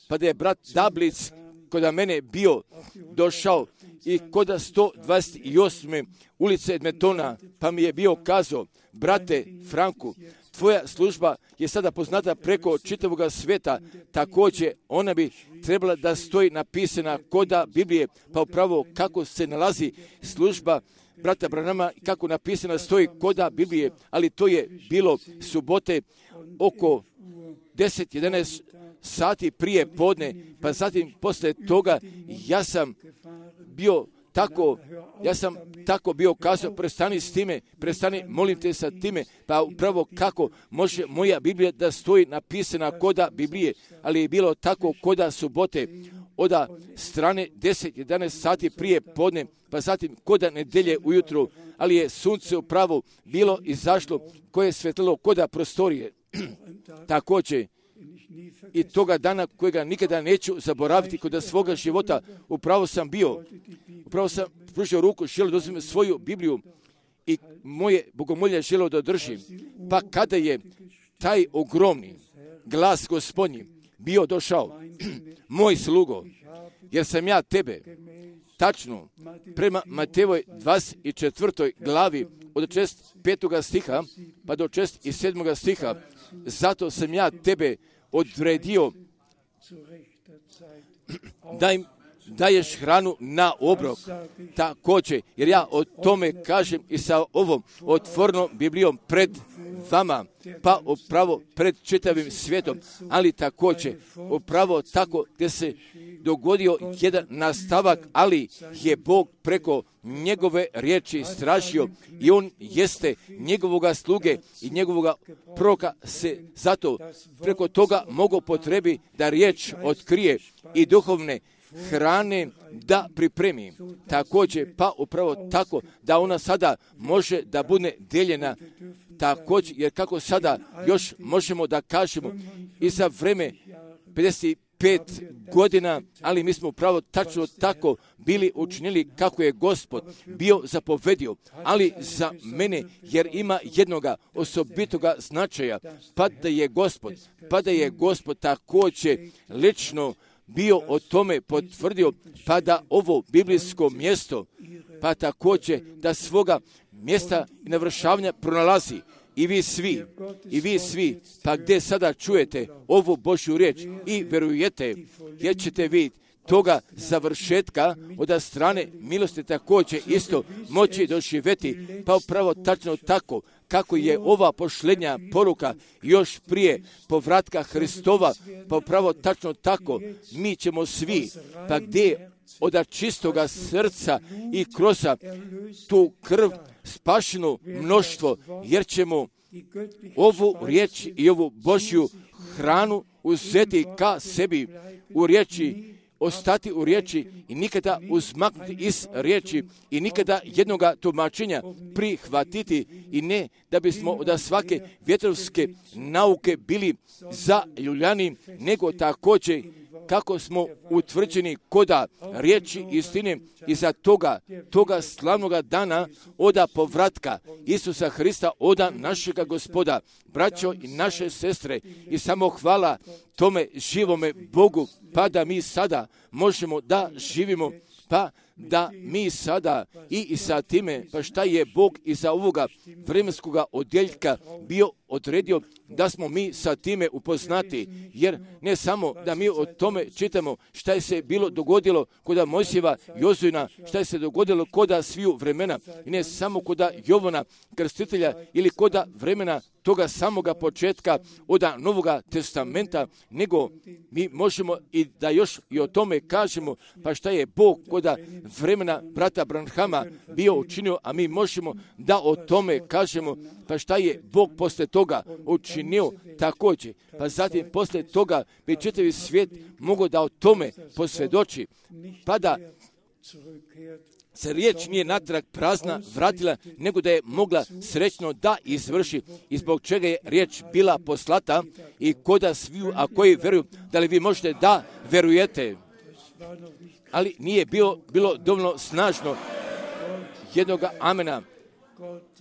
Pa da je brat Dablic kod mene bio došao i kod sto dvadeset osme ulice Edmontona, pa mi je bio kazao, brate Franku, tvoja služba je sada poznata preko čitavoga svijeta, također ona bi trebala da stoji napisana koda Biblije, pa upravo kako se nalazi služba brata Branhama, kako napisana stoji koda Biblije, ali to je bilo subote oko deset jedanaest sati prije podne, pa zatim poslije toga ja sam bio tako, ja sam tako bio kazao, prestani s time, prestani, molim te sa time, pa upravo kako može moja Biblija da stoji napisana koda Biblije, ali je bilo tako koda subote, od strane deset jedanaest sati prije podne, pa zatim koda nedelje ujutru, ali je sunce upravo bilo izašlo koje je svetlilo koda prostorije. Također, i toga dana kojega nikada neću zaboraviti kod svoga života, upravo sam bio, upravo sam pružio ruku, želio da uzmem svoju Bibliju i moje bogomolje želio da držim. Pa kada je taj ogromni glas Gospodnji bio došao, moj slugo, jer sam ja tebe, tačno, prema Matejevoj dvadeset četvrtoj glavi, od šezdeset petog stiha, pa do šezdeset sedmog stiha, zato sam ja tebe odredio da im daješ hranu na obrok. Također, jer ja o tome kažem i sa ovom otvorenom Biblijom pred vama, pa upravo pred čitavim svijetom, ali također upravo tako gdje se dogodio jedan nastavak, ali je Bog preko njegove riječi stražio i on jeste njegovoga sluge i njegovoga proroka se zato preko toga mogu potrebi da riječ otkrije i duhovne hrane da pripremi. Također, pa upravo tako da ona sada može da bude dijeljena također, jer kako sada još možemo da kažemo i za vreme pedeset pet godina, ali mi smo upravo tačno tako bili učinili kako je Gospod bio zapovedio, ali za mene, jer ima jednoga osobitoga značaja, pa da je Gospod, pa da je Gospod također lično bio o tome potvrdio, pa da ovo biblijsko mjesto, pa također da svoga mjesta i navršavanja pronalazi. I vi svi, i vi svi, pa gdje sada čujete ovu Božju riječ i vjerujete, jer ćete vidjeti toga završetka od strane milosti također isto moći doživjeti, pa upravo tačno tako kako je ova posljednja poruka još prije povratka Hristova, pa upravo tačno tako mi ćemo svi, pa gdje od čistoga srca i kroz tu krv spašenu mnoštvo, jer ćemo ovu riječ i ovu Božju hranu uzeti ka sebi u riječi, ostati u riječi i nikada uzmaknuti iz riječi i nikada jednoga tumačenja prihvatiti i ne da bismo od svake vjetrovske nauke bili zaljuljani, nego također kako smo utvrđeni koda riječi istine i za toga, toga slavnoga dana oda povratka Isusa Hrista, oda našega Gospoda, braćo i naše sestre, i samo hvala tome živome Bogu, pa da mi sada možemo da živimo, pa da mi sada i, i sa time, pa šta je Bog iza ovoga vremenskoga odjeljka bio odredio da smo mi sa time upoznati, jer ne samo da mi o tome čitamo šta je se bilo dogodilo koda Mojsijeva, Jozuina, šta je se dogodilo koda sviju vremena, i ne samo koda Jovana Krstitelja ili koda vremena toga samoga početka od Novoga testamenta, nego mi možemo i da još i o tome kažemo, pa šta je Bog koda vremena brata Branhama bio učinio, a mi možemo da o tome kažemo, pa šta je Bog posle toga učinio također. Pa zatim posle toga bi čitavi svijet mogao da o tome posvjedoči, pa da se riječ nije natrag prazna vratila, nego da je mogla srećno da izvrši, i zbog čega je riječ bila poslata i koda sviju, a koji veruju, da li vi možete da verujete. Ali nije bilo, bilo dovoljno snažno jednoga amena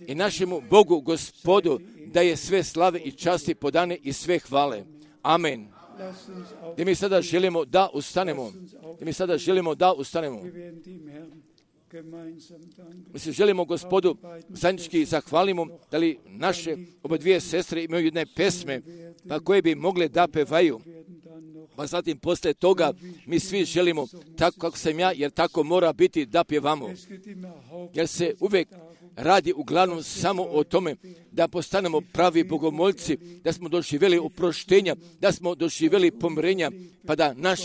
i našemu Bogu, Gospodu, da je sve slave i časti podane i sve hvale. Amen. Da mi sada želimo da ustanemo. Da mi sada želimo da ustanemo. Mi se želimo Gospodu zajednički zahvalimo, da li naše oba dvije sestre imaju jedne pesme, pa koje bi mogle da pevaju. Pa zatim posle toga mi svi želimo, tako kako sam ja, jer tako mora biti, da pjevamo. Jer se uvijek radi uglavnom samo o tome da postanemo pravi bogomoljci, da smo doživjeli oproštenja, da smo doživjeli pomirenja, pa da naš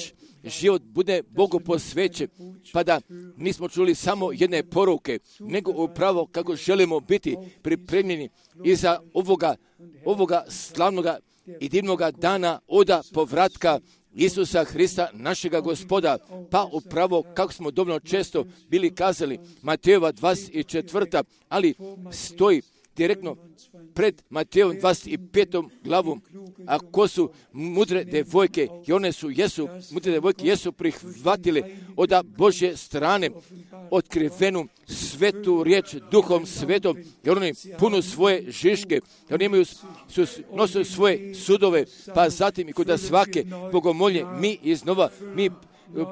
život bude Bogu posvećen, pa da nismo čuli samo jedne poruke, nego upravo kako želimo biti pripremljeni i za ovoga, ovoga slavnoga i divnoga dana oda povratka Isusa Hrista, našega Gospoda, pa upravo kako smo dovoljno često bili kazali, Matejova dvadeset četvrta, ali stoji direktno pred Matejevom dvadeset petom glavom, a ko su mudre devojke, i one su, jesu, mudre devojke jesu prihvatile od Božje strane otkrivenu svetu riječ Duhom Svetom, jer oni punu svoje žiške, jer oni imaju, su, nose svoje sudove, pa zatim i kod svake bogomolje mi iznova, mi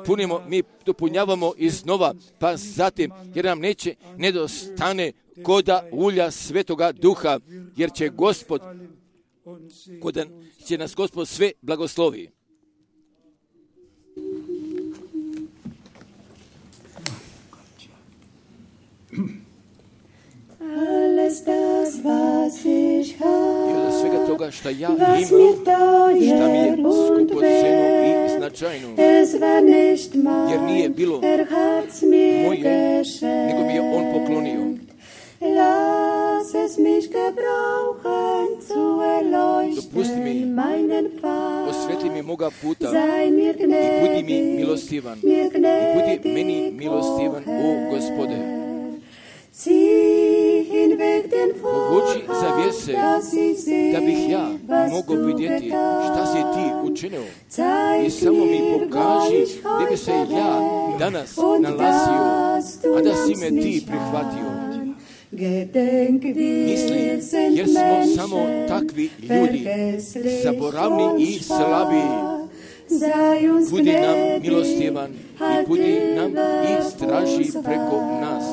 punimo, mi dopunjavamo iznova, pa zatim, jer nam neće nedostane koda ulja Svetoga Duha, jer će Gospod, koda će nas Gospod sve blagoslovi. Alles das, was ich I od svega toga šta ja imam, habe, šta mi je skupoceno i značajno, es war nicht jer nije bilo er hat's mir moje, nego mi je geschenkt. On poklonio. Lass es mich gebrauchen zu Dopusti mi, erleuchten meinen Pfad. osvetli mi moga puta Sei mir i budi mi gnädig, milostivan. mir I budi meni gnädig, milostivan, o Gospode. Zieh hinweg den Povuči zavjese, dass ich sehe, da bih ja was mogao du vidjeti šta si ti getan. učinio. Zeig I samo mi mir, pokaži wo ich gdje bi se heute ja wär danas und nalazio, dass du a da si nimmst me ti mich prihvatio. an. Gedenk, Misli, wir sind jer smo Menschen, samo takvi ljudi, vergesslich zaboravni und i slabi. schwach. Sei uns Budi nam gnädig, milostivan i budi nam i straži preko nas.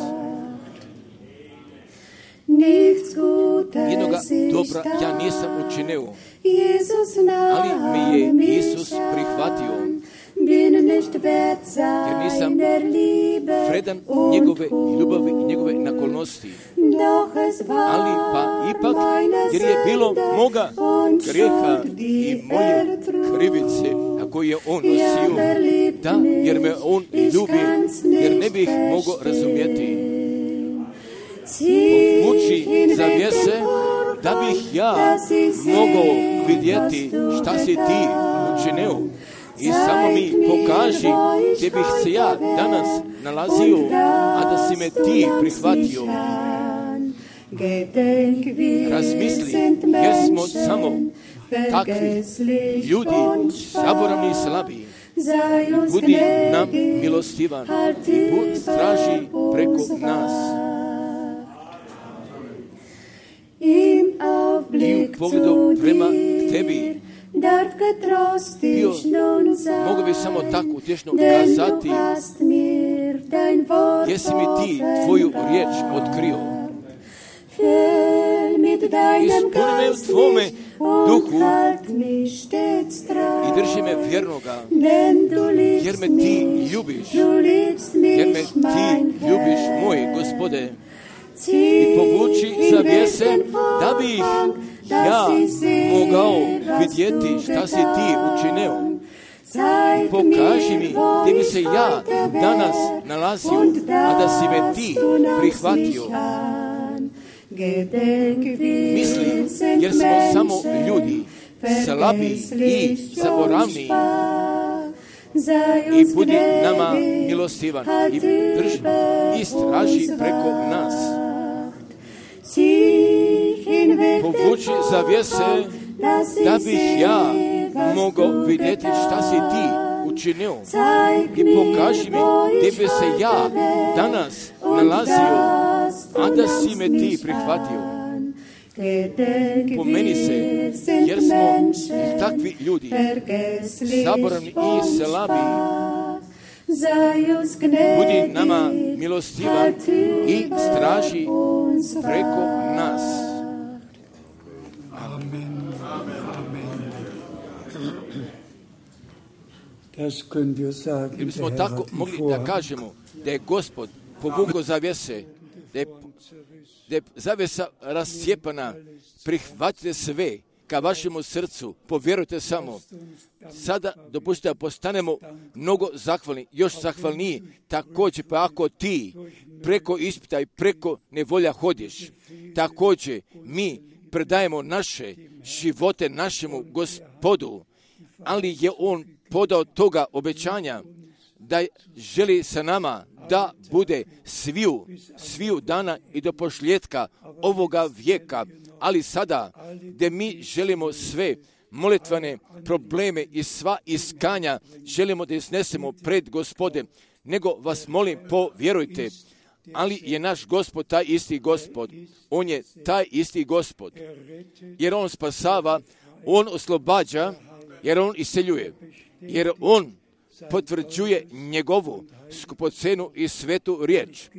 Nichts Gutes Jednoga ist dobra ja da. nisam učinio, Jesus ali mi je nahm mich Isus prihvatio, an, bin nicht wert jer nisam seiner Liebe vredan und njegove Gunst. ljubavi i njegove nakolnosti. Doch es war Ali pa ipak, meine jer je bilo Sünde moga und grijeha Schuld, die i moje er trug. krivice, a koje je On Ja, nosio, wer liebt da, jer me On mich, ljubi, ich kann's jer ne nicht bih mogao razumjeti. verstehen. Zieh Povuči hinweg zavjese, den Vorhang, da bih ja dass ich sehe, mogao vidjeti was du šta si ti getan. učinio. I samo mi pokaži gdje bih se ja danas nalazio, a da si me ti prihvatio. Razmisli, jer smo samo takvi ljudi, zaboravni i slabi. Budi nam milostivan i budi straži preko nas. I u pogledu prema tebi bio, mogu bi samo tako utješno kazati, jesi mi ti tvoju riječ otkrio. ispuni me u Tvome duhu i drži me vjernoga, jer me Ti ljubiš, jer me Ti ljubiš, moj Gospode. I povuči zavjese da bih ja mogao vidjeti šta si Ti učinio. Pokaži mi gdje bi se ja danas nalazio, a da si me Ti prihvatio. Mislim, jer smo samo ljudi, slabi i zaboravni. I budi nama milostivan i drži i straži preko nas. Povuči zavjese da bih ja mogao vidjeti šta si Ti učinio. I pokaži mi gdje bi se ja danas nalazio, a da si me Ti prihvatio. Pomeni se, jer smo takvi ljudi, zaboravni i slabi. Budi nama milostivan i straži preko nas. Amen. Amen. Das können wir sagen. Jer bismo tako mogli da kažemo da je Gospod povukao zavjese, da je, da je zavjesa rascijepana. Prihvatite sve ka vašemu srcu, povjerujte samo. Sada dopustite da postanemo mnogo zahvalni, još zahvalniji, također pa ako ti preko ispita i preko nevolja hodiš, također mi predajemo naše živote našemu Gospodu, ali je On podao toga obećanja da želi sa nama da bude sviju, sviju dana i do pošljetka ovoga vijeka, ali sada gdje mi želimo sve molitvane probleme i sva iskanja želimo da iznesemo pred Gospodem, nego vas molim, povjerujte, ali je naš Gospod taj isti Gospod. On je taj isti Gospod, jer On spasava, On oslobađa, jer On iseljuje, jer On potvrđuje njegovu skupocenu i svetu riječ.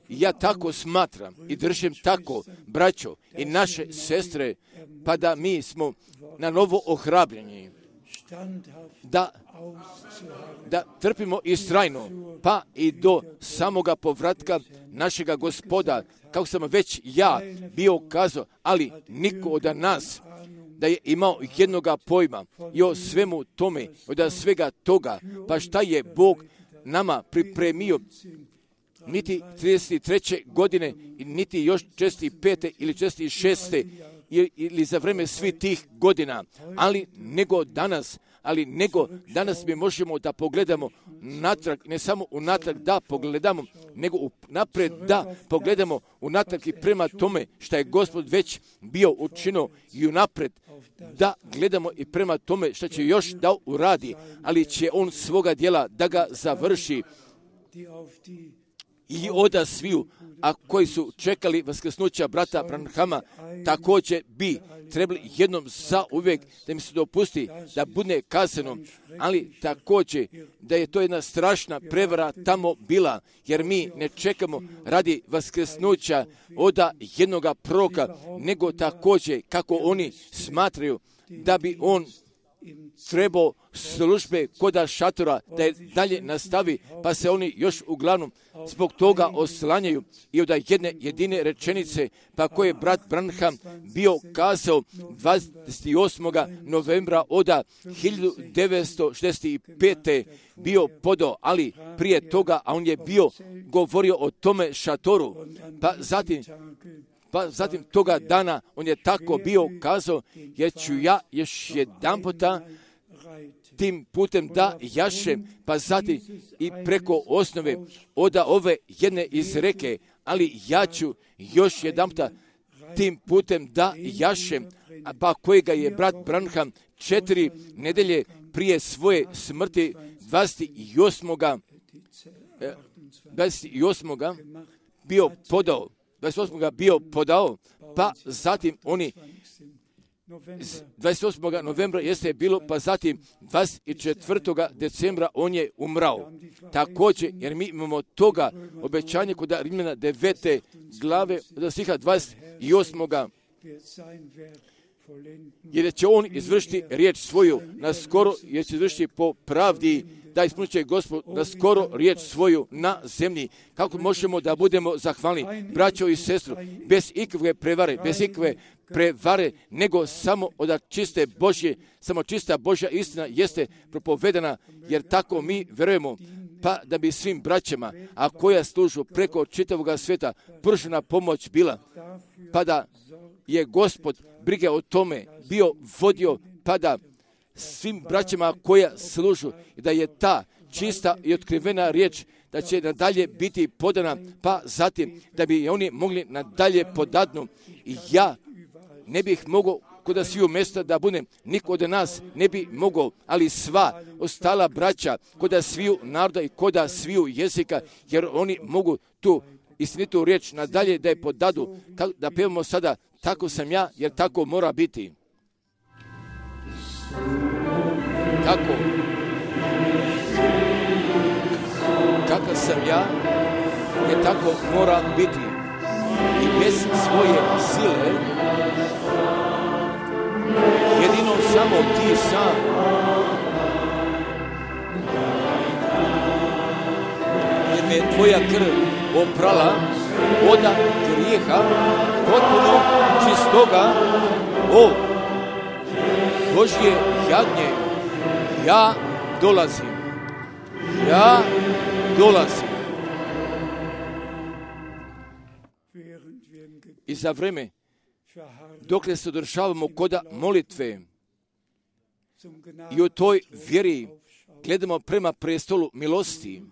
Ja tako smatram i držim tako, braćo i naše sestre, pa da mi smo na novo ohrabljeni, da, da trpimo istrajno, pa i do samoga povratka našega Gospoda, kako sam već ja bio kazao, ali niko od nas da je imao jednoga pojma i o svemu tome, od svega toga, pa šta je Bog nama pripremio, niti trideset treće godine, niti još četrdeset pete ili četrdeset šeste ili za vreme svih tih godina, ali nego danas, ali nego danas mi možemo da pogledamo natrag, ne samo unatrag da pogledamo, nego napred da pogledamo unatrag i prema tome što je Gospod već bio učinio i unapred da gledamo i prema tome što će još da uradi, ali će On svoga djela da ga završi i oda sviju, a koji su čekali vaskrsnuća brata Branhama, također bi trebali jednom za uvijek da mi se dopusti da bude kazano, ali također da je to jedna strašna prevara tamo bila, jer mi ne čekamo radi vaskrsnuća oda jednoga proroka, nego također kako oni smatraju da bi on trebao službe koda šatora da je dalje nastavi, pa se oni još uglavnom zbog toga oslanjaju i od jedne jedine rečenice, pa koje je brat Branham bio kazao dvadeset osmog novembra oda hiljadu devetsto šezdeset pete bio podao, ali prije toga, a on je bio govorio o tome šatoru, pa zatim Pa zatim toga dana on je tako bio kazao, jer ću ja još jedan puta tim putem da jašem, pa zatim i preko osnove oda ove jedne izreke, ali ja ću još jedan puta tim putem da jašem, pa kojega je brat Branham četiri nedelje prije svoje smrti dvadeset osmog bio podao. dvadeset osmog bio podao, pa zatim oni dvadeset osmog novembra jeste bilo, pa zatim dvadeset četvrtog decembra on je umrao. Također, jer mi imamo toga obećanje kod Rimljana devete glave, da stiha dvadeset osmog jer će on izvršiti riječ svoju na skoro, jer će izvršiti po pravdi, da ispunit će Gospod na skoro riječ svoju na zemlji. Kako možemo da budemo zahvalni, braćo i sestru, bez ikakve prevare, bez ikakve prevare, nego samo od čiste Božje, samo čista Božja istina jeste propovedana, jer tako mi verujemo, pa da bi svim braćama, a koja služu preko čitavoga svijeta, pružena pomoć bila, pa da je Gospod brige o tome bio vodio, pa da svim braćama koja služu, da je ta čista i otkrivena riječ, da će nadalje biti podana, pa zatim da bi oni mogli nadalje podadnu. I ja ne bih mogao kod sviju mjesta da budem, niko od nas ne bi mogao, ali sva ostala braća kod sviju naroda i kod sviju jezika, jer oni mogu tu istinitu riječ nadalje da je podadu, da pevamo sada, tako sam ja, jer tako mora biti. Tako. Kakav sam ja, jer tako mora biti. I bez svoje sile, jedino samo ti sam. Jer me tvoja krv oprala od grijeha, potpuno čistoga, o Božje jagnje, ja dolazim, ja dolazim. I za vreme, dokle se održavamo koda molitve i u toj vjeri gledamo prema prestolu milosti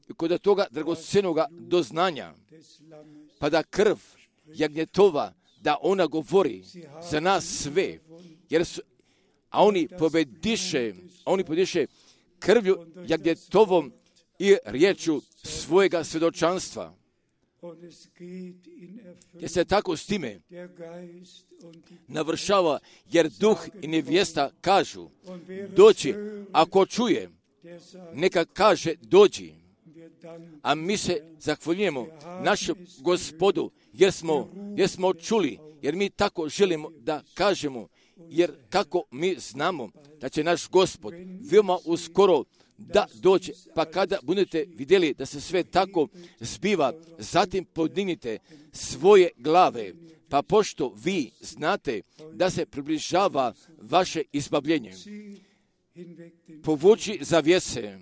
i kod toga dragocenoga doznanja, pa da krv jagnjetova, da ona govori za nas sve, jer su, a oni pobediše, a oni pobediše krvlju jagnjetovom i riječu svojega svjedočanstva. Jer se tako s time navršava, jer duh i nevjesta kažu, doći, ako čuje, neka kaže dođi. A mi se zahvaljujemo našem Gospodu, jer smo, jer smo čuli, jer mi tako želimo da kažemo, jer kako mi znamo da će naš Gospod veoma uskoro da dođe, pa kada budete vidjeli da se sve tako zbiva, zatim podignite svoje glave, pa pošto vi znate da se približava vaše izbavljenje, povući zavjese,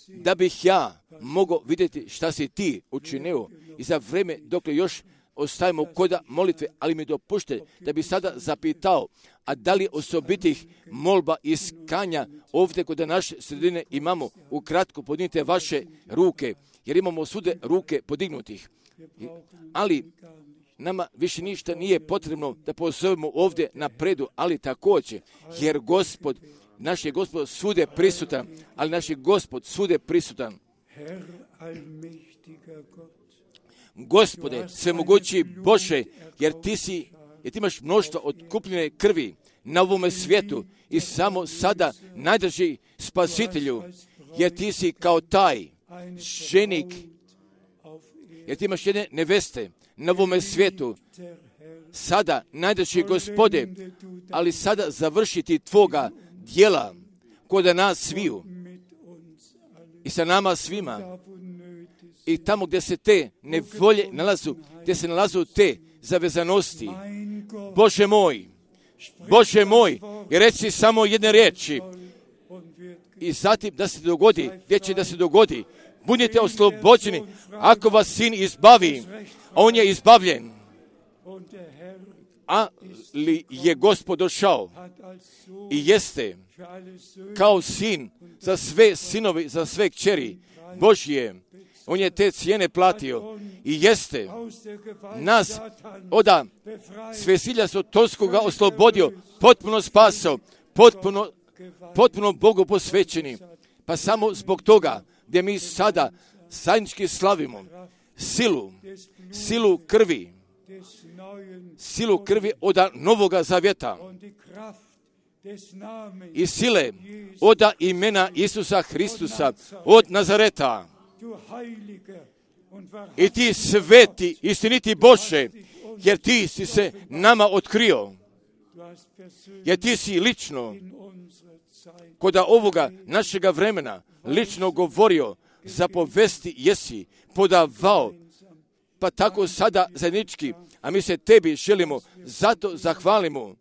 da bih ja mogao vidjeti šta si ti učinio i za vreme dok još ostajemo koda molitve, ali mi dopušte da bi sada zapitao, a da li osobitih molba i iskanja ovdje kod naše sredine imamo, ukratko podignite vaše ruke, jer imamo svude ruke podignutih. Ali nama više ništa nije potrebno da pozovemo ovdje napredu, ali također, jer Gospod, naš je Gospod svude prisutan, ali naš je Gospod svude prisutan. Gospode, svemogući Bože, jer ti si, jer ti imaš mnoštvo otkupljene krvi na ovome svijetu i samo sada najdrži spasitelju, jer ti si kao taj ženik, jer ti imaš jedne neveste na ovome svijetu, sada najdrži Gospode, ali sada završiti tvoga djela kod nas sviju i sa nama svima. I tamo gdje se te nevolje nalazu, gdje se nalazu te zavezanosti, Bože moj, Bože moj, i reci samo jedne riječi i zatim da se dogodi, gdje će da se dogodi, budite oslobođeni, ako vas sin izbavi, a on je izbavljen, ali je Gospod došao i jeste kao sin za sve sinovi, za sve kćeri Božje. On je te cijene platio i jeste nas oda svesilja sotonskoga oslobodio, potpuno spasao, potpuno, potpuno Bogu posvećeni. Pa samo zbog toga gdje mi sada zajednički slavimo silu, silu krvi, silu krvi od Novoga Zavjeta i sile od imena Isusa Hristusa od Nazareta. I ti sveti, istiniti Bože, jer ti si se nama otkrio, jer ti si lično kod ovoga našega vremena lično govorio, zapovesti jesi, podavao, pa tako sada zajednički, a mi se tebi želimo, zato zahvalimo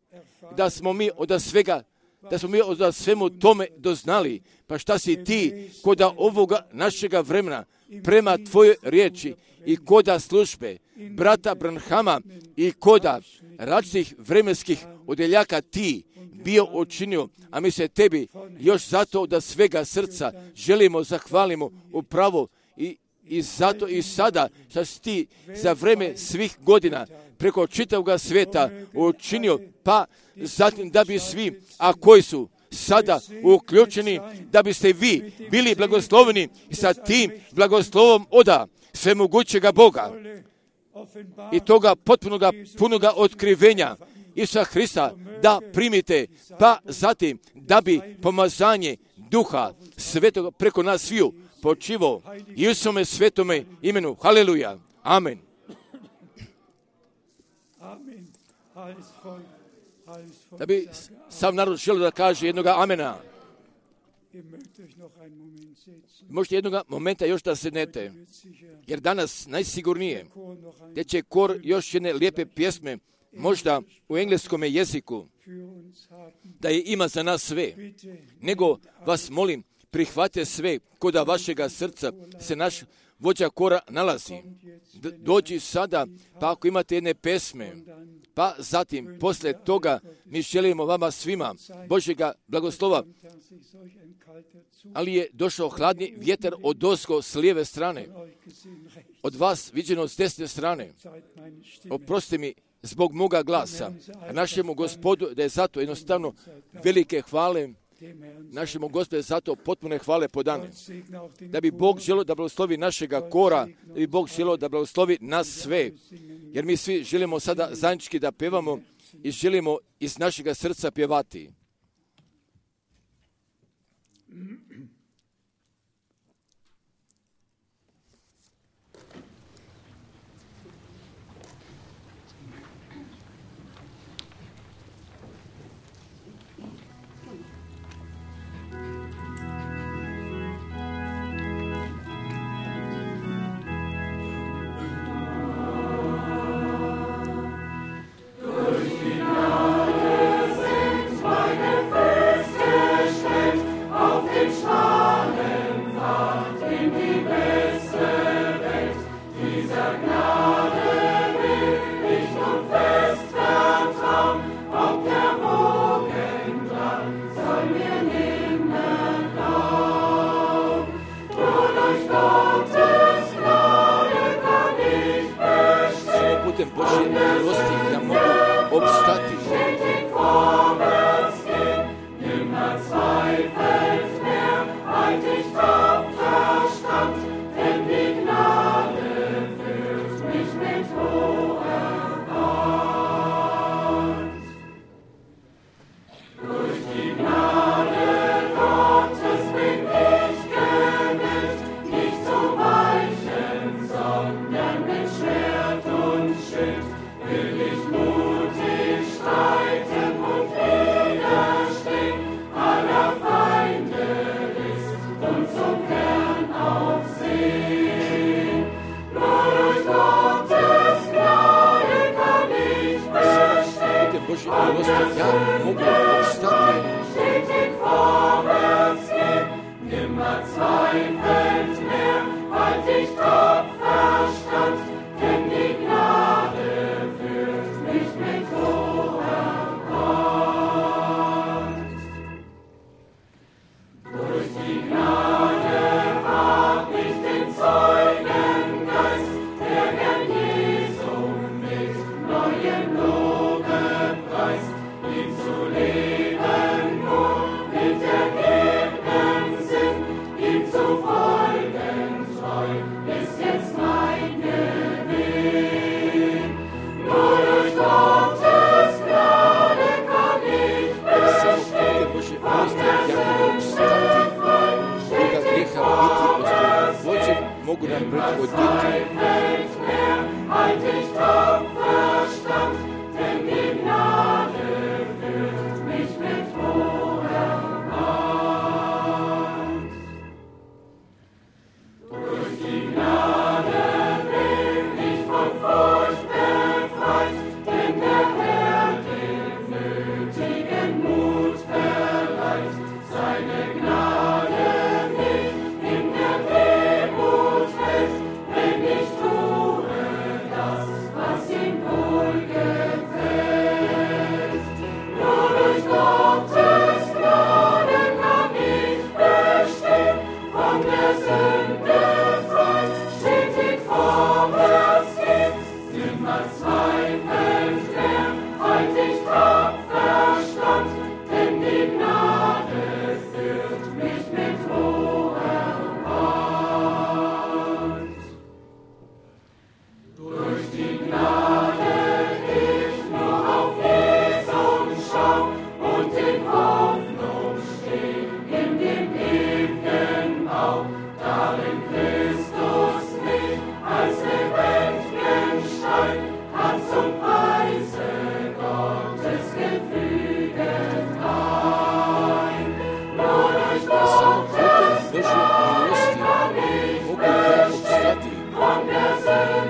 da smo mi od svega, da smo mi od svemu tome doznali, pa šta si ti kod ovoga našega vremena prema tvojoj riječi i koda službe brata Branhama i koda različitih vremenskih odeljaka ti bio učinio, a mi se tebi još zato da svega srca želimo, zahvalimo upravo i, i zato i sada što si ti za vreme svih godina preko čitavog svijeta učinio, pa zatim da bi svi, a koji su sada uključeni, da biste vi bili blagosloveni i sa tim blagoslovom oda svemogućega Boga i toga potpunoga punoga otkrivenja Isusa Hrista da primite, pa zatim da bi pomazanje Duha Svetoga preko nas sviju počivo i u svome svetome imenu. Haleluja. Amen. Da bi sav narod želio da kaže jednoga amena. Možete jednoga momenta još da sednete, jer danas najsigurnije da će kor još jedne lijepe pjesme, možda u engleskom jeziku, da je ima za nas sve. Nego vas molim, prihvate sve koda vašega srca se naš vođa kora nalazi. D- dođi sada, pa ako imate jedne pesme, pa zatim, posle toga, mi želimo vama svima Božjega blagoslova, ali je došao hladni vjetar od ozgo s lijeve strane, od vas viđeno s desne strane. Oprosti mi zbog moga glasa, a našemu Gospodu da je zato jednostavno velike hvale, našemu Gospodu zato potpune hvale podane. Da bi Bog želio da blagoslovi našega kora, da bi Bog želio da blagoslovi nas sve, jer mi svi želimo sada zajednički da pevamo i želimo iz našega srca pjevati. Božje milosti da mogu opstati. Božje milosti ja mogu opstati. Nimmer zweifelt mehr, halt dich tapfer stand, denn die Gnade führt mich mit hoher Hand. Durch die Gnade hab ich den Zeugengeist, der Herrn Jesu mit neuem Lobpreis, ihm zu leben nur mit ergebnem Sinn, ihm zu folgen.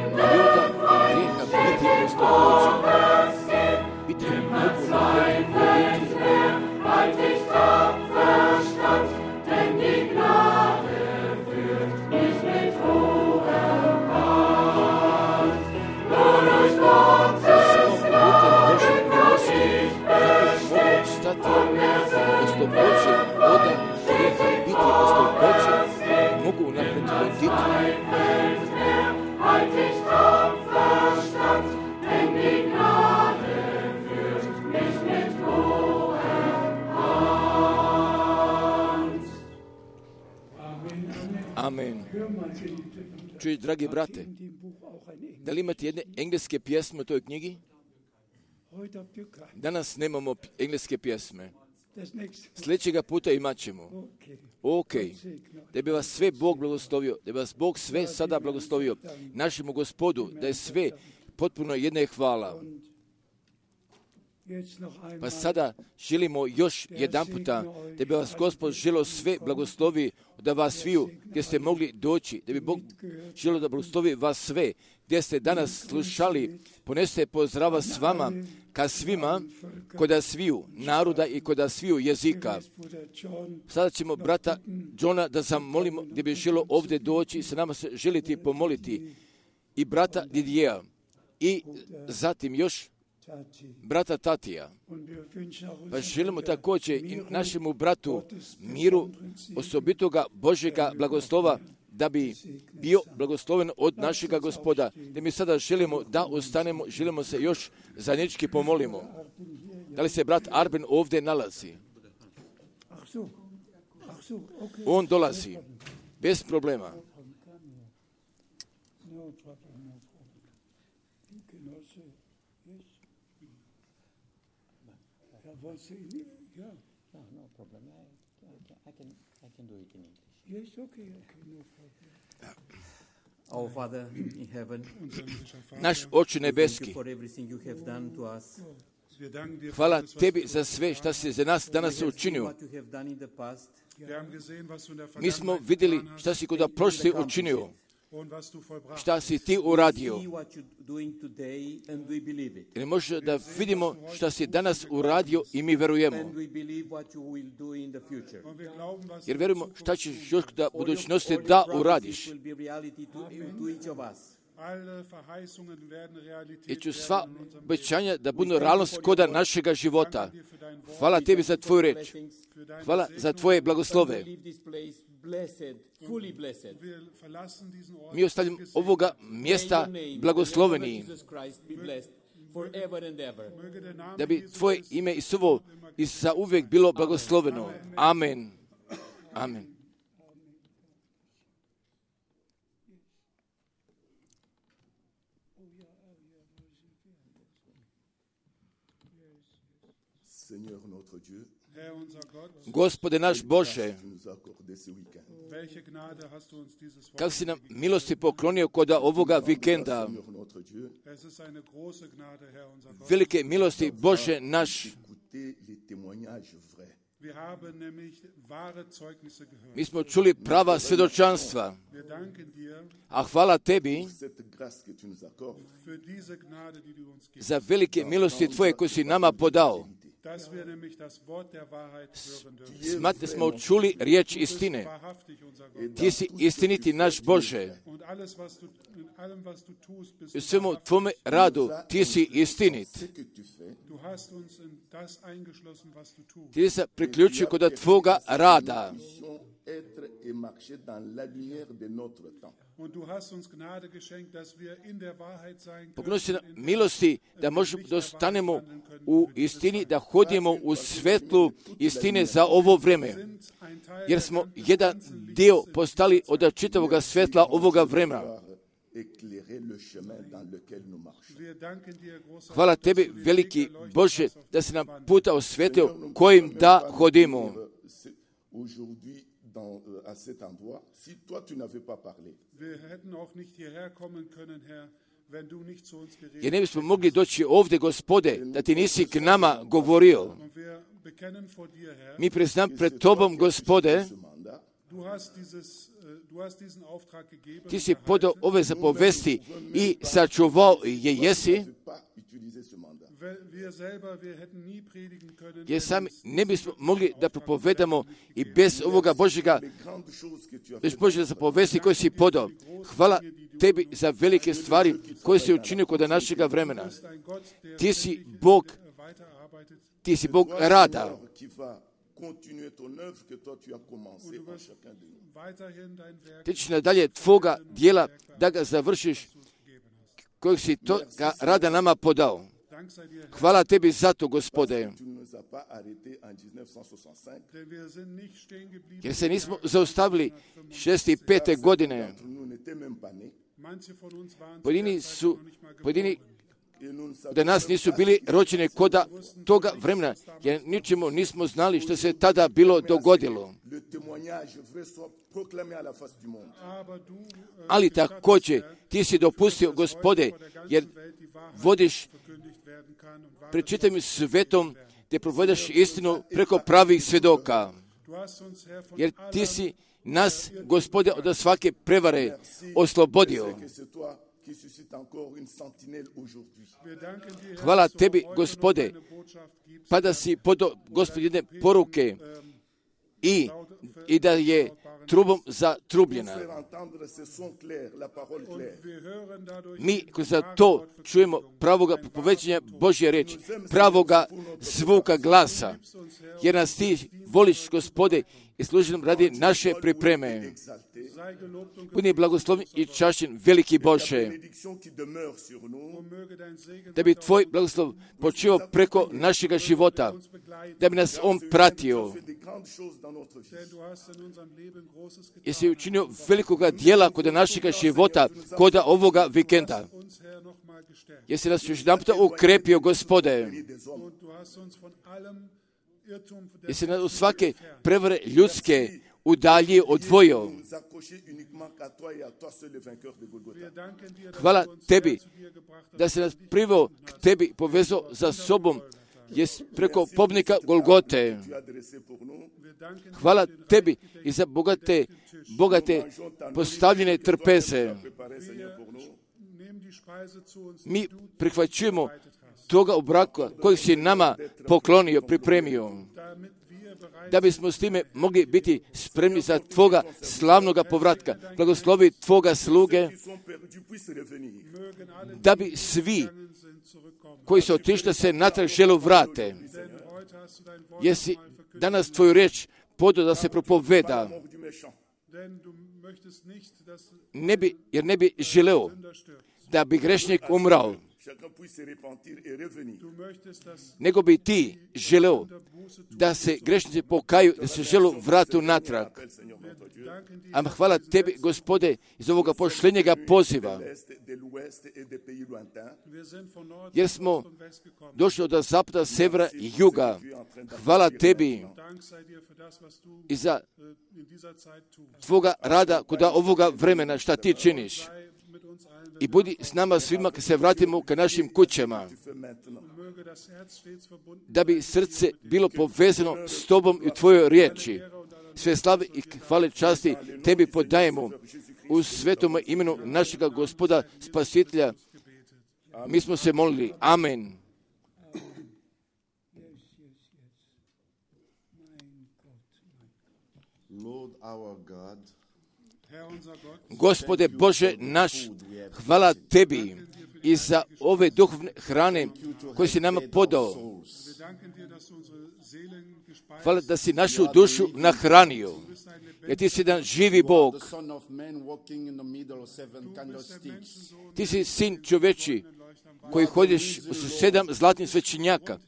ljuda grijeha biti oslobođeni. Biti mogu napred voditi. Oslobođen od grijeha, biti oslobođen, mogu napred voditi. Amen. Čuj, dragi brate, da li imate jedne engleske pjesme u toj knjigi? Danas nemamo engleske pjesme. Sljedećega puta imat ćemo. Ok. Da bi vas sve Bog blagoslovio, da bi vas Bog sve sada blagoslovio. Našemu Gospodu, da je sve potpuno jedne hvala. Pa sada želimo još jedan puta da bi vas Gospod želio sve blagoslovi, da vas sviju gdje ste mogli doći, da bi Bog želio da blagoslovi vas sve, gdje ste danas slušali, poneste pozdrava s vama, ka svima, koda sviju naroda i koda sviju jezika. Sada ćemo brata Johna da zamolimo gdje bi želio ovdje doći i sa nama se želiti pomoliti, i brata Didija, i zatim još brata Tatija. Pa želimo također i našemu bratu miru, osobitoga Božjega blagoslova, da bi bio blagosloven od našega Gospoda. Da mi sada želimo da ostanemo, želimo se još zajednički pomolimo. Da li se brat Arben ovdje nalazi? On dolazi, bez problema. Yeah. No, no problem. I, I, can, I can do it in English. Yes, okay, okay, no problem. Our Father in heaven, Naš Oče thank nebeski, you for everything you have done to us. hvala tebi za sve što si za nas danas učinio. What you have done in the past. Mi smo vidjeli šta si kod prošli učinio, šta si ti uradio. See what you're doing today and we believe it. Jer može da vidimo šta si danas uradio i mi verujemo. And we believe what you will do in the future. Jer verujemo šta ćeš još da budućnosti da uradiš. Will be reality to, to each of us. I ću sva obećanja da budu realnost koda našega života. Hvala tebi za tvoju reč. Hvala za tvoje blagoslove. Mi ostavljamo ovoga mjesta blagosloveni, da bi tvoje ime i slovo i za uvijek bilo blagosloveno. Amen. Amen. Seigneur notre Dieu, Gospode naš Bože, tu nous as accordé ce week-end. kako si nam milosti poklonio kod ovoga vikenda, Seigneur notre Dieu, velike milosti Bože naš. écoutez les témoignages vrais. Mi smo čuli prava svjedočanstva, a hvala tebi Cette grâce que tu nous accordes, za velike milosti tvoje koje si nama podao. Smatli smo čuli riječ istine. Ti si istiniti naš Bože. U svemu tvome radu ti si istinit. ce que tu fais, Ti se priključio kod tvoga rada. puissions être et marcher dans la lumière de notre temps. Pokloni si nam milosti da možemo da ostanemo u istini, da hodimo u svetlu istine za ovo vreme. Jer smo jedan dio postali od čitavoga svetla ovoga vremena. Éclairer le chemin dans lequel nous marchons. Hvala tebi, veliki Bože, da si nam puta osvetio kojim da hodimo. C'est Aujourd'hui, dans, euh, à cet endroit, si toi tu n'avais pas parlé, Jer ne bismo mogli doći ovdje, Gospode, da ti nisi k nama govorio. Mi priznam pred tobom, Gospode, ce mandat, Ti si podao ove zapovesti i sačuvao je jesi, jer sami ne bismo mogli da propovedamo i bez ovoga Božjega, bez Božjega zapovesti koje si podao. Hvala tebi za velike stvari koje si učinio kod našega vremena. Ti si Bog, ti si Bog rada. Ti ćeš nadalje tvoga dijela da ga završiš kojeg si toga rada nama podao. Hvala tebi za to, Gospode. Jer se nismo zaustavili šezdeset pete godine. Pojedini su, pojedini da nas nisu bili rođeni koda toga vremena, jer ničemu nismo znali što se tada bilo dogodilo. Ali također ti si dopustio, Gospode, jer vodiš pred čitavim svetom te provedaš istinu preko pravih svjedoka. Jer ti si nas, Gospode, od svake prevare oslobodio. Hvala tebi, Gospode, pa da si podao, Gospod, jedne poruke i, i da je trubom zatrubljena. Mi za to čujemo pravoga propoveđenja Božje reči, pravoga zvuka glasa, jer nas ti voliš, Gospode, i služi nam radi naše pripreme. Budi blagoslovljen i čašćen, veliki Bože, da bi tvoj blagoslov počeo preko našega života, da bi nas on pratio. Jesi učinio velikoga dijela kod našega života, kod ovoga vikenda. Jesi nas još jedan puta ukrepio, Gospode. Jesi nas od svake prevare ljudske udalji odvojio. Hvala tebi da se nas priveo k tebi, povezao za sobom, jest preko pobnika Golgote. Hvala tebi i za bogate, bogate postavljene trpeze. Mi prihvaćujemo toga obraka kojeg si nama poklonio, pripremio, da bismo s time mogli biti spremni za tvoga slavnoga povratka. Blagoslovi tvoga sluge, da bi svi koji su otišli se natrag želu vrate. Jesi danas tvoju riječ podao da se propoveda, ne bi, jer ne bi želeo da bi grešnik umrao, nego bi ti želeo da se grešnici pokaju, da se želu vratu natrag. A hvala tebi, Gospode, iz ovoga pošljenjega poziva, jer smo došli od zapada, severa i juga. Hvala tebi i za tvoga rada kod ovoga vremena, šta ti činiš. I budi s nama svima kad se vratimo ka našim kućama, da bi srce bilo povezano s tobom i u tvojoj riječi. Sve slave i hvale časti tebi podajemo u svetom imenu našega Gospoda Spasitelja. Mi smo se molili. Amen. Lord our God, Gospode Bože naš, hvala tebi i za ove duhovne hrane koje si nama podao. Hvala da si našu dušu nahranio, jer ti si jedan živi Bog. Ti si sin čoveči koji hodiš u sedam zlatnih svećenjaka.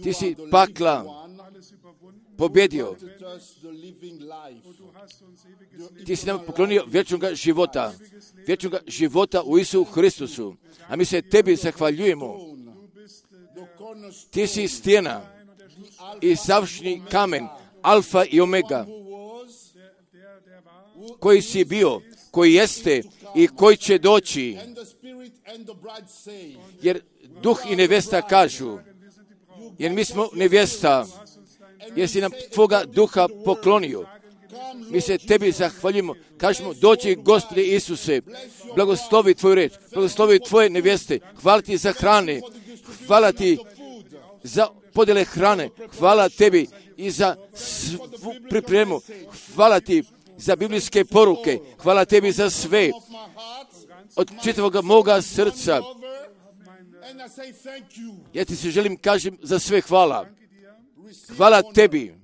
Ti si pakla pobjedio. Ti si nam poklonio vječnoga života. Vječnoga života u Isusu Hristusu. A mi se tebi zahvaljujemo. Ti si stijena i savršeni kamen, alfa i omega, koji si bio, koji jeste i koji će doći. Jer duh i nevesta kažu, jer mi smo nevjesta, jer si nam tvoga duha poklonio. Mi se tebi zahvaljujemo, kažemo, dođi Gospode Isuse, blagoslovi tvoju reč, blagoslovi tvoje nevjeste, hvala ti za hrane, hvala ti za podjele hrane, hvala tebi i za svu pripremu, hvala ti za biblijske poruke, hvala tebi za sve, od čitavog moga srca. Ja ti se želim kažem za sve hvala. Hvala tebi.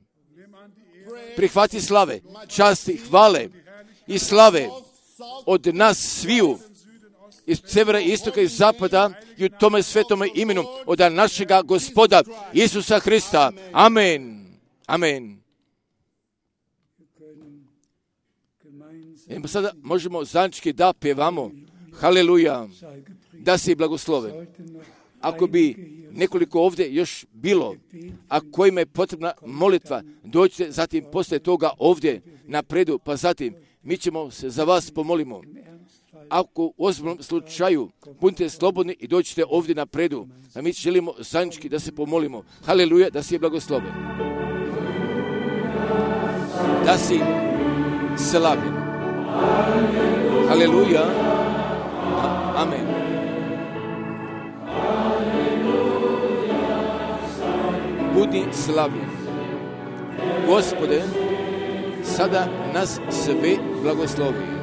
Prihvati slave, časti, hvale i slave od nas sviju, iz severa, istoka i zapada i u tome svetome imenu od našega Gospoda Isusa Hrista. Amen. Amen. I sada možemo zajednički da pjevamo Haleluja, da si blagoslove. Ako bi nekoliko ovdje još bilo, a kojima je potrebna molitva, dođite zatim poslije toga ovdje napredu, pa zatim mi ćemo se za vas pomolimo. Ako u ozbiljnom slučaju budite slobodni i dođite ovdje napredu, a mi želimo zajednički da se pomolimo. Haleluja, da si blagoslove. Da si slavljen. Haleluja. Amen. Budi slavljen. Gospode, sada nas sve blagoslovi.